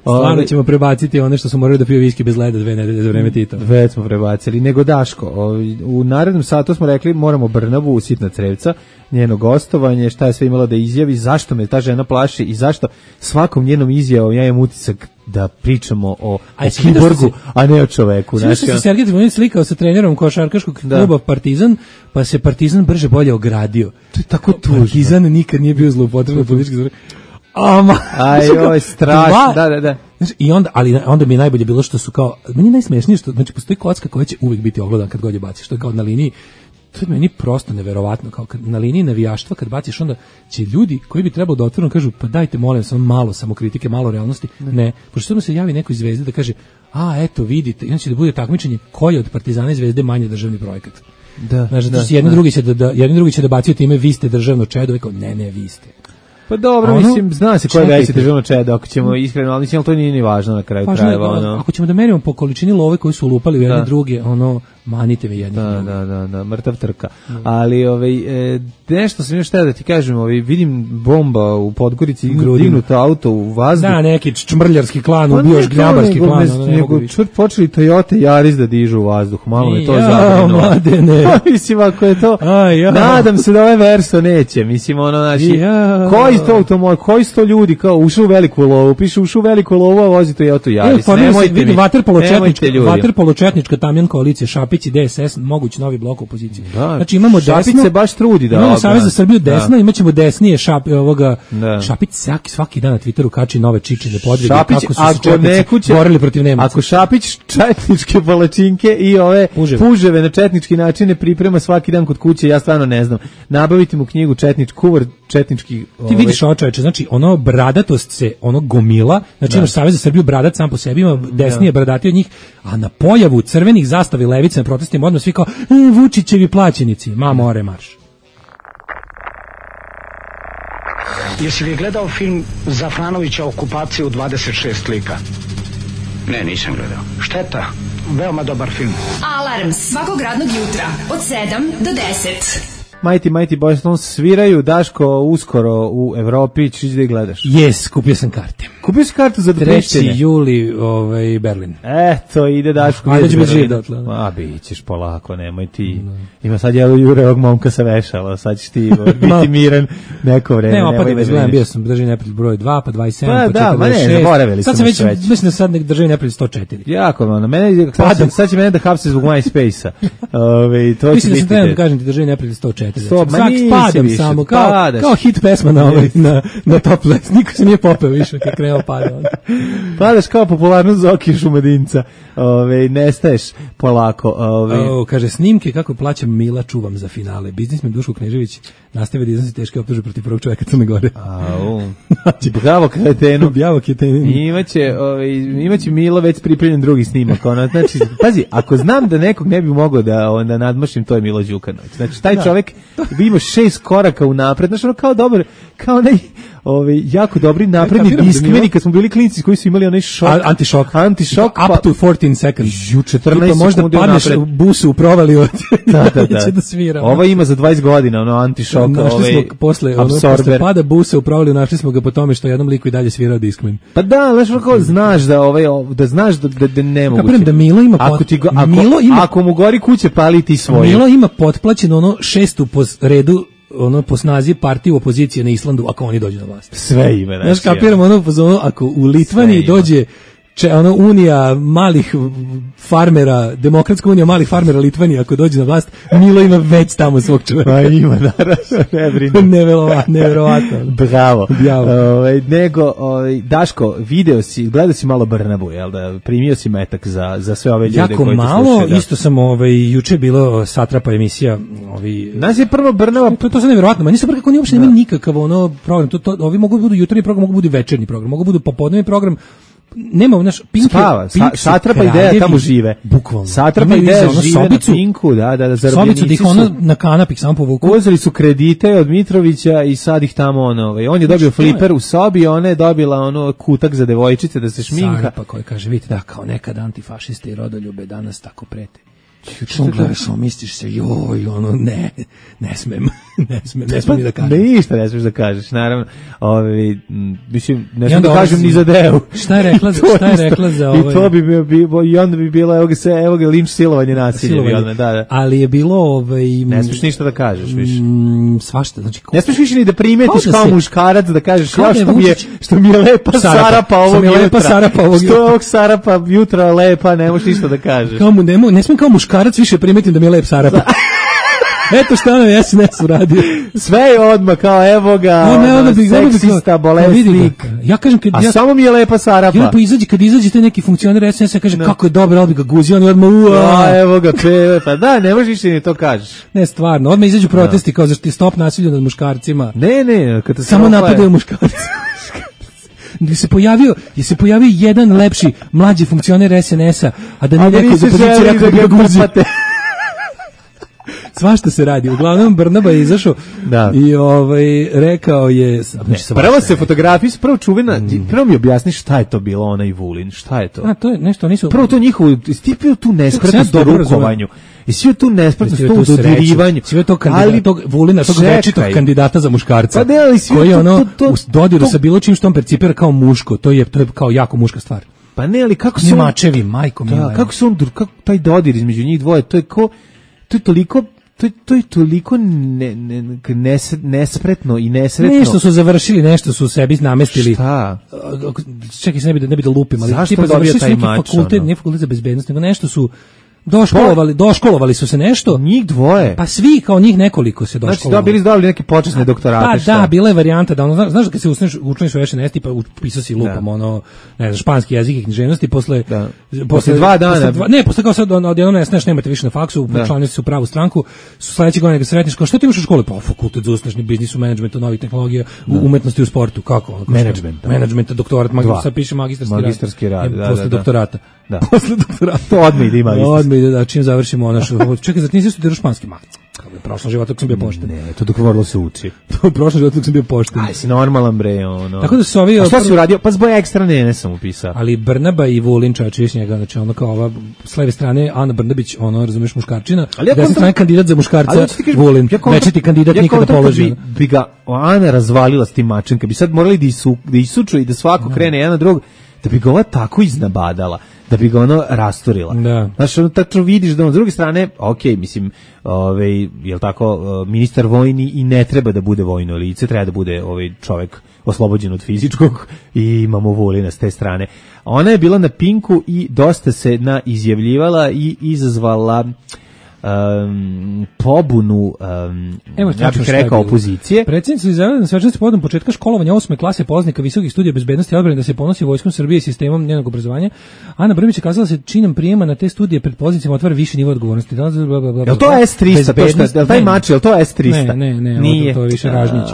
Stvarno ćemo prebaciti one što su morali da piju viski bez leda 2 nedelje za vreme Tita. Već smo prebacili. Nego Daško, u narednom satu smo rekli moramo Brnabu u Sitna Crevca, njeno gostovanje, šta je sve imala da izjavi, zašto me ta žena plaši i zašto svakom njenom izjavom ja imam utisak da pričamo o kiborgu, a ne o čoveku. Svi se Sergej Trifunović slikao sa trenerom košarkaškog kluba Partizan, pa se Partizan brže bolje ogradio. To je tako tužno. Partizan nikad nije bio zloupotreban politički zbor. Ajoj, strašno, da. I onda mi je najbolje bilo što su kao, meni je najsmešnije što, znači postoji kocka koja će uvijek biti ogledan kad god je baciš, što je kao na liniji, to je meni prosto neverovatno, kao na liniji navijaštva kad baciš, onda će ljudi koji bi trebalo da otvoreno kažu, pa dajte molim samo malo samokritike, malo realnosti, ne, pošto se javi neko iz Zvezde da kaže, eto vidite, i onda će da bude takmičenje koji je od Partizana i Zvezde manje državni projekat. Znači, jedni drugi će da bacio time, vi ste državno čedo, kao ne, vi ste. Pa dobro, mislim, zna se koja je veća državna čeda, ako ćemo iskreno, ali mislim, to nije ni važno na kraju krajeva. Ako ćemo da merimo po količini love koji su lupali u jedne druge, manite me jedni. Da, mrtav trka. Ali nešto sam još htio da ti kažem, vidim bomba u Podgorici, dignuto auto u vazduh. Da, neki čmrljarski klan, ubio žgljabarski klan. Nego počeli Toyota Yaris da dižu u vazduh, malo me to zabrinulo. Mladene. Mislim, ako je to, nadam se da ovaj Verso neće, mislim, znači, koji to automobil, koji su to ljudi, kao ušao u veliku lovu, piše ušao u veliku lovu, a vozi Toyota Yaris. Nemojte mi, vaterpoločetnička tamjan koalicija, Šapić i DSS, mogući novi blok opozicije. Znači imamo Šapić desno, se baš trudi da imamo Savez za Srbiju desno, imaćemo desnije Šapić svaki dan na Twitteru kači nove čičine podvige, kako su se četnici borili protiv Nemaca. Ako Šapić četničke palačinke i ove puževe na četnički način ne priprema svaki dan kod kuće, ja stvarno ne znam. Nabaviti mu knjigu kuvar četnički. Ti vidiš ovo, čoveče, znači bradatost se gomila, znači imaš Savez za Srbiju bradat sam po sebi, ima desnije bradati od njih, a na pojavu crvenih zastavi levice na protestima odmah svi kao Vučićevi plaćenici, more marš. Jesi li gledao film Zafranovića Okupacija u 26 lika? Ne, nisam gledao. Šteta, veoma dobar film. Alarm svakog radnog jutra od 7 do 10. Mighty Boys Stones sviraju, Daško, uskoro u Evropi, ćeš da ih gledaš? Jes, kupio sam karte. Kupio si kartu za 3. juli Berlin. Eto, ide Daško. Ajde ću bez živ dotle. Bit ćeš polako, nemoj ti. Ima sad Jure ovog momka sa vešala, sad ćeš ti biti miran neko vreme. Nema, pa da gledam, bio sam državni neprijatelj broj 2, pa 27, pa 46. Da, ma ne, zaboravili sad sam već, mislim da sad državni neprijatelj 104. Jako, sad će mene da hapse zbog MySpace-a. Mislim da sam trebao da kažem ti državni neprijatelj 104. Padam samo, kao hit pesma na top list. Niko se nije popeo više kad krenuo pada. Padaš kao popularnost Zoki Šumadinca. Nestaješ polako. Kaže, snimke kako plaćam Mila čuvam za finale. Biznismen Duško Knežević nastavio da iznosi teške optužbe protiv prvog čovjeka Crne Gore. Bravo kretenu. Imaće Milo već pripremljen drugi snimak. Znači, pazi, ako znam da nekog ne bi mogao da nadmašim, to je Milo Đukanović. Znači, taj čovjek bi imao 6 koraka unapred. Znači, kao dobar, kao jako dobri napredni diskmeni kad smo bili klinci koji su imali onaj šok. Antišok. Up to 14 seconds. 14 možda padneš u busu u provaliju. Da svira. Ovo ima za 20 godina, antišok. Našli smo posle pada busa u provaliju, našli smo ga po tome što jednom liku i dalje svirao diskmen. Pa da, znaš da znaš da ne moguće. Kapiram da Milo ima ako mu gori kuće, pali ti svoje. Milo ima potplaćeno 6. po redu po snazi partiju opozicije na Islandu ako oni dođu na vlast. Sve ima. Znaš, kapiram ako u Litvaniji dođe unija malih farmera, demokratska unija malih farmera Litvanije, ako dođe na vlast, Milo ima već tamo svog čovjeka. Pa ima, naravno, neverovatno. Bravo. Daško, gledao si malo Brnabu, jel da? Primio si metak za sve ove ljude jako koji te malo, slušaju. isto sam juče bilo satrapa emisija. Nas je prvo Brnaba. To je nevjerovatno, ma nisam kako oni uopšte nemaju nikakav program. Ovi mogu budu jutarnji program, mogu budu večernji program, mogu budu popodnevni program. Nema naš Pink Satrapa ideja tamo žive. Bukvalno. Satrapa ideja žive na Pinku, da zarobljenici da ih na kanapik samo povuku. Uzeli su kredite od Mitrovića i sad ih tamo on je dobio fliper u sobi, ona je dobila kutak za devojčice da se šminka. Satrapa koja kaže, vidite da kao nekad antifašiste i rodoljube danas tako prete. Što gledaš, misliš se, ne smem ni da kažem. Ništa ne smeš da kažeš, naravno. Mislim, ne smem da kažem ni za Deu. Šta je rekla za I to bi bilo, i onda bi bilo, evo ga linč, silovanje, nasilje. Da. Ali je bilo, ne smeš ništa da kažeš više. Svašta, znači. Ne smeš više ni da primetiš kao muškarac, da kažeš, što mi je lepa Sarapa ovog jutra. Što je ovog Sarapa jutra lepa, ne možeš ništa da kažeš. Ne smem kao muškarac više primetim da mi je lep Sarapa. Eto šta nam SNS uradio. Sve je odmah kao evo ga, seksista, bolesnik. Ja kažem a samo mi je lepa Sarapa. Kad izađe taj neki funkcioner SNS, ja kažem kako je dobro, ali bi ga guzio, on je odmah evo ga, pa da, ne možeš ni to kažeš. Ne, stvarno, odmah izađu protesti kao zašto je stop nasilju nad muškarcima. Ne, samo napadaju muškarci. Je se pojavio jedan lepši mlađi funkcioner SNS-a, a da ne neko iz opozicije rekao da ga guzi. Svašta se radi. Uglavnom Brnaba je izašao i rekao je... Prvo se fotografiji, prvo čuvena, prvo mi objasni šta je to bilo ona i Vulin, šta je to? A, to je nešto, nisu... Prvo to njihovo, stipio tu nespretnost do rukovanju. I sve tu nespretnost, to u dodirivanju. Sve to kandidata, tog Vulina, tog večitog kandidata za muškarca. Pa ne, ali koji u dodiru sa bilo čim što on percipira kao muško, to je kao jako muška stvar. Pa ne, ali kako se mačevi, majko mila. Kako se on, kako taj dodir između njih dvoje, to je toliko nespretno i nesretno. Nešto su završili, nešto su sebi namestili. Šta? Čekaj, ne bi da lupim, ali zašto završili taj mač? Ne fakultet za bezbednost, nego nešto su doškolovali su se nešto. Njih dvoje. Pa svi, kao njih nekoliko se doškolovali. Znači, dobili neke počasne doktorate. Pa da, bila je varijanta da znaš da kad se učiniš u SNS, pa upisao si lupam, ne znam, španski jezik i književnosti, posle 2 dana. Posle kao sad odjednom ne znaš, nemate više na faksu, učlanili se u pravu stranku, su sledeće godine ga sretniš, kao što ti imaš u školi? Pa fakultet za uslužni biznis, u menadžmentu, novih tehnologija, u umetnosti, u sportu, kako? Menadžment, doktorat, sad piše magistarski rad. Posle doktorata. Da. Posle doktorata. To odmah ide ima da čim završimo ono što... Čekaj, zato nisi studirao španski mak. U prošlom životu sam bio pošten. Ne, to dok moralo se uči. U prošlom životu sam bio pošten. Aj, si normalan bre, ono. Tako da su ovi... A šta si uradio? Pa zbog ekstra ne sam upisao. Ali Brnaba i Vulin čačiš njega, znači ono kao ova s leve strane Ana Brnabić, ono, razumeš, muškarčina, desne strane kandidat za muškarca Vulin, večiti kandidat nikada položi. Bi ga Ana razvalila s tim mačem, kad bi sad morali da isuču i da svako krene jedan na drugog, da bi ga ova tako iznabadala, da bi ga ono rasturila. Znaš, ono tačno vidiš da on s druge strane, mislim, jel tako, ministar vojni i ne treba da bude vojno lice, treba da bude čovek oslobođen od fizičkog i imamo Vulina s te strane. Ona je bila na Pinku i dosta se izjavljivala i izazvala pobunu, ja bih rekao, opozicije. Predsjednica izjavila na svečanosti povodom početka školovanja 8. klase polaznika visokih studija bezbednosti i odbrane da se ponosi vojskom Srbije i sistemom njenog obrazovanja. Ana Brnabić je kazala da se činom prijema na te studije pred pozicijama otvara viši nivo odgovornosti. Je li to S-300? Je li taj mač, je li to S-300? Ne, nije. To je više Ražnjić.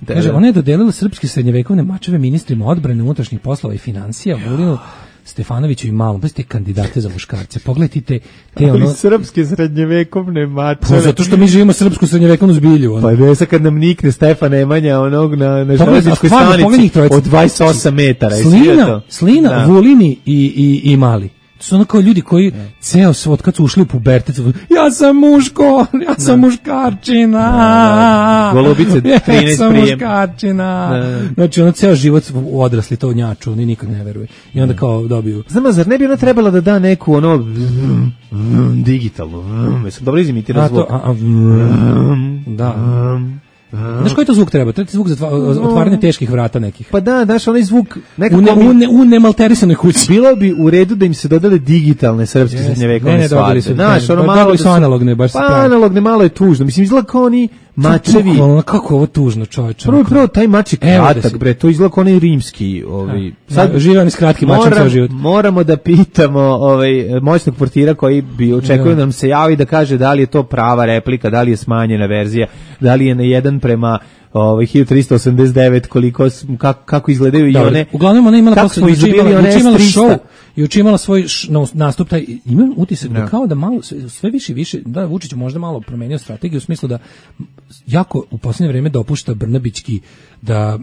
Kaže, ona je dodelila srpske srednjevekovne mačeve ministrima odbrane, unutrašnjih poslova i financija, Vulinu, Stefanoviću i Malom, te kandidate za muškarce. Pogledajte te ono... srpske srednjevekovne mačeve. Pa zato što mi živimo srpsku srednjevekovnu zbilju. Pa ne sad kad nam nikne Stefan Nemanja onog na železničkoj stanici od 28 metara. Slina, Vulini i Mali. To su ono kao ljudi koji ceo svoj, kad su ušli u pubertet, ja sam muško, ja sam muškarčina. Golubice 13 prijem. Ja sam muškarčina. Znači ono ceo život odrasli to njaču, oni nikad ne veruju. I onda kao dobiju. Znam, zar ne bi ona trebala da da neku ono digitalnu, mislim, dobro izimitirao zvuk. Da. Znaš koji to zvuk treba? Treba ti zvuk za otvaranje teških vrata nekih. Pa da, daš onaj zvuk nekako u nemalterisanoj kući. Bilo bi u redu da im se dodale digitalne srpske srednjevekovne svadbe. Znaš, ono malo su analogne, baš se pravi. Pa analogne malo je tužno. Mislim, izgleda kao oni mačevi. Kako ovo tužno, čoveče. Prvo, taj mač je kratak, bre, to izgleda kao onaj rimski. Sad žive oni s kratkim mačem ceo život. Moramo da pitamo moćnog portira koji bi očekuje da nam se javi da kaže da li je to prava replika, da li je smanjena verzija, da li je na 1:1389 kako izgledaju i one. Uglavnom ona imala posle show i učimala svoj nastup, taj imam utisak da kao da malo sve više da Vučić možda malo promenio strategiju u smislu da jako u posljednje vrijeme dopušta Brnabićki da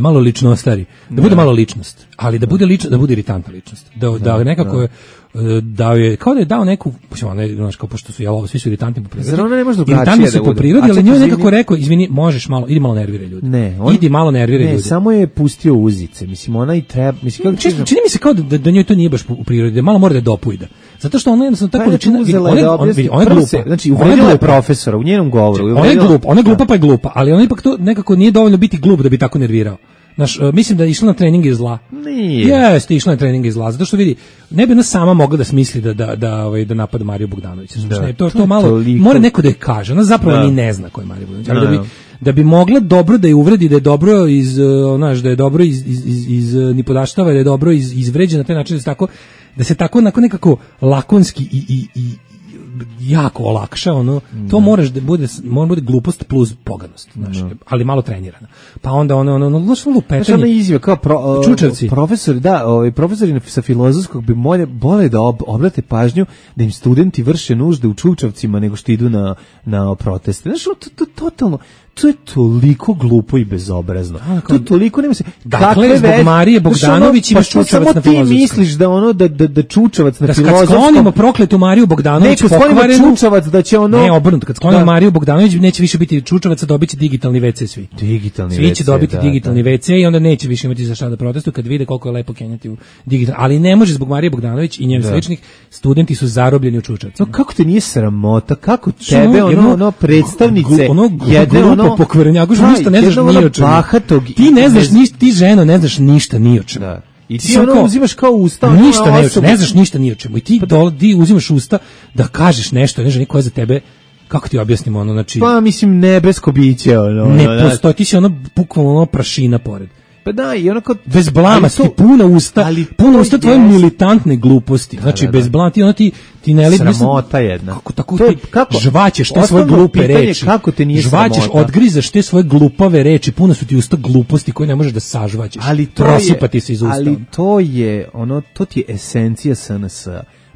malo ličnostari, da bude malo ličnost, ali da bude ličnost, da bude iritantna ličnost, da nekako dao je, kao da je dao neku, znaš, kao pošto su svi su iritantni po prirodi. Zar ona ne može drugačije iritantni su po prirodi, ali njoj nekako rekao, izvini, možeš malo, idi malo nerviraj ljudi. Idi malo nerviraj ljudi. Ne, samo je pustio uzice, mislim, ona i treba, mislim, čini mi se kao da njoj to nije baš u prirodi, da malo mora da dopujda. Zato što ona jednostavno tako ličina, ona je glupa. Znači, uvredila je profesora u njenom govoru. Ona je glupa pa je glupa, ali ona ipak to nekako nije dovoljno biti glup da bi tako nervirao. Znaš, mislim da je išla na treninge zla. Nije. Jeste, išla na treninge zla, zato što vidi, ne bi ona sama mogla da smisli da napada Mariju Bogdanovića. To malo, mora neko da je kaže, ona zapravo ni ne zna ko je Marija Bogdanović, ali da bi mogla dobro da je uvredi, da je dobro da je dobro iz nipodaštava, da je dobro izvređena na taj način, da se tako nekako lakonski i jako olakša, ono, to mora bude glupost plus poganost, znaš, ali malo trenirana. Pa onda znaš, lupetanje. Znaš, ona izjava kao čučavci. Profesori, profesori sa filozofskog bi bolje da obrate pažnju da im studenti vrše nužde u čučavcima nego što idu na proteste. Znaš, to totalno, to je toliko glupo i bezobrazno. To toliko nema se. Dakle, zbog Marije Bogdanović imaš čučavac na filozofskom. Ti misliš da čučavac na filozofskom... Kad sklonimo prokletu Mariju Bogdanović pokvarenu... čučavac da će ono... Ne, obrnuto, kad sklonimo Mariju Bogdanović neće više biti čučavaca, dobit će digitalni WC svi. Svi će dobiti digitalni WC i onda neće više imati za šta da protestuju kad vide koliko je lepo kenjati u digitalni. Ali ne može zbog Marije Bogdanović i njenih sličnih, studenti su zarobljeni u čučavcima. Kako te nije sramota? Kako tebe predstavnice jedne pokvarenjaku, ništa ne znaš ni o čemu. Ti ne znaš ništa, ti ženo ne znaš ništa ni o čemu. Da. I ti uzimaš kao usta, ništa ne znaš ništa ni o čemu. I ti uzimaš usta da kažeš nešto, ne znaš niko je za tebe. Kako ti objasnimo ono, znači... Pa mislim nebesko biće ono. Ne postoji, ti si ono bukvalno prašina pored. Pa da, i onako bez blama, puna usta tvoje militantne gluposti. Znači bez blama ti ne sramota jedna. Kako žvaćeš te svoje glupe reči? Kako te nije sramota? Žvaćeš, odgrizaš te svoje glupave reči, puno su ti usta gluposti koje ne možeš da sažvaćeš. Prosipati se iz usta. Ali to ti je esencija SNS.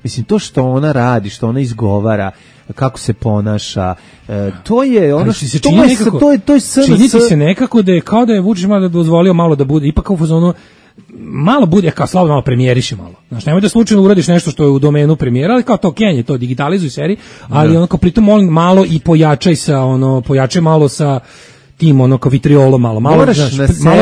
Mislim, to što ona radi, što ona izgovara, kako se ponaša, to je ono što to je SNS. Čini ti se nekako da je kao da je Vučić malo dozvolio malo da bude, ipak kao u fazonu malo bude, kao slabo malo premijeriše malo. Znaš, nemoj da slučajno uradiš nešto što je u domenu premijera, ali kao to kenje, to digitalizuj seri, ali onako pritom molim malo i pojačaj malo sa tim kao vitriolom malo malo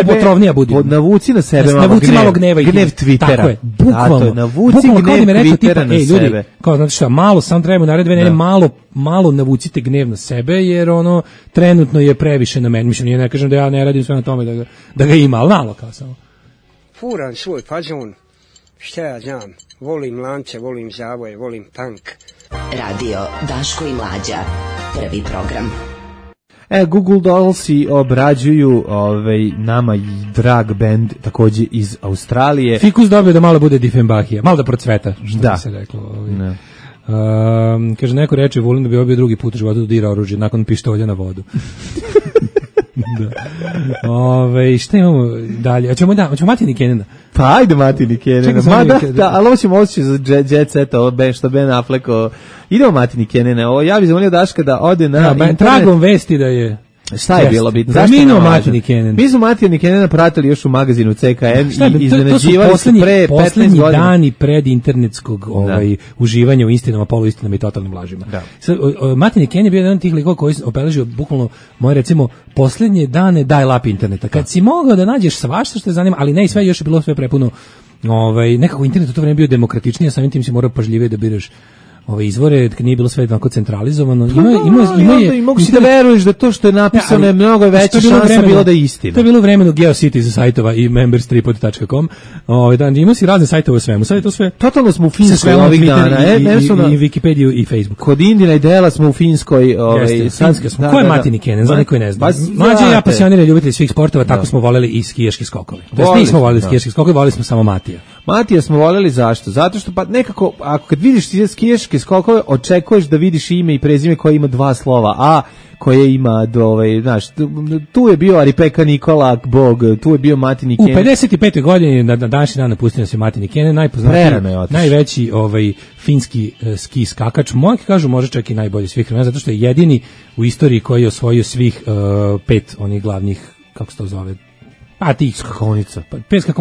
potrovnija budi. Navuci na sebe malo gneva i gnev Twittera. Tako je, bukvalno. Navuci gnev Twittera na sebe. Ljudi, kao znači šta, malo sam treba naredbe, ne malo navucite gnev na sebe, jer trenutno je previše na meni. Mislim, ne kažem da ja ne radim sve na tome da ga ima, ali malo kao samo. Furan svoj fazon, šta ja znam, volim lance, volim zavoje, volim tank. Radio Daško i Mlađa, prvi program. Google Dollsi obrađuju nama drag band takođe iz Australije. Fikus dobio da malo bude Diefenbachija, malo da procveta, što bi se reklo. Kaže, neko reče Vulin da bi obio drugi put u životu da dira oružje nakon pištolja na vodu. Šta imamo dalje? Hoćemo Matini Kenena? Pa ajde Matini Kenena. Ali ovo ćemo osjeći za Jet Set, što Ben Affleck. Idemo Matini Kenena. Ja bih zamolio Daška da ode na internet. Tragom vesti da je... Šta je bilo bitno? Zašto Matini Kenen? Mi smo Matini Kenena pratili još u magazinu CKM i iznenađivali su pre 15 godina. Poslednji dani pred internetskog uživanja u istinama, poluistinama i totalnim lažima. Matini Kenen je bio jedan od tih likova koji obeležio bukvalno moje, recimo, poslednje dane dial-up interneta. Kad si mogao da nađeš svašta što te zanima, ali ne i sve, još je bilo sve prepuno, nekako internet u to vreme bio demokratičniji, a samim tim si morao pažljivije da biraš ove izvore, kad nije bilo sve jednako centralizovano. I mogu si da veruješ da to što je napisano je mnogo veća šansa bilo da je istina. To je bilo u vremenu GeoCities sajtova i members3pod.com. Imao si razne sajtove o svemu. Sad je to sve... Totalno smo u Finskoj ovih dana. I Wikipediju i Facebook. Kod Indina i Dela smo u Finskoj. Ko je Matini Kenen? Za neko ne zna. Mlađe i ja pasionirani ljubitelji svih sportova, tako smo voljeli i skijaški skokovi. Nismo voljeli skijaški skokovi, voljeli smo samo Matija. Matija smo voljeli zašto? Zato što pa nekako, ako kad vidiš skijaške skokove, očekuješ da vidiš ime i prezime koje ima dva slova, a koje ima tu je bio Aripeka Nikola Bog, tu je bio Matini Kenen. U 55. godini na današnji dan napustio nas je Matini Kenen, najveći finski ski skakač, moji kažu može čak i najbolji svih vremena, zato što je jedini u istoriji koji je osvojio svih 5 onih glavnih, kako se to zove, tih skakonica.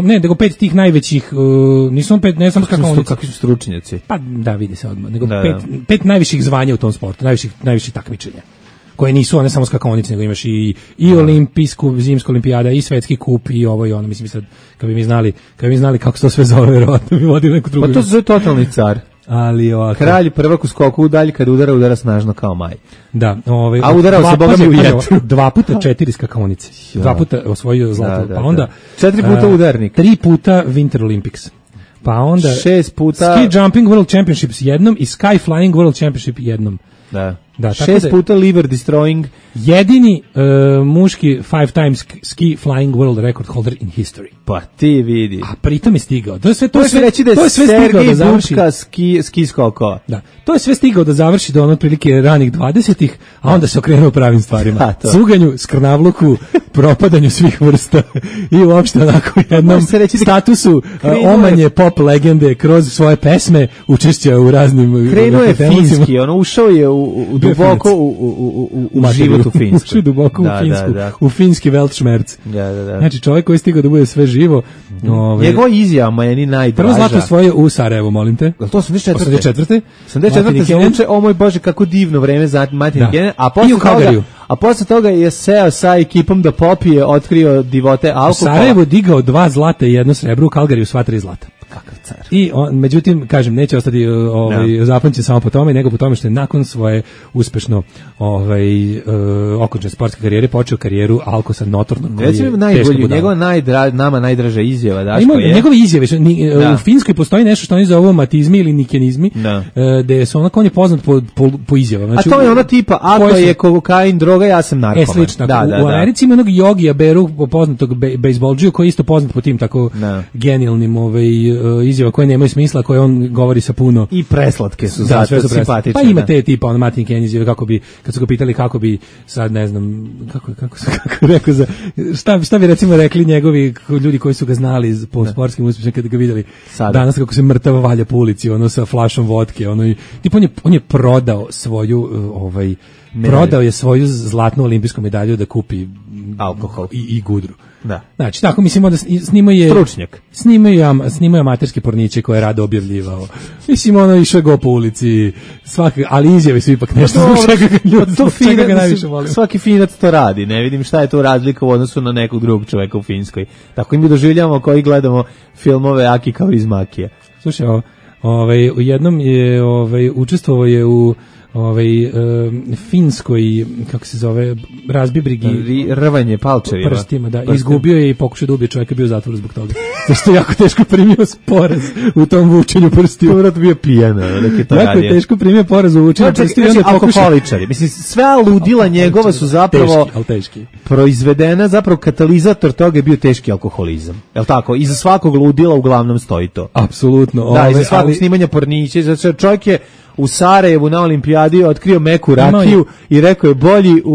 Nego 5 tih najvećih, nisu 5, ne samo skakonica. Kakvi su stručnjaci? Pa da, vidi se odmah. Nego 5 najviših zvanja u tom sportu, najviših takmičenja. Koje nisu one samo skakonice, nego imaš i olimpijsku, zimsku olimpijada, i svetski kup, i ovo i ono. Mislim sad, kad bi mi znali kako se to sve zove, verovatno bi vodili neku drugu. Pa to se zove totalni car. Ali kralj prvak u skoku u dalj, kad udara snažno kao maj. Da, a udarao se bogami u jetru. 2 puta 4 skakonice. 2 puta osvojio zlato, pa onda 4 puta udarnik. 3 puta Winter Olympics. Pa onda 6 puta Ski Jumping World Championships jednom i Sky Flying World Championship jednom. Da. Da, 6 puta liver destroying. Jedini muški 5 times ski flying world record holder in history. Pa ti vidi. A pritom je stigao. To je sve reći da je Sergej Bubka ski skoko. Da. To je sve stigao da završi do otprilike ranih 20-ih, a onda se okrenuo pravim stvarima. Cuganju, skrnavluku, propadanju svih vrsta i uopšte onako jednom statusu omanje pop legende kroz svoje pesme, učešća u raznim... Krenuo je finski, ušao je duboko u život u Finsku. Ušao je duboko u Finsku, u finski Weltschmerz. Znači čovjek koji je stigao da bude sve živo. Njegova izjava meni najdraža. Prvo zlato svoje u Sarajevu, molim te. To 84. 84. se uče, o moj Bože, kako divno vreme za Martin Kenen, a posle toga je seo sa ekipom da popije, otkrio divote alkohola. U Sarajevu digao 2 zlata i 1 srebro, u Kalgariju sva 3 zlata. Kakav car. I međutim, kažem, neće ostati zapamćen samo po tome, nego po tome što je nakon svoje uspešno okončane sportske karijere počeo karijeru Alkosa notornog. Recimo najbolju, njegova nama najdraža izjava, Daško, njegove izjave, u Finskoj postoji nešto što oni zovu matizmi ili nikenizmi, gde su onako, on je poznat po izjavama. Znači, a to je ona tipa, ako je kokain droga, ja sam narkoman. Slično. U Americi ima onog Jogija Beru, poznatog bejsbolđiju, koji je isto poznat po tim tako genijalnim izjava koje nemaju smisla, koje on govori sa puno i preslatke su zato simpatične. Pa ima te tipa on Martin Kenen izjave kako bi, kad su ga pitali kako bi sad ne znam kako rekao za šta bi recimo rekli njegovi ljudi koji su ga znali po sportskim uspješima kad ga videli danas kako se mrtav valja po ulici sa flašom vodke, tipa on je prodao svoju prodao je svoju zlatnu olimpijsku medalju da kupi alkohol i gudru. Da. Znači, tako mislimo da snimaju stručnjak. Snimaju amaterske porniće koje je rado objavljivao. Mislim, išao go po ulici, ali izjave su ipak nešto zbog čega ga najviše volim. Svaki Finac to radi, ne vidim šta je to razlika u odnosu na nekog drugog čoveka u Finskoj. Tako i mi doživljamo koji gledamo filmove Aki kao iz Makije. Slušaj, u jednom je učestvovao je u finskoj, kako se zove, razbibrigi rvanje palčevima prstima, izgubio je i pokušao da ubije čovjeka, bio u zatvoru zbog toga. Zašto je jako teško primio poraz u tom vučenju prstiju. To vrat bio pijan, jako je teško primio poraz u vučenju prstiju. Alkoholičari, mislim, sve ludila njegova su zapravo teški. Proizvedena, zapravo katalizator toga je bio teški alkoholizam. Jel tako? Iza svakog ludila uglavnom stoji to. Apsolutno. Da, iza svakog snimanja pornića, znači čovjek je u Sarajevu na olimpijadi otkrio meku rakiju i rekao je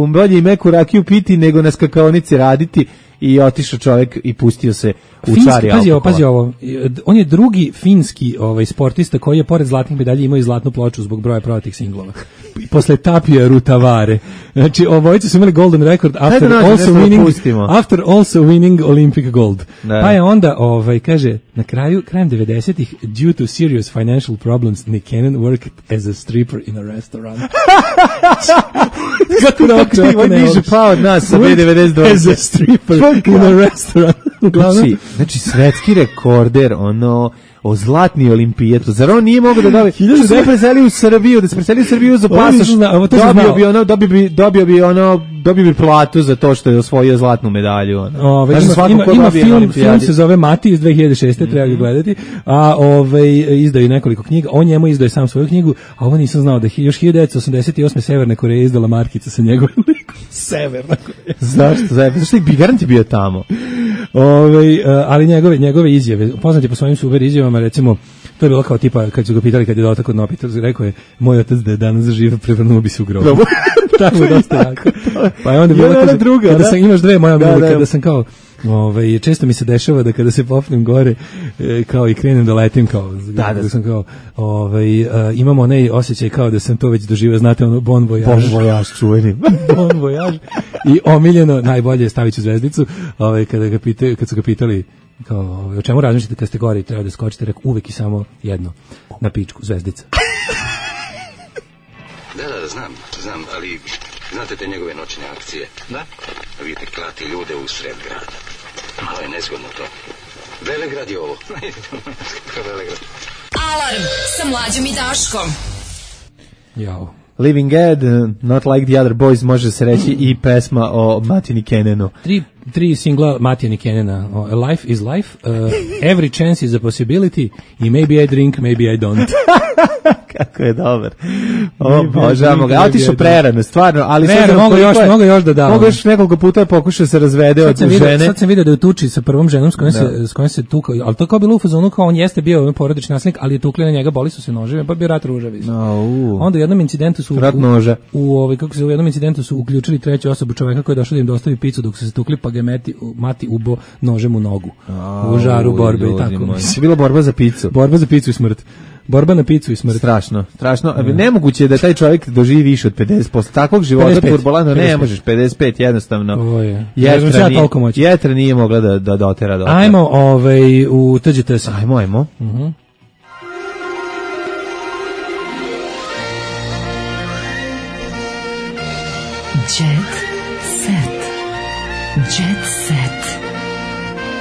bolji meku rakiju piti nego na skakaonici raditi i otišao čovjek i pustio se u čari alkohola. Pazi ovo, on je drugi finski sportista koji je pored zlatnih medalja imao i zlatnu ploču zbog broja prodatih singlova. Posle Tapija Rutavare. Znači, obojice su imali golden record after also winning Olympic gold. Da. Pa je onda, kaže, krajem 90-ih, due to serious financial problems, Nick Cannon worked as a stripper in a restaurant. Kako niže pao od nas sa B92. As a stripper in a restaurant. Znači, svetski rekorder, o zlatni olimpijetu. Zar on nije mogao da dobije? Da se preselio u Srbiju za pasoš, dobio bi platu za to što je osvojio zlatnu medalju. Ima film se zove Mati iz 2006. Treba ga gledati, a izdaju nekoliko knjiga. On njemu izdaje sam svoju knjigu, a ovo nisam znao da još 1988. Severna Koreja izdala markice sa njegovim likom. Severna Koreja. Zašto je Garant bio tamo? Ali njegove izjave, poznat je po svojim super izjavama, recimo, to je bilo kao tipa, kad su ga pitali kad je dotakao Nopitar, rekao je, moj otac da je danas živ, prevrnuo bi se u grobu. Tako je dosta jako. Pa je onda bilo kada sam, imaš dve moja mili, kada sam kao, često mi se dešava da kada se popnem gore, kao i krenem da letim, kao, da sam kao, imam onaj osjećaj kao da sam to već doživio, znate, bon voyage. Bon voyage, čuveni. Bon voyage. I omiljeno, najbolje je stavit ću zvezdicu, kad su ga pitali, kao, o čemu razmišljate kad ste gore i treba da skočite, rekao, uvek i samo jedno, na pičku, zvezdica. Da, znam, ali znate te njegove noćne akcije? Da. Vidite, klati ljude u sred grada. Malo je nezgodno to. Velegrad je ovo. Velegrad. Alarm sa Mlađom i Daškom. Jao. Living Ed, Not Like the Other Boys, može se reći i pesma o Matini Kenenu. 3 singla Matija Nikenena. Life is life, every chance is a possibility i maybe I drink, maybe I don't. Kako je dobar. Obožavamo ga. A ti su prerane, stvarno, ali sad mogu još da dam. Mogu još nekoliko puta pokušao se razvede od žene. Sad sam video da je u tuči sa prvom ženom s kojom se tukao, ali to kao bilo u fazonu kao on jeste bio porodični nasilnik, ali je tukli na njega, boli su se noževe, pa bio rat ružavi. Onda u jednom incidentu su u jednom incidentu su uključili treću osobu, čoveka koji je došao da im dostavi picu dok su se tukli, pa ga mati ubo nožem u nogu. U žaru borbe i tako. Je bila borba za picu. Borba za picu i smrt. Borba na picu i smrt. Strašno. Nemoguće je da taj čovjek doživi više od 50%. Takvog života turbulentno ne možeš. 55 jednostavno. Jetra nije mogla da dotera do. Ajmo u TGT se. Ajmo. Jet set. Jet set.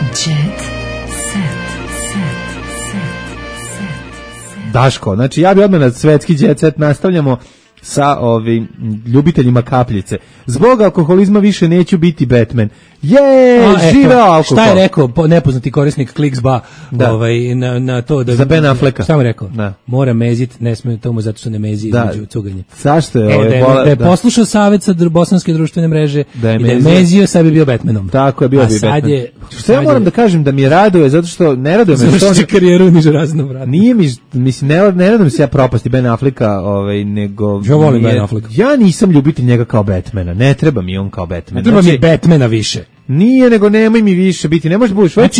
Jet set. Daško, znači ja bi odmah na svetski jet set nastavljamo sa ovim ljubiteljima kapljice. Zbog alkoholizma više neću biti Batman. Živeo alkohol. Šta je rekao nepoznati korisnik Kliksba na to da za Ben Afflecka? Šta mu rekao? Mora mezit, ne sme tomu zato što ne mezi između cuganje. Zašto je da je poslušao savjet sa bosanske društvene mreže i da je mezio, sad bi bio Batmanom. Tako je, bio bi Batman. Što ja moram da kažem da mi raduje, zato što ne raduje me što završi karijeru u nižeraznom vratu. Nije mislim ne radujem se ja propasti Ben Afflecka, nego ja volim Ben Afflecka. Ja nisam ljubitelj njega kao Batmana. Ne treba mi on kao Batman. Ne treba mi Batmana više. Nije, nego nemoj mi više biti. Ne možeš budeš već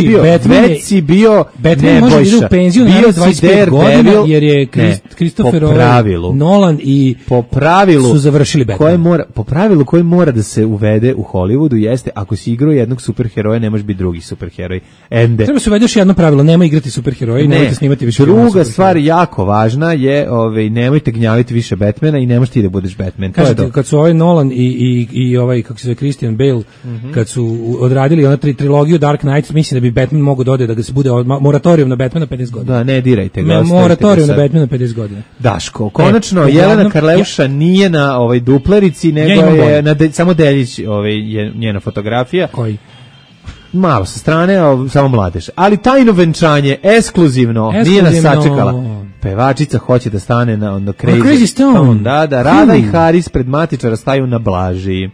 si bio Batman može biti u penziju na 25 godina jer je Christopher Nolan i po pravilu su završili Batman. Po pravilu koji mora da se uvede u Hollywoodu jeste ako si igrao jednog superheroja ne možeš biti drugi superheroj. Treba se uvede još jedno pravilo, nemoj igrati superheroje i nemojte snimati više. Druga stvar jako važna je nemojte gnjaviti više Batmana i ne možeš ti da budeš Batman. Kažete, kad su Nolan i kako se zove Christian Bale, kad su odradili ona trilogiju Dark Knight, mislim da bi Batman mogao da ga se bude moratorijum na Batmana 50 godina. Da, ne dirajte ga. Moratorijum na Batmana 50 godina. Daško, konačno Jelena Karleuša nije na duplerici, nego je samo Deljić je njena fotografija. Koji? Malo sa strane, samo mladež. Ali tajno venčanje, ekskluzivno, nije nas sačekala. Pevačica hoće da stane na Crazy Stone. Da, Rada i Haris pred matičara staju na Blaži.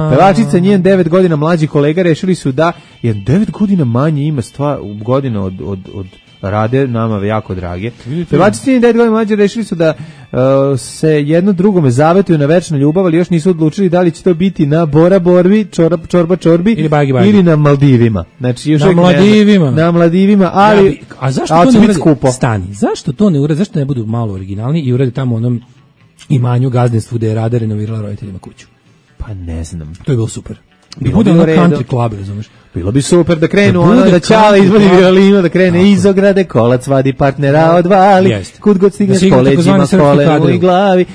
Pevačica njen 9 godina mlađi kolega rešili su da je 9 godina manje ima godina od Rade, nama jako drage. Pevačica njen 9 godina mlađi rešili su da se jedno drugome zavetuju na večnu ljubav, ali još nisu odlučili da li će to biti na Bora Borbi, Čorba Čorbi ili na Maldivima. Znači, još na Maldivima, ali a zašto to ne uradi? Stani, zašto to ne uradi? Zašto ne budu malo originalni i uradi tamo onom imanju gazdinstvu gde je Rada renovirala roditeljima kuću? Pa ne znam. To je bilo super. Bude ono country club, razumeš? Bilo bi super da krenu da Ćale izvodi violinu, da krene iz ograde, kolac vadi partnera odvali, kud god stigne s koleđima, kolenu i glavi,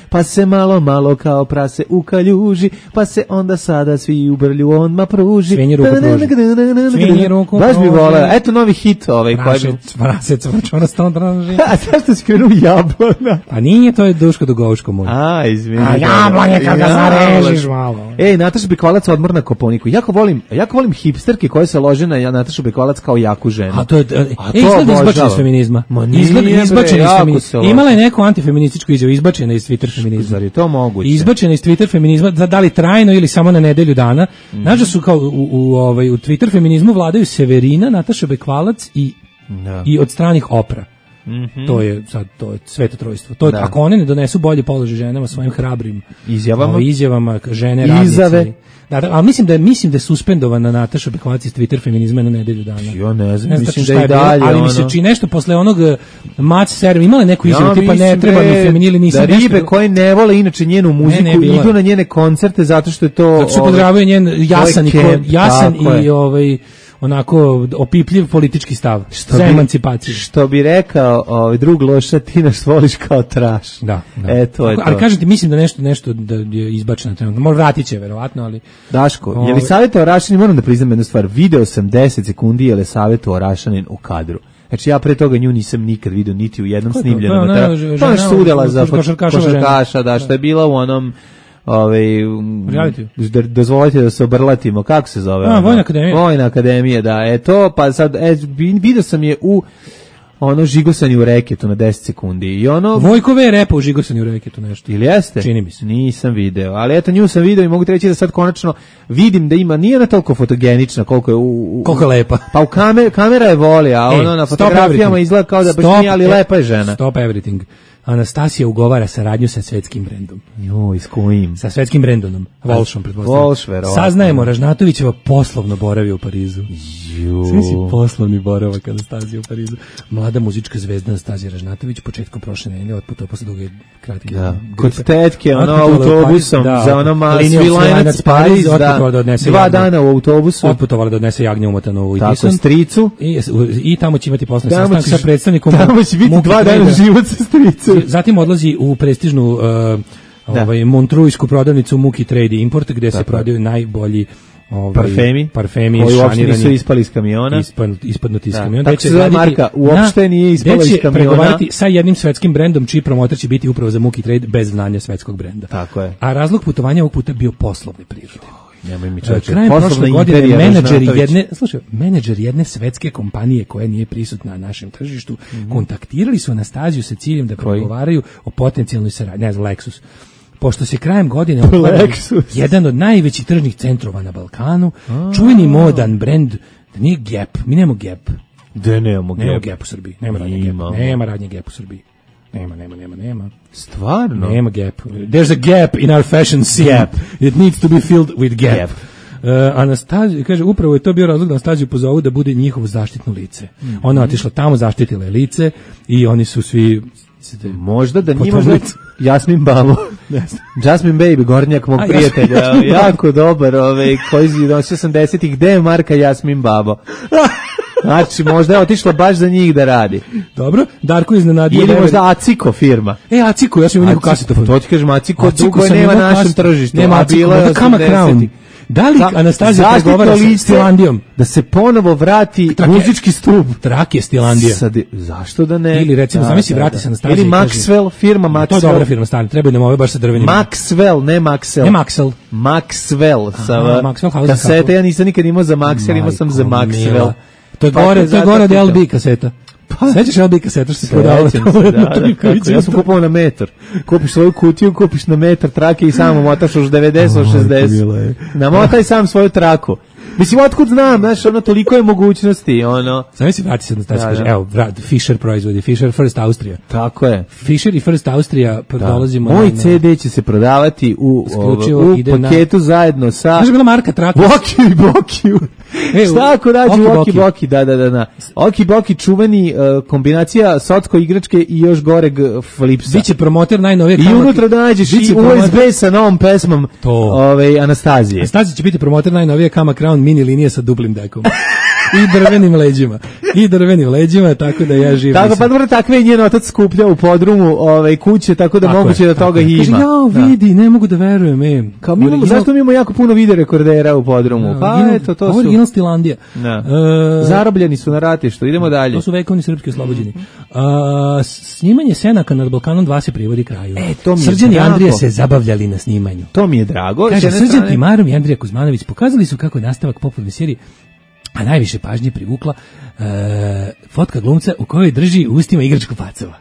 pa se malo kao prase u kaljuži, pa se onda sada svi u brlju onma pruži. Svinji ruku baš bi voleo. Eto novi hit Prasec, vrčona stano draži. A zašto si krenuo Jablana? A nije, to je Duško Dugovško moj. A, izvini. A Jablanje kad ga zarežiš malo. Ej, Nataša Bekvalac odmor na Koponiku. Jako volim hipsterke koje se lože na Natašu Bekvalac kao jaku ženu. A to je izgleda izbačena iz feminizma. Izgleda izbačena iz feminizma. Imala je neku antifeminističku izjavu, izbačena iz Twitter feminizma. Zar je to moguće? Izbačena iz Twitter feminizma, da li trajno ili samo na nedelju dana. Znaš da su kao u Twitter feminizmu vladaju Severina, Nataša Bekvalac i od stranih Opra. To je sveto trojstvo. To ako one ne donesu bolje položaj ženama svojim hrabrim izjavama žene radnice. Ali mislim da je suspendovana Nataša Bekvalac iz Twitter feminizma na nedelju dana. Ja ne znam, mislim da je dalje. Ali mi se čini nešto posle onog Mac serve, imala neku izjavu tipa ne treba mi feminili, nisam da ribe koje ne vole inače njenu muziku idu na njene koncerte zato što je to... Zato što podržavaju njen jasan i onako opipljiv politički stav za emancipaciju. Što bi rekao drug Loša, ti nas voliš kao traš. Da. To je to. Ali kažete, mislim da nešto da je izbačeno trenutno. Možda vratit će, verovatno, ali... Daško, je li savjetao Rašanin, moram da priznam jednu stvar, video sam 10 sekundi je li savjetao Rašanin u kadru. Znači ja pre toga nju nisam nikad vidio niti u jednom snimljenom. To je sudjela za košarkaša, da, što je bila u onom dozvolite da se obrlatimo, kako se zove? Vojna akademija. Vojna akademija, da, to, pa sad, vidio sam je u žigosanje u reketu na 10 sekundi. I Vojkove je repa u žigosanje u reketu nešto. Ili jeste? Čini mi se. Nisam video, ali eto nju sam video i mogu ti reći da sad konačno vidim da ima, nije ona toliko fotogenična koliko je koliko je lepa. Pa u kamera je voli, a na fotografijama izgleda kao da baš nije, ali lepa je žena. Stop everything. Anastasija ugovara saradnju sa svetskim brendom. Joj, s kojim? Sa svetskim brendonom. Volšom, pretpostavljam. Volš, verovatno. Saznajemo, Ražnatovićeva poslovno boravi u Parizu. Sve si poslovni boravak Anastasija u Parizu. Mlada muzička zvezda Anastasija Ražnatović početkom prošle nedelje otputovala posle duge kratke. Da. Kod tetke, autobusom za Svilajnac Pariz, da. 2 dana u autobusu. Otputovala da odnese jagnje umotano u Tako, stricu. I tamo će imati poslovni sastanak sa predstavnikom. Tamo će biti 2 dana život sa stricom. Zatim odlazi u prestižnu montrujsku prodavnicu Muki Trade Import, gde se prodaju najbolji parfemi koji uopšte nisu ispali iz kamiona. Ispadnuti iz kamiona. Tako se zove marka, uopšte nije ispala iz kamiona. Gde će pregovarati sa jednim svetskim brendom, čiji promotor će biti upravo za Muki Trade bez znanja svetskog brenda. Tako je. A razlog putovanja ovog puta bio poslovne prirode. Nemoj mi čoveče. Krajem prošle godine menadžer jedne svetske kompanije koja nije prisutna na našem tržištu kontaktirali su Anastaziju sa ciljem da pregovaraju o potencijalnoj saradnji, ne znam, Lexus. Pošto se krajem godine otvara jedan od najvećih tržnih centrova na Balkanu, čuveni modan brend, da nije Gap, mi nemamo Gap. Da nemamo Gap u Srbiji, nema radnje Gap u Srbiji. Nema. Stvarno? Nema Gap. There's a gap in our fashion scene. It needs to be filled with Gap. Anastazija, kaže, upravo je to bio razlog da Anastaziju pozovu da bude njihovo zaštitno lice. Ona je otišla tamo, zaštitila je lice i oni su svi... Možda da nije možda Jasmin Babo. Jasmin Baby, gornjak mog prijatelja. Jako dobar, koji nosio 80-ih. Gde je marka Jasmin Babo? Znači, možda je otišla baš za njih da radi. Dobro, Darko iznenadio. Ili možda Aciko firma. Aciko, ja sam imao neku kasetofon. To ti kažem, Aciko dugo nema na našem tržištu. Nema Aciko, da Kama Crown. Da li Anastazija pregovara sa Stilandijom? Da se ponovo vrati muzički stub. Trak je Stilandija. Zašto da ne? Ili recimo, zamisli vrati se Anastazija. Ili Maxwell, firma Maxwell. To je dobra firma, stani, trebaju nam ove baš sa drvenim. Maxwell, ne Maxwell. Ne Maxwell. Maxwell. Kasete, ja nisam nikad imao za Maxwell, imao sam za Maxwell. To je gore od LB kaseta. Sećaš LB kaseta što se prodavalo? Ja sam kupovao na metar. Kupiš svoju kutiju, kupiš na metar trake i samo motaš už 90-60. Namotaj sam svoju traku. Mislim, otkud znam, znaš, toliko je mogućnosti, Znam si vrati se na taj, kaže, evo, Fisher proizvodi, Fisher First Austrija. Tako je. Fisher i First Austrija dolazimo na... Moj CD će se prodavati u paketu zajedno sa... Znaš, bila marka Trakus. Bokiju. Šta ako nađu Oki Boki? Da. Oki Boki čuveni kombinacija socko igračke i još goreg flipsa. Biće promoter najnovije. I unutra da nađeš i USB sa novom pesmom Anastazije. Anastazija će biti promoter najnovije Kama Crown mini linije sa duplim dekom. I drvenim leđima, tako da ja živim. Tako, pa dobro, takve je njen otac skuplja u podrumu kuće, tako da moguće da toga ima. Kaže, vidi, ne mogu da verujem. Zašto mi imamo jako puno video rekordera u podrumu? Pa eto, to su... Original Stilandija. Zarobljeni su na ratištu, idemo dalje. To su vekovni srpski oslobođeni. Snimanje Senaka nad Balkanom 2 se privodi kraju. Srđan i Andrija se zabavljali na snimanju. To mi je drago. Kaže, Srđan Timarom i Andrija Kuzmanović pokazali su kako je nastavak popularne serije, a najviše pažnje privukla fotka glumca u kojoj drži u ustima igračku pacova.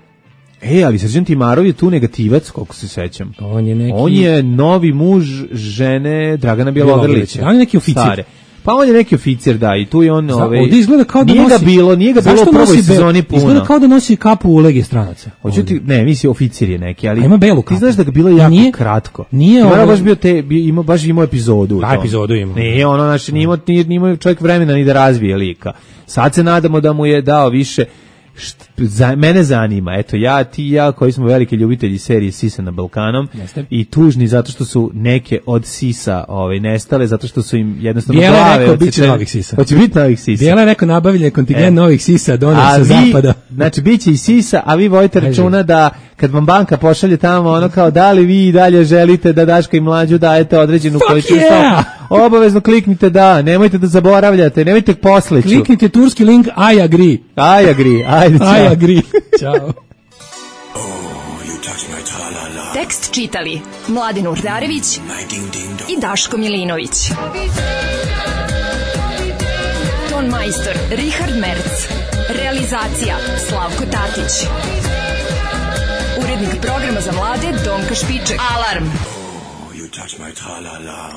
Ali Srđan Timarov je tu negativac, koliko se sećam. On je novi muž žene Dragana Bjelogrlića. On je neki oficir. Pa on je neki oficir, da, i tu je on... Ovdje izgleda kao da nije ga bilo u prvoj sezoni puno. Izgleda kao da nosi kapu u Legije stranaca. Ne, misli, oficir je neki, ali... Ima belu kapu. Ti znaš da ga bilo jako kratko. Nije ovo... Baš imao epizodu. Da, epizodu ima. Nije, znači, nije imao čovjek vremena ni da razvije lika. Sad se nadamo da mu je dao više... Mene zanima, eto, ti i ja koji smo veliki ljubitelji serije Sisa na Balkanom i tužni zato što su neke od Sisa nestale, zato što su im jednostavno glave... Bijela je rekao, bit će novih Sisa. Hoće biti novih Sisa. Bijela je rekao, nabavljen je kontingent novih Sisa, donio sa zapada. Znači, bit će i Sisa, a vi vojite računa da kad vam banka pošalje tamo, kao da li vi i dalje želite da Daška i Mlađu dajete određenu količinu obavezno kliknite da, nemojte da zaboravljate, nemojte posleću. Kliknite turski link I agree. I agree. Ajde, I agree. Ćao. Tekst čitali Mladin Urdarević i Daško Milinović. Ton majstor Richard Merc. Realizacija Slavko Tatić. Urednik programa za mlade Donka Špiček. Alarm! You touch my tra-la-la.